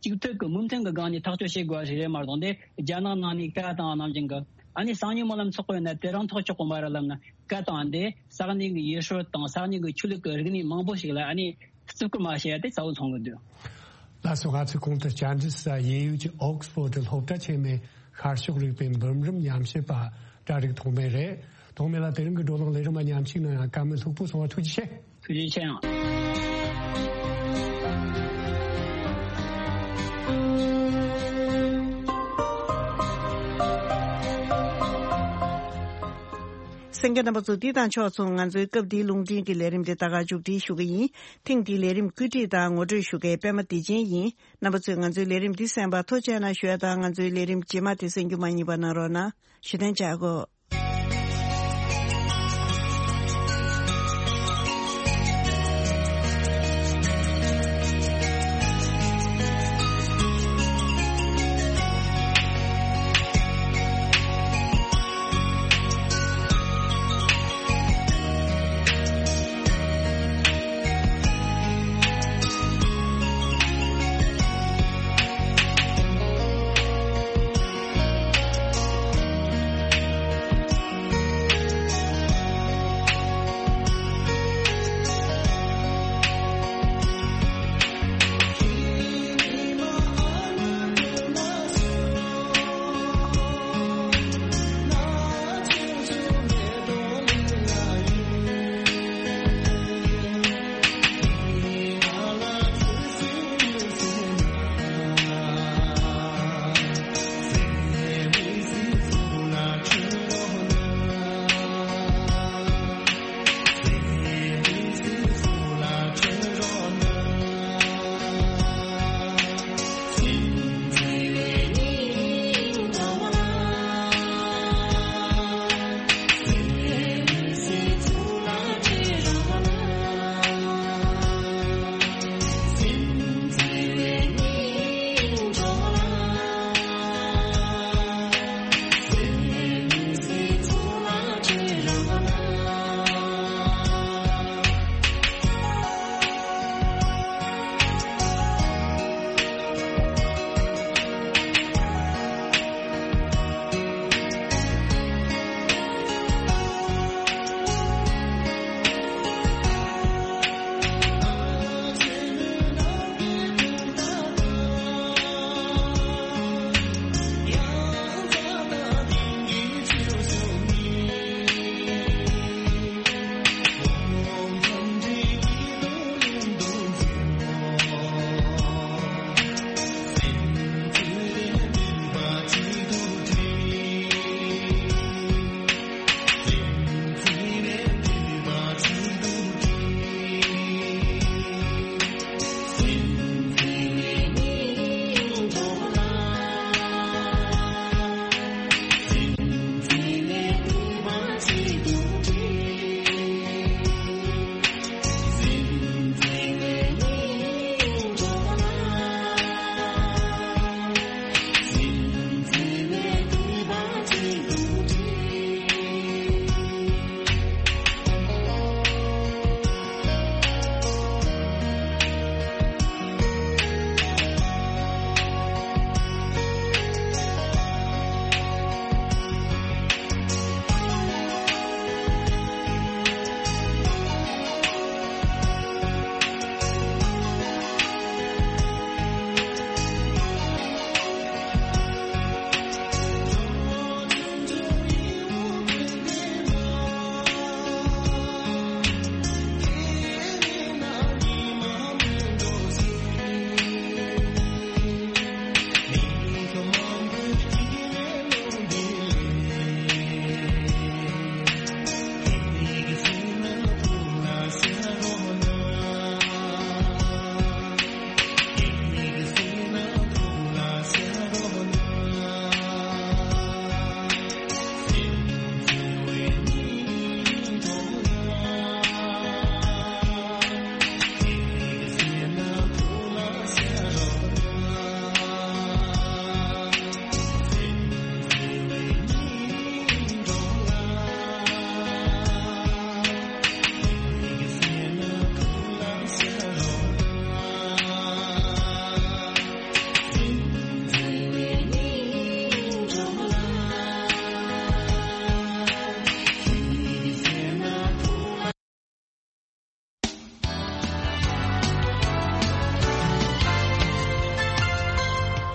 གཅིག་མཐུན་གི་མོས་མཐུན་གི་སྒང་ནས་ཐག་གཅོད་བྱེད་དགོས་ཞིག་རེད་མ་གཏོགས། དེ་རྒྱ་ནག་ནང་ནས་བཀའ་བཏང་ནང་བཞིན་གི་ཨ་ནི་གསང་ཉུལ་སྨོན་ལམ་ཚོགས་པ་ཡིན་ན་དེ་རང་ཐག་ཆོད་གོ་མ་རེད་ལབ་ན། བཀའ་བཏང་དེ་ས་གནས་གི་ཡུལ་སྲོལ་དང་ས་གནས་གི་ཆོས་ལུགས་གི་རིག་གནས་མང་པོ་ཞིག་ལ་ཨ་ནི་བརྩི་བཀུར་མ་བྱས་ཏེ་གསལ་བོ་མཐོང་གི་འདུག་ལགས་སོ། ང་ཚོས་གོང་དུ་ལྕམ་དྲི་ས་ཡེ་ཡུལ་གྱི་ཨོག་སི་ཕོར་ཌི་སློབ་གྲྭ་ཆེན་མོའི་ཤར་ཕྱོགས་རིག་པའི་འབུམ་རམས་ཉམས་ཞིབ་པ་གྲ་སྒྲིག་ཐོགས་མེད་རེད། ཐོགས་མེད་ལགས། དེ་རིང་གི་བགྲོ་གླེང་ལས་རིམ་མ་ཉམས་ཞིབ་གནང་ཡང་བཀའ་མོལ་ལྷུག་པོ་གསུང་བ་ཐུགས་རྗེ་ཆེ། ཐུགས་རྗེ་ཆེ་ཡང་། གསན་མཁན་རྣམ་པ་ཚོ། འདི་དང་ཕྱོགས་མཚུངས་ང་ཚོའི་སྐབས་འདིའི་རླུང་འཕྲིན་གྱི་ལས་རིམ་དེ་ད་ག་མཇུག་སྒྲིལ་ཞུ་གི་ཡིན། ཐེངས་འདིའི་ལས་རིམ་བཀོད་སྒྲིག་དང་ངོ་སྤྲོད་ཞུ་མཁན་པད་མ་བདེ་ཆེན་ཡིན། རྣམ་པ་ཚོས་ང་ཚོའི་ལས་རིམ་འདི་གསན་པར་ཐུགས་རྗེ་གནང་ཞུ་ཡ་དང་། ང་ཚོའི་ལས་རིམ་རྗེས་མ་དེ་གསན་རྒྱུ་མ་བསྙེལ་བ་གནང་རོགས་གནང་། བཞུགས་གདན་འཇགས་དགོས།